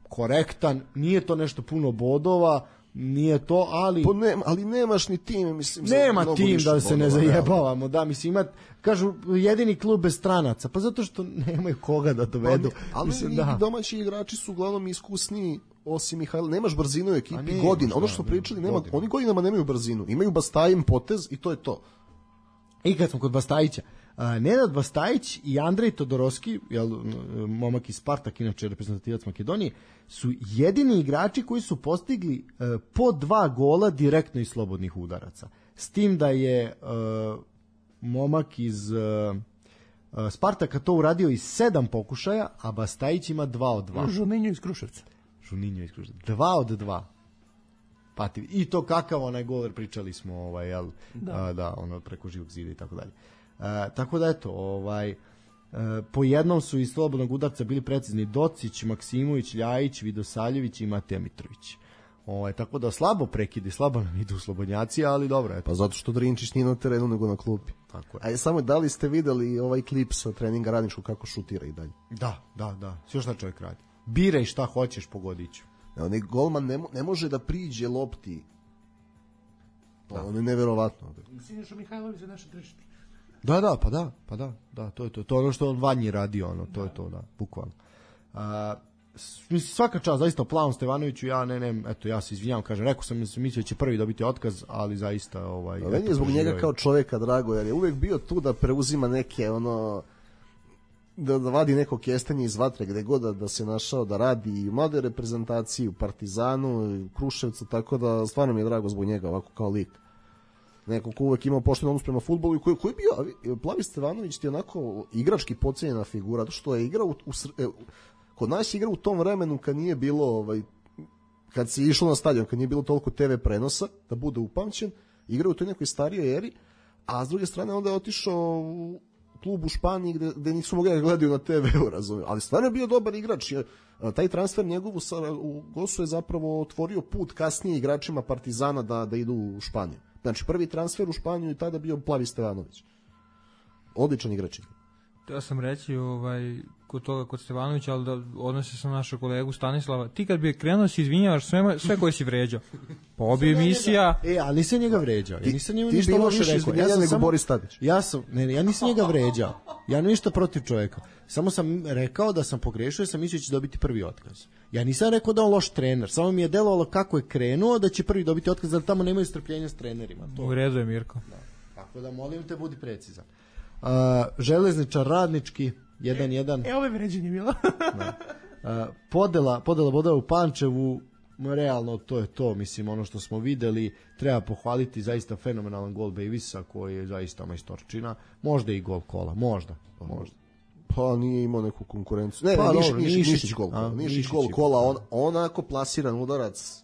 S4: korektan, nije to nešto puno bodova, nije to, ali
S5: po ne, ali nemaš ni tim, mislim,
S4: nema tim da se ne zajebavamo, da, mislim, ima, kažu, jedini klub bez stranaca, pa zato što nemaju koga da dovedu.
S5: Ali, mislim, da. domaći igrači su uglavnom iskusniji, osim Mihajla, nemaš brzinu u ekipi
S4: ne,
S5: godina, ono što smo pričali, nema, oni godinama nemaju brzinu, imaju Bastajim potez i to je to.
S4: I kad smo kod Bastajića, Uh, Nenad Bastajić i Andrej Todorovski, jel, momak iz Spartak, inače reprezentativac Makedonije, su jedini igrači koji su postigli uh, po dva gola direktno iz slobodnih udaraca. S tim da je uh, momak iz uh, uh, Spartaka to uradio iz sedam pokušaja, a Bastajić ima dva od dva.
S2: Žuninjo iz Kruševca.
S4: Žuninjo iz Kruševca. Dva od dva. Pati. I to kakav onaj gol, pričali smo, ovaj, jel, da. Uh, da, ono, preko živog zida i tako dalje. Uh, tako da eto, ovaj, uh, po jednom su iz slobodnog udarca bili precizni Docić, Maksimović, Ljajić, Vidosaljević i Mateja Mitrović. Ovaj, tako da slabo prekidi, slabo nam idu slobodnjaci, ali dobro. Eto.
S5: Pa zato što Drinčić nije na terenu nego na klupi.
S4: Tako je.
S5: A je samo, da li ste videli ovaj klip sa treninga Radničkog kako šutira i dalje?
S4: Da, da, da. Sve šta čovjek radi. Biraj šta hoćeš, pogodit ću.
S5: Onaj golman ne, ne može da priđe lopti. Da. Ono je neverovatno.
S2: Siniša Mihajlović za naše tržište.
S4: Da, da, pa da, pa da, da, to je to. To je ono što on vanji radio, ono, to je to, da, bukvalno. A, svaka čast, zaista, Plavom Stevanoviću, ja ne, ne, eto, ja se izvinjam, kažem, rekao sam, mislio da će prvi dobiti otkaz, ali zaista, ovaj...
S5: Meni je zbog njega kao čovjeka drago, jer je uvek bio tu da preuzima neke, ono, da, da vadi neko kestenje iz vatre, gde god da, da se našao, da radi i u mladoj reprezentaciji, u Partizanu, i u Kruševcu, tako da stvarno mi je drago zbog njega, ovako kao lik. Neko ko uvek imao pošten odnos prema fudbalu i koji, koji je bio, Plavi Stevanović ti je onako igrački podcijenjena figura, to što je igrao u, u, kod nas je igrao u tom vremenu kad nije bilo, ovaj, kad si išao na stadion, kad nije bilo toliko te ve prenosa, da bude upamćen, igrao u toj nekoj starijoj eri, a s druge strane onda je otišao u klub u Španiji gde, gde nisu mogli da gledaju na te veu, razumiju. Ali stvarno je bio dobar igrač. Taj transfer njegov u Gosu je zapravo otvorio put kasnije igračima Partizana da, da idu u Španiju. Znači, prvi transfer u Španiju je tada bio Plavi Stevanović. Odličan igrač.
S3: Teo sam reći ovaj, kod toga, kod Stevanovića, ali da odnosi sa našeg kolegu Stanislava. Ti kad bi krenuo si izvinjavaš sve, sve koje si vređao. Pa obi emisija...
S4: E, ali nisam njega vređao. Ja nisam njega
S5: ti
S4: ništa loše rekao.
S5: Ja sam nego samo, Boris Tadić.
S4: Ja sam, ne, ne, ja nisam njega vređao. Ja ništa protiv čovjeka. Samo sam rekao da sam pogrešio i sam mislio da će dobiti prvi otkaz. Ja nisam rekao da on loš trener. Samo mi je delovalo kako je krenuo da će prvi dobiti otkaz, jer tamo nemaju strpljenja s trenerima. To.
S3: U redu je, Mirko.
S4: Da. Tako da molim te, budi precizan. Uh, železničar Radnički jedan jedan.
S2: E, ovo je vređenje bilo.
S4: uh, podela, podela bodova u Pančevu, realno to je to, mislim, ono što smo videli, treba pohvaliti zaista fenomenalan gol Bejvisa koji je zaista majstorčina, možda i gol Kola, možda, možda.
S5: Pa nije imao neku konkurenciju. Ne,
S4: pa,
S5: ne, Niš,
S4: dobro,
S5: Niš,
S4: Nišić,
S5: Nišić gol,
S4: a,
S5: Nišić
S4: Nišić
S5: gol
S4: je,
S5: Kola, on, onako plasiran udarac.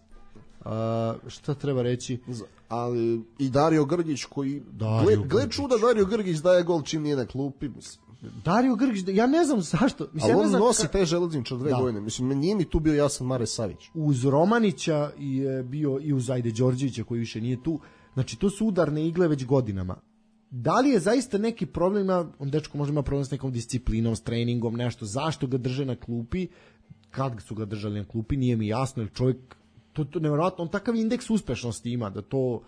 S4: A, šta treba reći?
S5: Ali i Dario Grgić koji
S4: Dario
S5: gle, gle čuda Dario Grgić daje gol čim nije na klupi, mislim.
S4: Dario Grgić, ja ne znam zašto. Mislim,
S5: ali
S4: ja ne
S5: on
S4: znam
S5: nosi
S4: ka...
S5: taj železničar dve da. godine. Mislim, nije mi tu bio jasan Mare Savić.
S4: Uz Romanića je bio i uz Ajde Đorđevića koji više nije tu. Znači, to su udarne igle već godinama. Da li je zaista neki problem, on dečko može ima problem s nekom disciplinom, s treningom, nešto, zašto ga drže na klupi, kad su ga držali na klupi, nije mi jasno, jer čovjek, to, to nevjerojatno, on takav indeks uspešnosti ima, da to,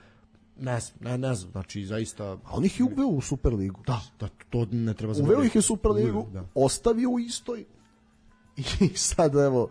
S4: ne znam, ne, ne znam, znači zaista...
S5: A on ih je uveo u Superligu.
S4: Da, da, to ne treba zaboraviti.
S5: Uveo ih je u Superligu, da. Ostavio u istoj i sad evo...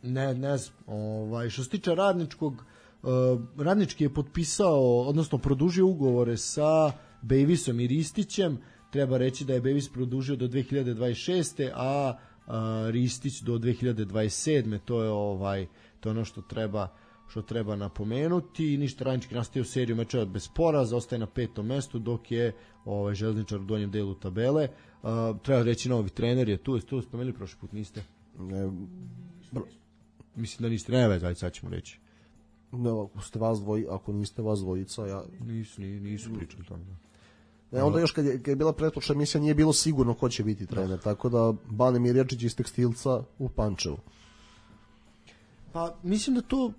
S4: Ne, ne znam, ovaj, što se tiče Radničkog, Uh, Radnički je potpisao, odnosno produžio ugovore sa Bejvisom i Ristićem. Treba reći da je Bejvis produžio do dve hiljade dvadeset šeste a uh, Ristić do dve hiljade dvadeset sedme To je ovaj, to je ono što treba što treba napomenuti. Ništa, Radnički nastavio seriju mečeva bez poraza, ostaje na petom mestu, dok je ovaj Železničar u donjem delu tabele. Uh, treba reći, novi trener je tu, tu spomenuli prošli put, niste?
S5: Ne,
S4: mislim da niste, ne već, sad ćemo reći.
S5: No, ako ste vas dvoji, ako niste vas dvojica, ja...
S4: Nisu, nisu pričali tamo.
S5: Ne, onda još kad je, kad je bila pretpočna emisija nije bilo sigurno ko će biti trener, tako da Bane Mirjačić iz Tekstilca u Pančevu.
S4: Pa, mislim da to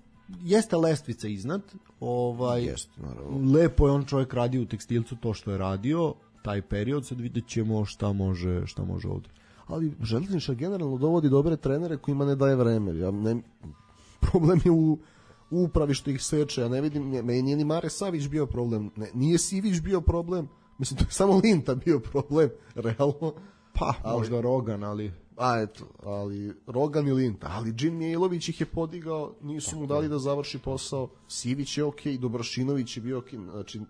S4: jeste lestvica iznad. Ovaj,
S5: jeste, naravno.
S4: Lepo je on čovjek radio u Tekstilcu to što je radio, taj period, sad vidjet ćemo šta može, šta može ovdje.
S5: Ali Železničar generalno dovodi dobre trenere kojima ne daje vreme. Ja ne, problem je u u upravi što ih seče, ja ne vidim, meni nije ni Mare Savić bio problem, ne, nije Sivić bio problem, mislim, to je samo Linta bio problem, realno.
S4: Pa, ali, možda Rogan, ali...
S5: A, eto, ali Rogan i Linta, ali Džin Mijailović ih je podigao, nisu tako mu dali da završi posao, Sivić je okej, okay, Dobrošinović je bio okej, okay, znači...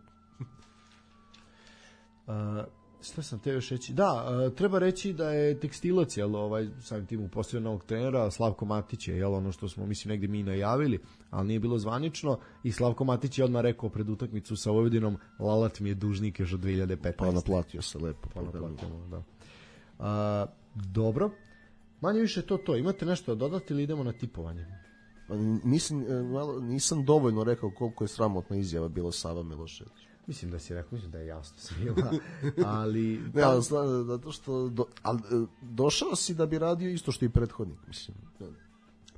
S4: Uh, Šta sam te još reći? Da, uh, treba reći da je Tekstilac, jel, ovaj, samim tim upostavio novog trenera, Slavko Matić je, jel, ono što smo, mislim, negde mi najavili, ali nije bilo zvanično, i Slavko Matić je odmah rekao pred utakmicu sa Vojvodinom, Lalat mi je dužnik još od dve hiljade petnaeste
S5: Pa naplatio se lepo.
S4: Pa naplatio, da. Uh, dobro, manje više to to. Imate nešto da dodati ili idemo na tipovanje?
S5: Mislim, malo, nisam dovoljno rekao koliko je sramotna izjava bilo Sava Milošević.
S4: Mislim da si rekao, mislim da je jasno svima, ali...
S5: ne, ali zato što do, ali, došao si da bi radio isto što i prethodnik, mislim.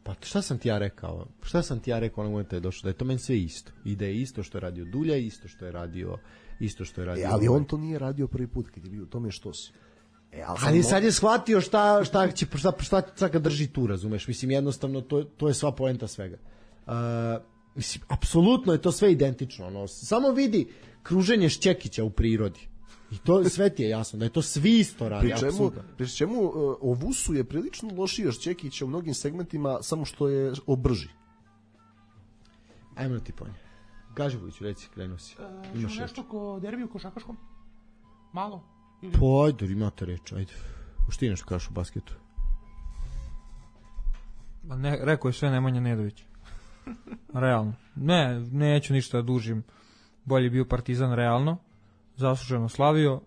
S4: Pa šta sam ti ja rekao? Šta sam ti ja rekao onog momenta je došao? Da je to meni sve isto. I da je isto što je radio Dulja, isto što je radio isto što je radio.
S5: E, ali on to nije radio prvi put kad je bio, to mi je štos.
S4: E, ali, ali sad je shvatio šta, šta, će, šta, šta, šta ga drži tu, razumeš? Mislim, jednostavno, to, to je sva poenta svega. Uh, mislim, apsolutno je to sve identično. Ono, samo vidi kruženje Šćekića u prirodi. I to sve ti je jasno, da je to svi isto radi.
S5: Pri čemu, pri čemu uh, o Vusu je prilično lošiji od Šćekića u mnogim segmentima, samo što je obrži.
S4: Ajmo ti ponje. Gaživoviću, reci, krenuo si.
S2: Uh, Imaš nešto ko derbi u košakaškom? Malo? Ili...
S4: Pa ajde, imate reč, ajde. Što ti nešto kažeš u basketu?
S3: Ma ne, rekao je sve Nemanja Nedović. Realno. Ne, neću ništa da dužim. Bolje bio Partizan realno. Zasluženo slavio.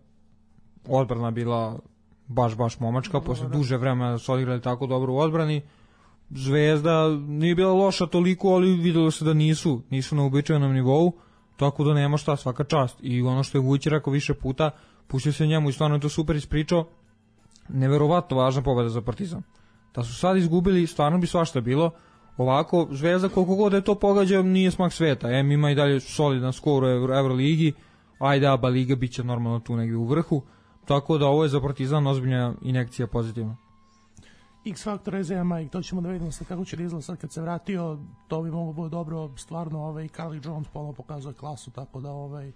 S3: Odbrana bila baš, baš momačka. Posle duže vremena su odigrali tako dobro u odbrani. Zvezda nije bila loša toliko, ali videlo se da nisu. Nisu na uobičajenom nivou. Tako da nema šta, svaka čast. I ono što je Vujić rekao više puta, pustio se njemu i stvarno je to super ispričao. Neverovatno važna pobeda za Partizan. Da su sad izgubili, stvarno bi svašta bilo. Ovako, Zvezda koliko god je to pogađa, nije smak sveta. Em ima i dalje solidan skor u Euroligi, ajde Aba Liga bit će normalno tu negdje u vrhu. Tako da ovo je za Partizan ozbiljna injekcija pozitivna.
S2: X Factor je za Mike, to ćemo da vidimo sad kako će da izgleda sad kad se vratio, to bi moglo biti dobro, stvarno ovaj, Carly Jones ponovno pokazuje klasu, tako da ovaj,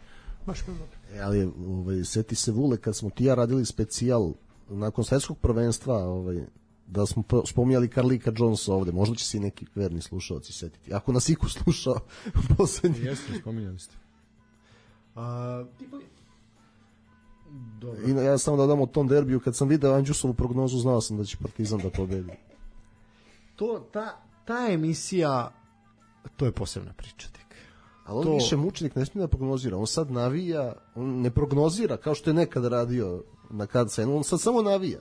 S2: baš je dobro.
S5: E, ali ovaj, seti se Vule kad smo ti ja radili specijal nakon svetskog prvenstva, ovaj, da smo spominjali Carlika Jonesa ovde, možda će se i neki verni slušalci setiti. Ako nas iko slušao poslednji.
S4: Jeste, spominjali ste. A,
S5: dobro. I ja samo da dam o tom derbiju, kad sam video Andjusovu prognozu, znao sam da će Partizan da pobedi.
S4: To, ta, ta emisija, to je posebna priča tek.
S5: Ali on
S4: to...
S5: više mučenik ne smije da prognozira, on sad navija, on ne prognozira kao što je nekad radio na K C N, on sad samo navija.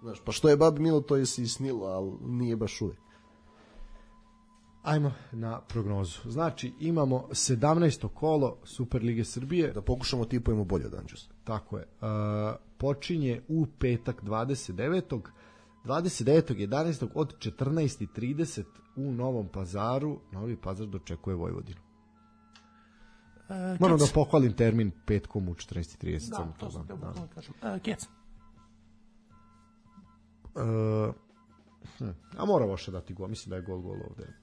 S5: Znaš, pa što je babi milo, to je si snilo, ali nije baš uvek.
S4: Ajmo na prognozu. Znači, imamo sedamnaesto kolo Superlige Srbije.
S5: Da pokušamo tipujemo bolje od Andjusa.
S4: Tako je. Uh, počinje u petak dvadeset devetog dvadeset devetog jedanaestog od četrnaest i trideset u Novom Pazaru. Novi Pazar dočekuje Vojvodinu. Uh, Moram da pohvalim termin petkom u četrnaest i trideset.
S2: Da, to sam te da kažem. Uh, Kec.
S4: Uh, hm. A mora Voša dati gol. Mislim da je gol gol ovde.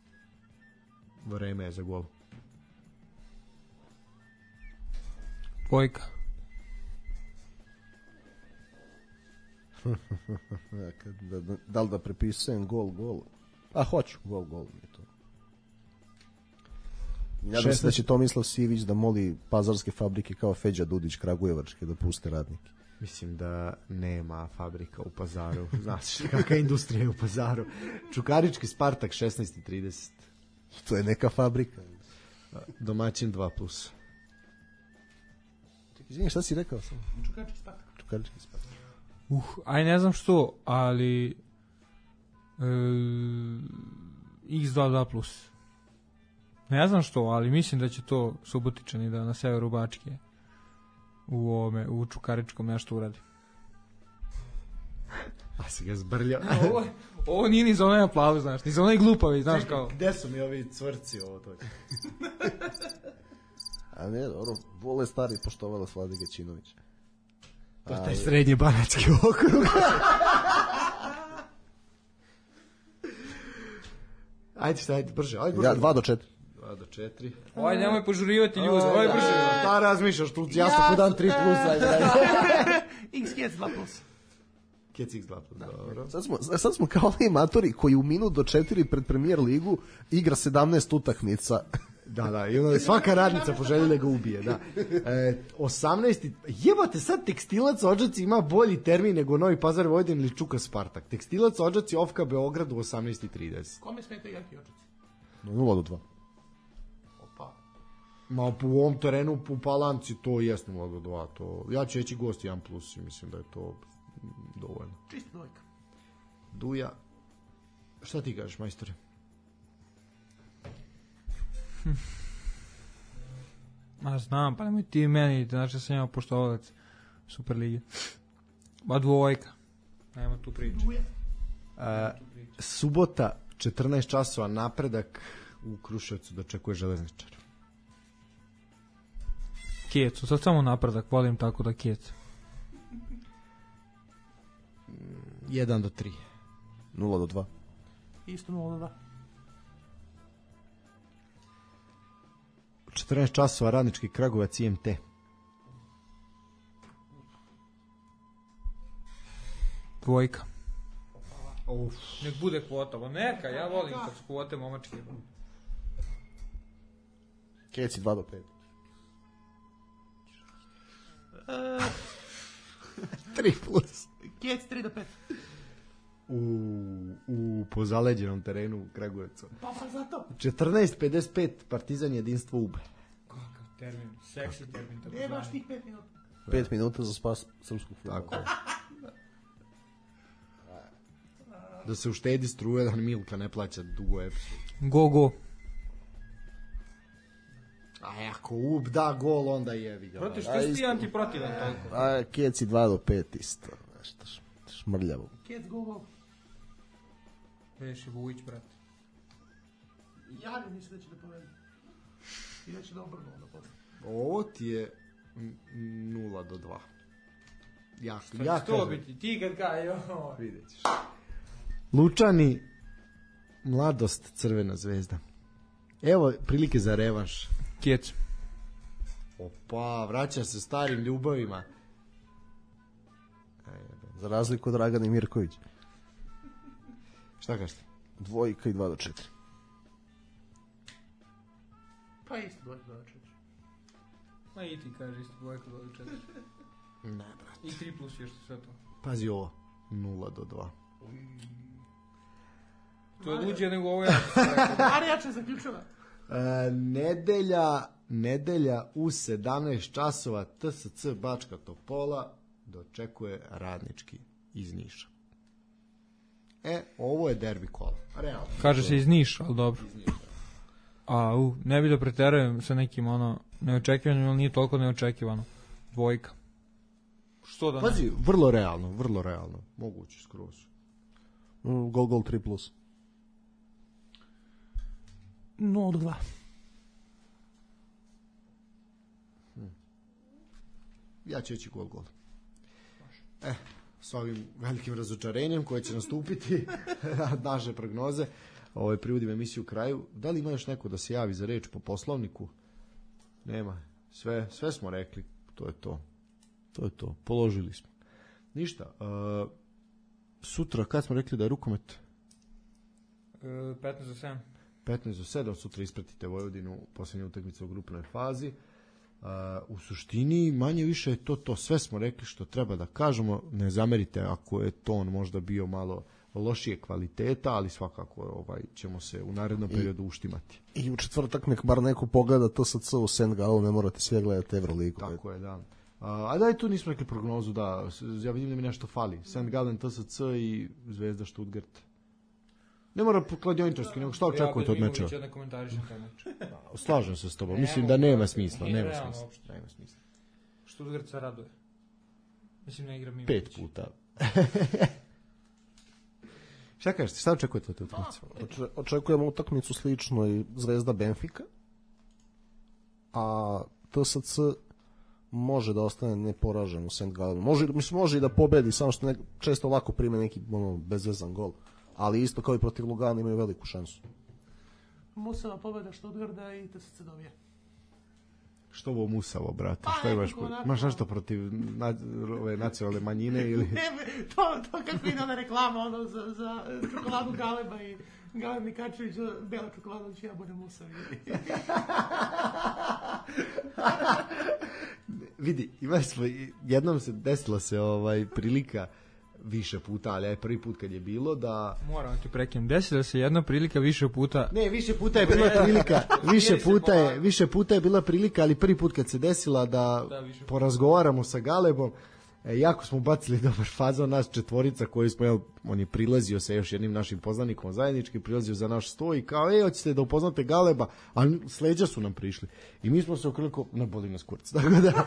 S4: Vreme je za gol.
S3: Vojka.
S5: da, da, da li da prepisujem gol, gol? A hoću, gol, gol mi je to. Nadam se da će Tomislav Sivić da moli pazarske fabrike kao Feđa Dudić Kragujevačke da puste radnike.
S4: Mislim da nema fabrika u Pazaru. Znaš kakva industrija je u Pazaru. Čukarički Spartak šesnaest i trideset.
S5: To je neka fabrika.
S4: Domaćin dva plus.
S5: Čekaj, izvini, šta si rekao sam?
S2: Čukarički Spartak.
S5: Čukarički Spartak.
S3: Uh, aj ne znam što, ali e, iks dva dva plus. Ne znam što, ali mislim da će to Subotičani da na severu Bačke u ovome, u Čukaričkom nešto uradi.
S4: A si ga zbrljao.
S3: ovo, ovo nije ni za onaj aplauz, znaš, ni za onaj glupavi, znaš. Čekaj, kao.
S4: Gde su mi ovi cvrci ovo to?
S5: A ne, dobro, vole stari poštovala Slade Gaćinović.
S4: To je taj srednji banački okrug. Ajde šta, ajde, brže, ajde brže.
S5: Ja, dva do četiri.
S4: dva do četiri.
S3: Oj, nemoj požurivati ljudi, oj brže.
S4: Šta razmišljaš, tu jasno ko dan tri plus, ajde, ajde.
S2: X Kec dva plus.
S4: Kec X dva plus, dobro.
S5: Sad smo, sad smo kao oni matori koji u minut do četiri pred Premier ligu igra sedamnaest utakmica.
S4: Da, da, i onda svaka radnica poželjela ga ubije, da. E, osamnaest Jebate, sad Tekstilac Odžaci ima bolji termin nego Novi Pazar Vojvodin ili Čuka Spartak. Tekstilac Odžaci Ofka Beograd u osamnaest i trideset.
S2: Kome smeta igrati Odžaci?
S5: nula do dva.
S2: Opa.
S4: Ma u ovom terenu u Palanci to jest nula do dva. To, ja ću reći gost jedan plus i mislim da je to dovoljno.
S2: Čisto dvojka.
S4: Duja. Šta ti kažeš, majstore?
S3: Ma znam, pa nemoj ti meni, znači sam ja poštovalac Superlige. Ma dvojka. Nema tu priče.
S4: Uh, subota četrnaest časova Napredak u Kruševcu dočekuje Železničar.
S3: Kecu, sad samo Napredak, volim tako da Kecu.
S4: jedan do tri.
S5: nula do dva.
S2: Isto nula do dva.
S4: četrnaest časova Radnički Kragujevac I M T.
S3: Dvojka.
S4: Uf.
S3: Nek bude kvota, bo neka, ja volim kad su kvote momačke.
S5: Keci dva do pet.
S4: tri plus.
S2: Kjec tri do pet.
S4: U, u pozaleđenom terenu u Kragujevcu.
S2: Pa pa zato.
S4: četrnaest pedeset pet Partizan Jedinstvo Ube.
S3: Kakav termin, seksi termin. Tako
S2: E, baš tih pet minuta.
S5: Pet minuta za spas srpskog futbola.
S4: Tako je. Da se uštedi struje, da Milka ne plaća dugo epsu.
S3: Go, go.
S4: A ako Ub da gol, onda jevi ga.
S3: Protiv što si ti antiprotivan toliko?
S5: A Keci dva do pet isto. Nešto šmrljavo.
S2: Kjec go go.
S3: Veši Vujić, brate.
S2: Ja ne mislim da će da povedi. I da će da obrnu onda posle.
S4: Ovo ti je nula do dva. Ja,
S3: Što
S4: ja
S3: će to
S4: kažem.
S3: biti? Ti kad ga, joj.
S4: Vidjet ćeš. Lučani, Mladost, Crvena zvezda. Evo prilike za revanš.
S3: Kec.
S4: Opa, vraća se starim ljubavima.
S5: Za razliku od Dragana i Mirković.
S4: Šta kažete?
S5: Dvojka i dva do četiri.
S2: Pa isto dvojka do četiri.
S3: Ma i ti kaže isto dvojka do četiri.
S4: Ne, brate.
S3: I tri plus još sve to.
S4: Pazi ovo. nula do dva.
S3: To je luđe nego ovo ja.
S2: Ali jače zaključava.
S4: E, nedelja, nedelja u sedamnaest časova T S C Bačka Topola dočekuje Radnički iz Niša. E, ovo je derbi kola. Realno.
S3: Kaže se iz Niša, ali dobro. A, u, ne bi da preterujem sa nekim ono neočekivanim, ali nije toliko neočekivano. Dvojka. Što da ne?
S4: Pazi, vrlo realno, vrlo realno. Moguće skroz.
S5: Mm, Gol, gol, tri plus.
S2: nula do dva.
S4: Ja ću reći gol, gol. E, s ovim velikim razočarenjem koje će nastupiti naše prognoze, ovaj, privodim emisiju kraju. Da li ima još neko da se javi za reč po poslovniku? Nema. Sve, sve smo rekli. To je to. To je to. Položili smo. Ništa. Uh, sutra, kad smo rekli da je rukomet?
S3: E, petnaest za sedam.
S4: petnaest do sedam, sutra ispratite Vojvodinu, posljednja utakmica u grupnoj fazi. Uh, u suštini manje više je to to, sve smo rekli što treba da kažemo, ne zamerite ako je ton možda bio malo lošije kvaliteta, ali svakako ovaj, ćemo se u narednom periodu uštimati.
S5: I u četvrtak nek bar neko pogleda T S C u Saint Gallen, ne morate sve gledati Euroligu.
S4: Tako je, da. A, a da je tu nismo rekli prognozu, da, ja vidim da mi nešto fali. Saint Gallen, T S C i Zvezda Stuttgart. Ne mora kladioničarski, nego šta očekujete od meča?
S3: Ja da komentarišem taj meč.
S4: Slažem se s tobom, mislim da nema smisla,
S3: Nije
S4: nema
S3: realno
S4: smisla.
S3: uopšte.
S4: Nema smisla.
S3: Stuttgart se raduje. Mislim, ne igra Mimić.
S4: Pet puta. Šta kažete, šta očekujete od te utakmice?
S5: Oče, očekujemo utakmicu slično i Zvezda Benfika, a T S C može da ostane neporažen u Saint Gallenu. Može, mislim, može i da pobedi, samo što ne, često lako prime neki ono, bezvezan gol. Ali isto kao i protiv Lugana imaju veliku šansu.
S2: Musava pobeda Stuttgarda i T S C dobije.
S4: Što ovo musavo, brate?
S2: Pa,
S4: Šta imaš?
S2: nekako onako-
S4: Imaš nešto protiv na, ove nacionalne manjine ili...
S2: Ne, to, to kako ide ona reklama ono, za, za čokoladu Galeba i Galeb Nikačević, bela čokolada, će ja budem musavi.
S4: Vidi, imali smo, jednom se desila se ovaj prilika više puta, ali je prvi put kad je bilo da...
S3: Moram ti prekinem. Desila se jedna prilika više puta.
S4: Ne, više puta je bila prilika, više
S3: Jer se
S4: puta je,
S3: polako.
S4: više puta je bila prilika, ali prvi put kad se desila da,
S3: Da, više puta.
S4: porazgovaramo sa Galebom, e, jako smo bacili dobar fazon, nas četvorica koji smo, jel, on je prilazio sa još jednim našim poznanikom zajednički, prilazio za naš sto i kao, ej, hoćete da upoznate Galeba, a s leđa su nam prišli. I mi smo se okreliko, na boli nas kurac, tako da...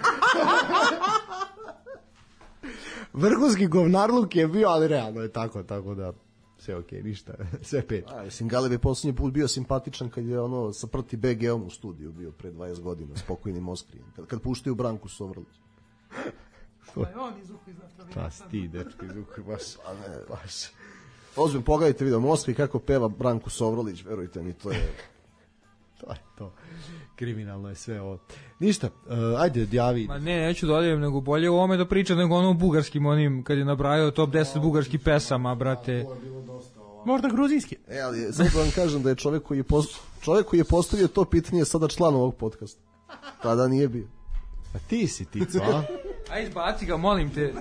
S4: Vrhunski govnarluk je bio, ali realno je tako, tako da sve okej, ništa, sve pet.
S5: A, mislim, Galeb je posljednji put bio simpatičan kad je ono sa Prti be ge-om u studiju bio pre dvadeset godina, spokojnim Oskrijem, kad, kad puštaju Branku Sovrlić.
S2: Pa je on izuhu iz napravljena.
S4: Pa sti, dečko, izuhu, baš,
S5: A ne,
S4: baš.
S5: ozbiljno, pogledajte video Moskvi kako peva Branku Sovrlić, verujte mi, to je...
S4: To je to. Kriminalno je sve ovo. Ništa, uh, ajde, djavi.
S3: Ma ne, neću da odijem, nego bolje u ovome da pričam nego ono bugarskim onim, kad je nabrajao top deset bugarskih pesama, brate.
S2: Možda gruzijski.
S5: E, ali sad da vam kažem da je čovjek koji je, post... čovjek koji je postavio to pitanje sada član ovog podcasta. Tada nije bio.
S4: Pa ti si tico, a?
S3: Aj, izbaci ga, molim te.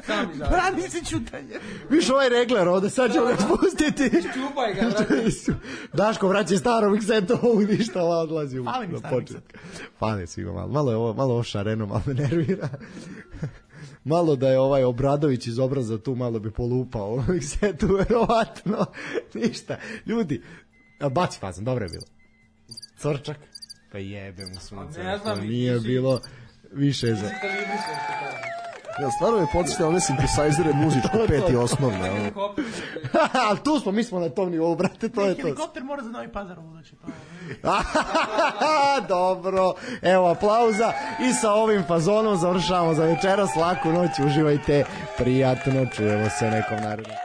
S3: Sam izbaci.
S2: Brani se čutanje.
S4: Viš ovaj regler ovde, sad ćemo ga spustiti.
S3: Čupaj ga, brate.
S4: Daško vraća staro mikseto, ovog ništa, ova odlazi u
S2: Fali mi
S4: na
S2: stari
S4: početak. Fali svima malo. Malo je ovo, malo ovo šareno, malo me nervira. Malo da je ovaj Obradović iz Obraza tu, malo bi polupao ovo miksetu, verovatno. Ništa. Ljudi, a baci fazan, dobro je bilo. Crčak. Pa jebe mu sunce.
S3: Ne znam,
S4: to nije
S3: si-
S4: bilo više za...
S5: Ja, stvarno je podsjetio one synthesizere muzičko peti osnovne. Ono.
S4: Ali tu smo, mi smo na tom nivou, brate, to je to.
S2: Helikopter mora za Novi Pazar uvući. To je.
S4: Dobro, evo aplauza i sa ovim fazonom završavamo za večeras, laku noć, uživajte, prijatno, čujemo se nekom narednom.